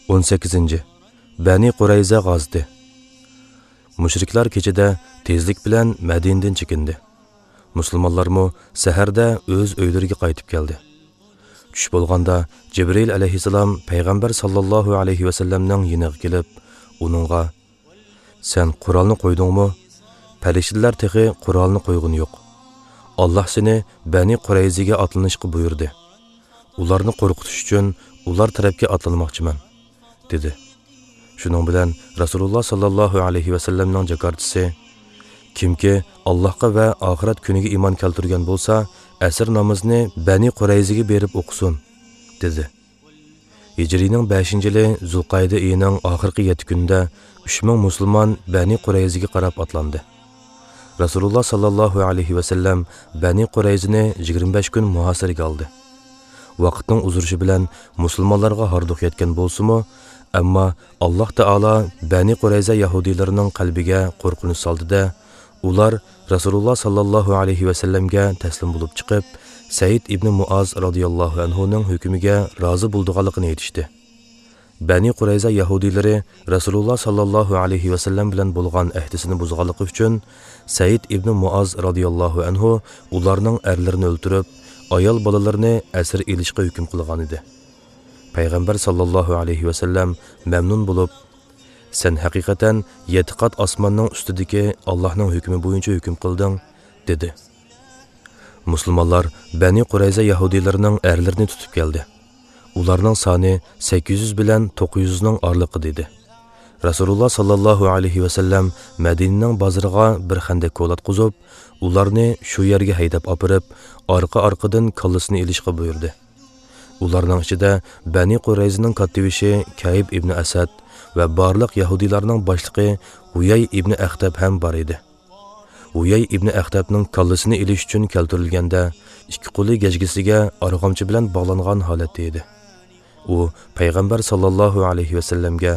ئون سەككىزىنچى، بەنى قۇرەيزە غازىتى. مۇشرىكلار كېچىدە تېزلىك بىلەن مەدىنىدىن چېكىندى. مۇسۇلمانلارمۇ سەھەردە ئۆز ئۆيلىرىگە قايتىپ كەلدى. چۈش بولغاندا جىبرىئىل ئەلەيھىسسالام پەيغەمبەر ساللاللاھۇ ئەلەيھى ۋەسەللەمنىڭ يېنىغا كېلىپ، ئۇنىڭغا، سەن قورالنى قويدۇڭمۇ؟ پەلەستىنلىلەر تېخى قورالنى قويغىنى يوق. ئاللاھ سېنى بەنى قۇرەيزىگە ئاتلىنىشقا بۇيرۇدى. ئۇلارنى قورقۇتۇش ئۈچۈن ئۇلار تەرەپكە ئاتلانماقچىمەن، دېدى. شۇنىڭ بىلەن رەسۇلۇللاھ ساللاللاھۇ ئەلەيھى ۋەسەللەمنىڭ جاكارتىسى، كىمكى ئاللاھقا ۋە ئاخىرەت كۈنىگە ئىمان كەلتۈرگەن بولسا، ئەسىر نامىزىنى بەنى قۇرەيزىگە بېرىپ ئوقۇسۇن، دېدى. ھىجرىينىڭ بەشىنچى يىلى زۇلقەئىدە ئېيىنىڭ ئاخىرقى يەتتە كۈنىدە ئۈچ مىڭ مۇسۇلمان بەنى قۇرەيزىگە قاراپ ئاتلاندى. رەسۇلۇللاھ ساللاللاھۇ ئەلەيھى ۋەسەللەم بەنى قۇرەيزىنى يىگىرمە بەش كۈن مۇھاسىرىگە ئالدى. ۋاقىتنىڭ ئۇزىرىشى بىلەن مۇسۇلمانلارغا ھاردۇق يەتكەن بولسىمۇ، ئەمما ئاللاھ تائالا بەنى قۇرەيزە يەھۇدىيلىرىنىڭ قەلبىگە قورقۇنچ سالدى-دە، ئۇلار رەسۇلۇللاھ ساللاللاھۇ ئەلەيھى ۋەسەللەمگە تەسلىم بولۇپ چىقىپ، سەئىد ئىبنى مۇئاز رازىياللاھۇ ئەنھۇنىڭ ھۆكمىگە رازى بولىدىغانلىقىنى ئېيتىشتى. بەنى قۇرەيزە يەھۇدىيلىرى رەسۇلۇللاھ ساللاللاھۇ ئەلەيھى ۋەسەللەم بىلەن بولغان ئەھدىسىنى بۇزغانلىقى ئۈچۈن، سەئىد ئىبنى مۇئاز رازىياللاھۇ ئەنھۇ ئۇلارنىڭ ئەرلىرىنى ئۆلتۈرۈپ، ئايال بالىلىرىنى ئەسىر ئېلىشقا ھۆكۈم قىلغانىدى. پەيغەمبەر ساللاللاھۇ ئەلەيھى ۋەسەللەم مەمنۇن بولۇپ، سەن ھەقىقەتەن يەتتە قات ئاسماننىڭ ئۈستىدىكى ئاللاھنىڭ ھۆكمى بويىچە ھۆكۈم قىلدىڭ، دېدى. مۇسۇلمانلار بەنى قۇرەيزە يەھۇدىيلىرىنىڭ ئەرلىرىنى تۇتۇپ كەلدى. ئۇلارنىڭ سانى سەككىز يۈز بىلەن توققۇز يۈزنىڭ ئارىلىقىدا ئىدى. رەسۇلۇللاھ ساللاللاھۇ ئەلەيھى ۋەسەللەم مەدىنىنىڭ بازىرىغا بىر خەندەك كولاتقۇزۇپ، ئۇلارنى شۇ يەرگە ھەيدەپ ئاپىرىپ، ئارقا-ئارقىدىن كاللىسىنى ئېلىشقا بۇيرۇدى. ئۇلارنىڭ ئىچىدە بەنى قۇرەيزىنىڭ كاتتىبېشى كەئىب ئىبنى ئەسەد ۋە بارلىق يەھۇدىيلارنىڭ باشلىقى ھۇيەي ئىبنى ئەختەب ھەم بار ئىدى. ھۇيەي ئىبنى ئەختەبنىڭ كاللىسىنى ئېلىش ئۈچۈن كەلتۈرۈلگەندە، ئىككى قولى گەجگىسىگە ئارغامچا بىلەن باغلانغان ھالەتتە ئىدى. ئۇ پەيغەمبەر ساللاللاھۇ ئەلەيھى ۋەسەللەمگە،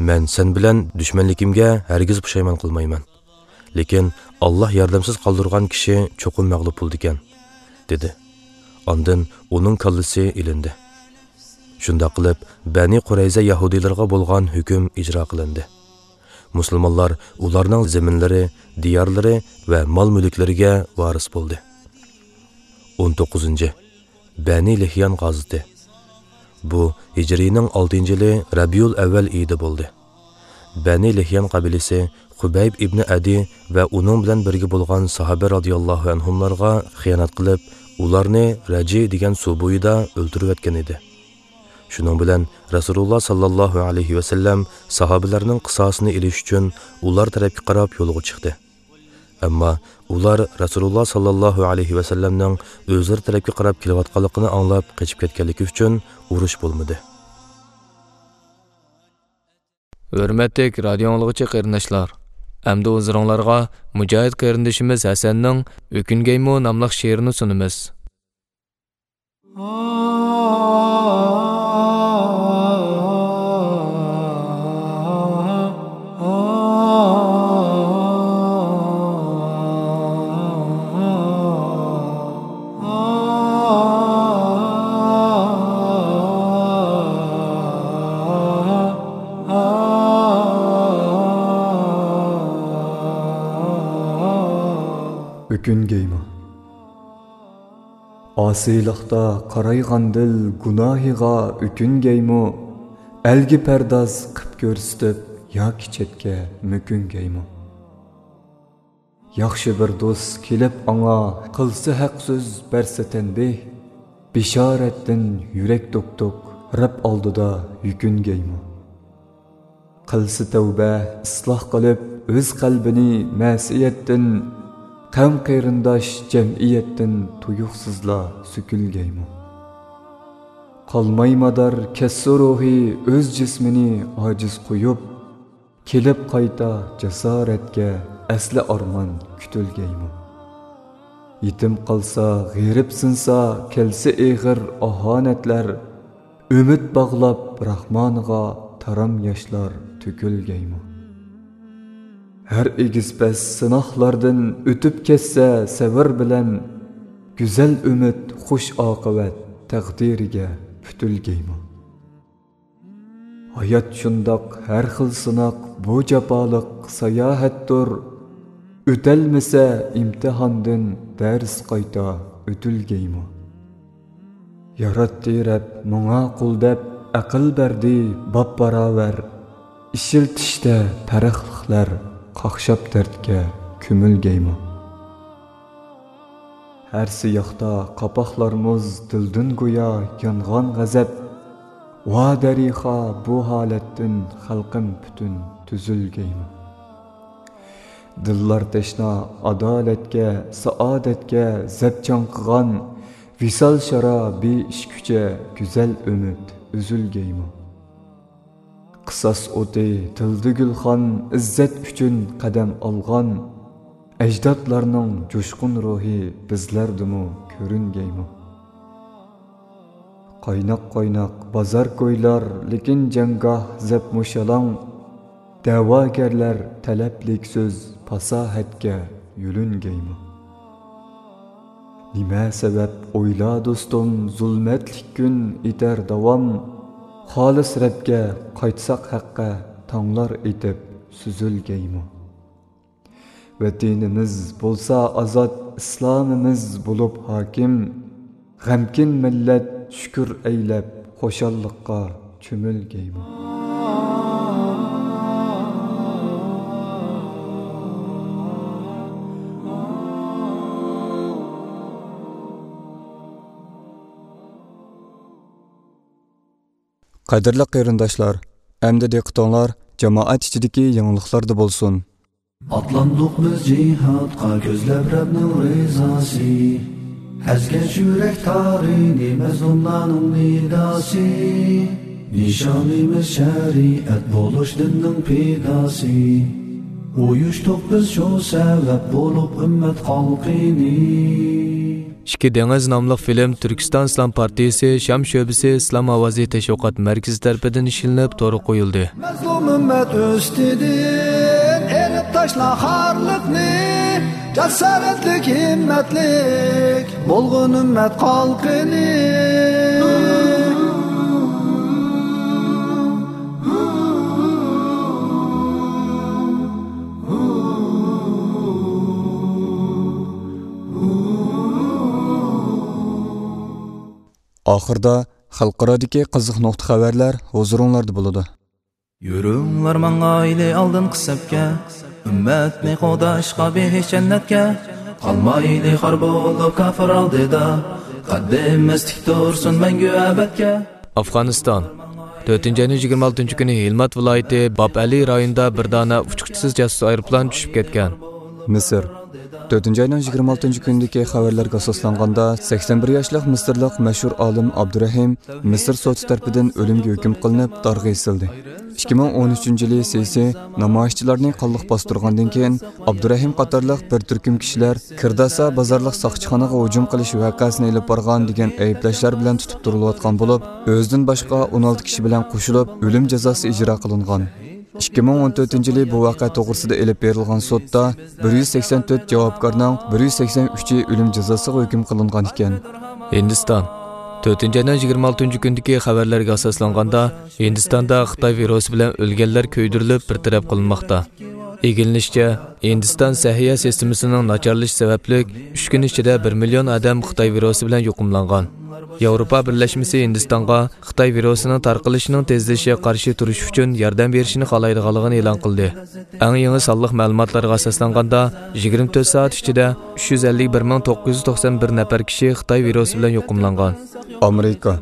مەن سەن بىلەن دۈشمەنلىكىمگە ھەرگىز پۇشايمان قىلمايمەن. لېكىن ئاللاھ ياردەمسىز قالدۇرغان كىشى چوقۇم مەغلۇپ بولىدىكەن، دېدى. ئاندىن ئۇنىڭ كاللىسى ئېلىندى. شۇنداق قىلىپ، بەنى قۇرەيزە يەھۇدىيلىرىغا بولغان ھۆكۈم ئىجرا قىلىندى. مۇسۇلمانلار ئۇلارنىڭ زېمىنلىرى، دىيارلىرى ۋە مال-مۈلۈكلىرىگە ۋارىس بولدى. ئون توققۇزىنچى، بەنى لىھيان غازىتى. بۇ ھىجرىينىڭ ئالتىنچى يىلى رەبىئۇل ئەۋۋەل ئېيىدا بولدى. بەنى لىھيان قەبىلىسى خۇبەيب ئىبنى ئەدى ۋە ئۇنىڭ بىلەن بىرگە بولغان ساھابە رازىياللاھۇ ئەنھۇملارغا خىيانەت قىلىپ، ئۇلارنى رەجى دېگەن سۇ بويىدا ئۆلتۈرۈۋەتكەن ئىدى. شۇنىڭ بىلەن رەسۇلۇللاھ ساللاللاھۇ ئەلەيھى ۋەسەللەم ساھابىلەرنىڭ قىساسىنى ئېلىش ئۈچۈن ئۇلار تەرەپكە قاراپ يولغا چىقتى. ئەمما ئۇلار رەسۇلۇللاھ ساللاللاھۇ ئەلەيھى ۋەسەللەمنىڭ ئۆزلىرى تەرەپكە قاراپ كېلىۋاتقانلىقىنى ئاڭلاپ قېچىپ كەتكەنلىكى ئۈچۈن ئۇرۇش بولمىدى. ھۆرمەتلىك رادىيو ئاڭلىغۇچى قېرىنداشلار، ئەمدى ھۇزۇرۇڭلارغا مۇجاھىد قېرىندىشىمىز ھەسەننىڭ ئۆكۈنگەيمۇ ناملىق شېئىرىنى سۇنىمىز. ئۆكۈنگەيمۇ؟ ئاسىيلىقتا قارايغان دىل گۇناھىغا ئۆكۈنگەيمۇ؟ ئەلگە پەرداز قىپ كۆرسىتىپ ياكى چەتكە مۆكۈنگەيمۇ؟ ياخشى بىر دوست كېلىپ ئاڭا، قىلسا ھەق سۆز، بەرسە تەنبىھ، بېشارەتتىن يۈرەك دوك-دوك، رەب ئالدىدا يۈكۈنگەيمۇ؟ قىلسا تەۋبە، ئىسلاھ قىلىپ ئۆز قەلبىنى مەسىيەتتىن، قەۋم-قېرىنداش جەمئىيەتتىن تۇيۇقسىزلا سۆكۈلگەيمۇ؟ قالماي مادار، كەتسە روھى ئۆز جىسمىنى ئاجىز قويۇپ، كېلىپ قايتا جاسارەتكە ئەسلى ئارمان كۈتۈلگەيمۇ؟ يېتىم قالسا، غېرىبسىنسا، كەلسە ئېغىر ئاھانەتلەر، ئۈمىد باغلاپ راھمانغا تارام ياشلار تۆكۈلگەيمۇ؟ ھەر ئېگىز پەس سىناقلاردىن ئۆتۈپ كەتسە سەۋر بىلەن، گۈزەل ئۈمىد، خۇش ئاقىۋەت تەقدىرىگە پۈتۈلگەيمۇ؟ ھايات شۇنداق، ھەر خىل سىناق بۇ جاپالىق ساياھەتتۇر. ئۆتەلمىسە ئىمتىھاندىن دەرس قايتا ئۆتۈلگەيمۇ؟ ياراتتى رەب ماڭا قۇل دەپ ئەقىل بەردى باب باراۋەر. ئىشلىتىشتە پەرقلىقلەر قاقشاپ دەردكە كۆمۈلگەيمۇ؟ ھەر سىياقتا قاپاقلار مۇز، دىلدىن گويا يانغان غەزەپ. ۋا دەرىخا، بۇ ھالەتتىن خەلقىم پۈتۈن تۈزۈلگەيمۇ؟ دىللار تەشنا ئادالەتكە، سائادەتكە زەپ چاڭقىغان، ۋىسال شارا بىئىش كۈچە گۈزەل ئۈمىد ئۈزۈلگەيمۇ؟ قىساس ئوتى تىلدا گۈلخان، ئىززەت ئۈچۈن قەدەم ئالغان ئەجدادلارنىڭ جۇشقۇن روھى بىزلەردىمۇ كۆرۈنگەيمۇ؟ قايناق-قايناق بازار كويلار، لېكىن جەڭگاھ زەپمۇ شالاڭ. دەۋاگەرلەر تەلەپلىك سۆز، پاساھەتكە يۆلۈنگەيمۇ؟ نېمە سەۋەب ئويلا دوستۇم، زۇلمەتلىك كۈن ئېتەر داۋام؟ خالىس رەبكە قايتساق ھەققە، تاڭلار ئېتىپ سۈزۈلگەيمۇ؟ ۋەتىنىمىز بولسا ئازاد، ئىسلامىمىز بولۇپ ھاكىم. غەمكىن مىللەت شۈكۈر ئەيلەپ، خۇشاللىققا چۆمۈلگەيمۇ؟ قەدىرلىك قېرىنداشلار، ئەمدى دىققىتىڭلار جامائەت ئىچىدىكى يېڭىلىقلاردا بولسۇن. ئاتلاندۇق بىز جىھادقا، كۆزلەپ رەبنىڭ رىزاسى. ئەزگەش يۈرەك تارىنى، مەزلۇملارنىڭ نىداسى. نىشانىمىز شەرىئەت بولۇش، دىننىڭ پىداسى. ئۇيۇشتۇق بىز شۇ سەۋەب بولۇپ، ئۈممەت خەلقىنى. ئىككى دېڭىز ناملىق فىلىم تۈركىستان ئىسلام پارتىيىسى شام شۆبىسى ئىسلام ئاۋازى تەشۋىقات مەركىزى تەرىپىدىن ئىشلىنىپ تورغا قويۇلدى. مەزلۇم ئۈممەت ئۈستىدىن ئېلىپ تاشلا خارلىقنى، جاسارەتلىك، ھىممەتلىك بولغىن ئۈممەت خەلقىنى. ئاخىردا خەلقئارادىكى قىزىق نۇقتا خەۋەرلەر ھۇزۇرۇڭلاردا بولىدۇ. يۈرۈڭلار ماڭايلى ئالدىنقى سەپكە، ئۈممەتنى قوغداشقا بېھىش جەننەتكە. قالمايلى خار بولۇپ كاپىر ئالدىدا، قەددىمىز تىك تۇرسۇن مەڭگۈ ئەبەدكە. ئافغانىستان. تۆتىنچى ئاينىڭ يىگىرمە ئالتىنچى كۈنى ھىلمات ۋىلايىتى باب ئەلى رايونىدا بىر دانە ئۇچقۇچىسىز جاسۇس ئايروپىلان چۈشۈپ كەتكەن. مىسىر. تۆتىنچى ئاينىڭ يىگىرمە ئالتىنچى كۈنىدىكى خەۋەرلەرگە ئاساسلانغاندا، سەكسەن بىر ياشلىق مىسىرلىق مەشھۇر ئالىم ئابدۇرەھىم مىسىر سوتى تەرىپىدىن ئۆلۈمگە ھۆكۈم قىلىنىپ، دارغا ئېسىلدى. ئىككى مىڭ ئون ئۈچىنچى يىلى سىسى نامايىشچىلارنى قانلىق باستۇرغاندىن كېيىن، ئابدۇرەھىم قاتارلىق بىر تۈركۈم كىشىلەر كىرداسا بازارلىق ساقچىخانىغا ھۇجۇم قىلىش ۋەقەسىنى ئېلىپ بارغان دېگەن ئەيىبلەشلەر بىلەن تۇتۇپ تۇرۇلۇۋاتقان بولۇپ، ئۆزىدىن باشقا ئون ئالتە كىشى بىلەن قوشۇلۇپ ئۆلۈم جازاسى ئىجرا قىلىنغان. ئىككى مىڭ ئون تۆتىنچى يىلى بۇ ۋەقە توغرىسىدا ئېلىپ بېرىلغان سوتتا بىر يۈز سەكسەن تۆت جاۋابكارنىڭ بىر يۈز سەكسەن ئۈچى ئۆلۈم جازاسىغا ھۆكۈم قىلىنغان ئىكەن. ھىندىستان. تۆتىنچى ئاينىڭ يىگىرمە ئالتىنچى كۈنىدىكى خەۋەرلەرگە ئاساسلانغاندا، ھىندىستاندا خىتاي ۋىرۇسى بىلەن ئۆلگەنلەر كۆيدۈرۈلۈپ بىر تەرەپ قىلىنماقتا. ئىگىلىنىشىچە، ھىندىستان سەھىيە سىستېمىسىنىڭ ناچارلىشىشى سەۋەبلىك، ئۈچ كۈن ئىچىدە بىر مىليون ئادەم خىتاي ۋىرۇسى بىلەن يۇقۇملانغان. ياۋروپا بىرلەشمىسى ھىندىستانغا خىتاي ۋىرۇسىنىڭ تارقىلىشىنىڭ تېزلىشىگە قارشى تۇرۇش ئۈچۈن ياردەم بېرىشىنى خالايدىغانلىقىنى ئېلان قىلدى. ئەڭ يېڭى سانلىق مەلۇماتلارغا ئاساسلانغاندا، يىگىرمە تۆت سائەت ئىچىدە ئۈچ يۈز ئەللىك بىر مىڭ توققۇز يۈز توقسان بىر نەپەر كىشى خىتاي ۋىرۇسى بىلەن يۇقۇملانغان. ئامېرىكا.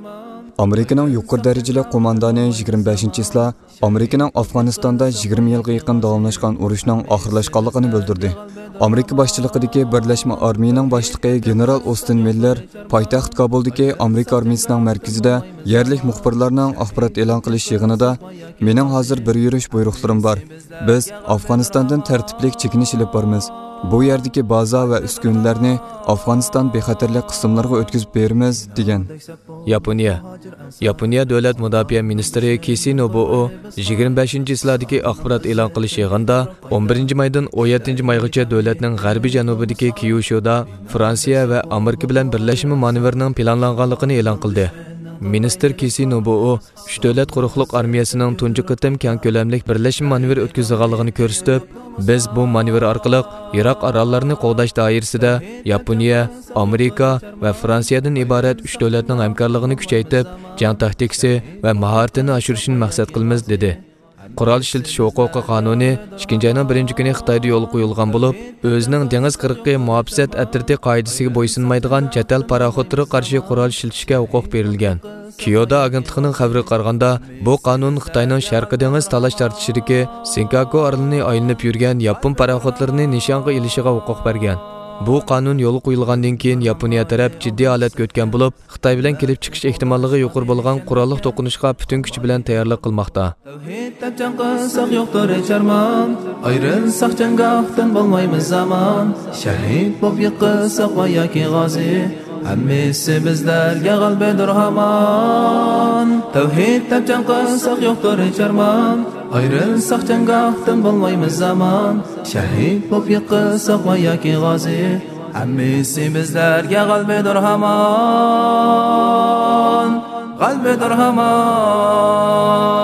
ئامېرىكىنىڭ يۇقىرى دەرىجىلىك قوماندانى يىگىرمە بەشىنچى چىسلا ئامېرىكىنىڭ ئافغانىستاندا يىگىرمە يىلغا يېقىن داۋاملاشقان ئۇرۇشنىڭ ئاخىرلاشقانلىقىنى بىلدۈردى. ئامېرىكا باشچىلىقىدىكى بىرلەشمە ئارمىيىنىڭ باشلىقى گېنېرال ئوستىن مىللېر پايتەخت كابۇلدىكى ئامېرىكا ئارمىيىسىنىڭ مەركىزىدە يەرلىك مۇخبىرلارنىڭ ئاخبارات ئېلان قىلىش يىغىنىدا، مېنىڭ ھازىر بىر يۈرۈش بۇيرۇقلىرىم بار. بىز ئافغانىستاندىن تەرتىپلىك چېكىنىش ئېلىپ بارىمىز. بۇ يەردىكى بازا ۋە ئۈسكۈنىلەرنى ئافغانىستان بىخەتەرلىك قىسىملىرىغا ئۆتكۈزۈپ بېرىمىز، دېگەن. ياپونىيە. ياپونىيە دۆلەت مۇداپىئە مىنىستىرى كىسى نوبۇئو يىگىرمە بەشىنچى چىسلادىكى ئاخبارات ئېلان قىلىش يىغىنىدا، ئون بىرىنچى مايدىن ئون يەتتىنچى مايغىچە دۆلەتنىڭ غەربىي جەنۇبىدىكى كيۇشۇدا فرانسىيە ۋە ئامېرىكا بىلەن بىرلەشمە مانېۋىرنىڭ پىلانلانغانلىقىنى ئېلان قىلدى. مىنىستىر كىسى نوبۇئو ئۈچ دۆلەت قۇرۇقلۇق ئارمىيەسىنىڭ تۇنجى قېتىم كەڭ كۆلەملىك بىرلەشمە مانېۋىر ئۆتكۈزىدىغانلىقىنى كۆرسىتىپ، بىز بۇ مانېۋىر ئارقىلىق يىراق ئاراللارنى قوغداش دائىرىسىدە ياپونىيە، ئامېرىكا ۋە فرانسىيەدىن ئىبارەت ئۈچ دۆلەتنىڭ ھەمكارلىقىنى كۈچەيتىپ، جەڭ تاكتىكىسى ۋە ماھارىتىنى ئاشۇرۇشنى مەقسەت قىلىمىز، دېدى. قورال ئىشلىتىش ھوقۇقى قانۇنى ئىككىنچى ئاينىڭ بىرىنچى كۈنى خىتايدا يولغا قويۇلغان بولۇپ، ئۆزىنىڭ دېڭىز قىرغىقى مۇھاپىزەت ئەترىتى قائىدىسىگە بويسۇنمايدىغان چەت ئەل پاراخوتلىرىغا قارشى قورال ئىشلىتىشكە ھوقۇق بېرىلگەن. كيودا ئاگېنتلىقىنىڭ خەۋىرىگە قارىغاندا، بۇ قانۇن خىتاينىڭ شەرقىي دېڭىز تالاش تارتىشىدىكى سىنكاكۇ ئارىلىنى ئايلىنىپ يۈرگەن ياپون پاراخوتلىرىنى نىشانغا ئېلىشىغا ھوقۇق بەرگەن. بۇ قانۇن يولغا قويۇلغاندىن كېيىن، ياپونىيە تەرەپ جىددىي ھالەتكە ئۆتكەن بولۇپ، خىتاي بىلەن كېلىپ چىقىش ئېھتىماللىقى يۇقىرى بولغان قوراللىق توقۇنۇشقا پۈتۈن كۈچى بىلەن تەييارلىق قىلماقتا. تەۋھىد دەپ جەڭ قىلساق يوقتۇر ھېچ ئارمان، ئايرىلساق جەڭگاھتىن بولمايمىز ئامان. شەھىد بولۇپ يىقىلساق ۋە ياكى غازى، ھەممىسى بىزلەرگە غەلىبىدۇر ھامان. تەۋھىد دەپ جەڭ قىلساق يوقتۇر ھېچ ئارمان، ئايرىلساق جەڭگاھتىن بولمايمىز ئامان. شەھىد بولۇپ يىقىلساق ۋە ياكى غازى، ھەممىسى بىزلەرگە غەلىبىدۇر ھامان، غەلىبىدۇر ھامان.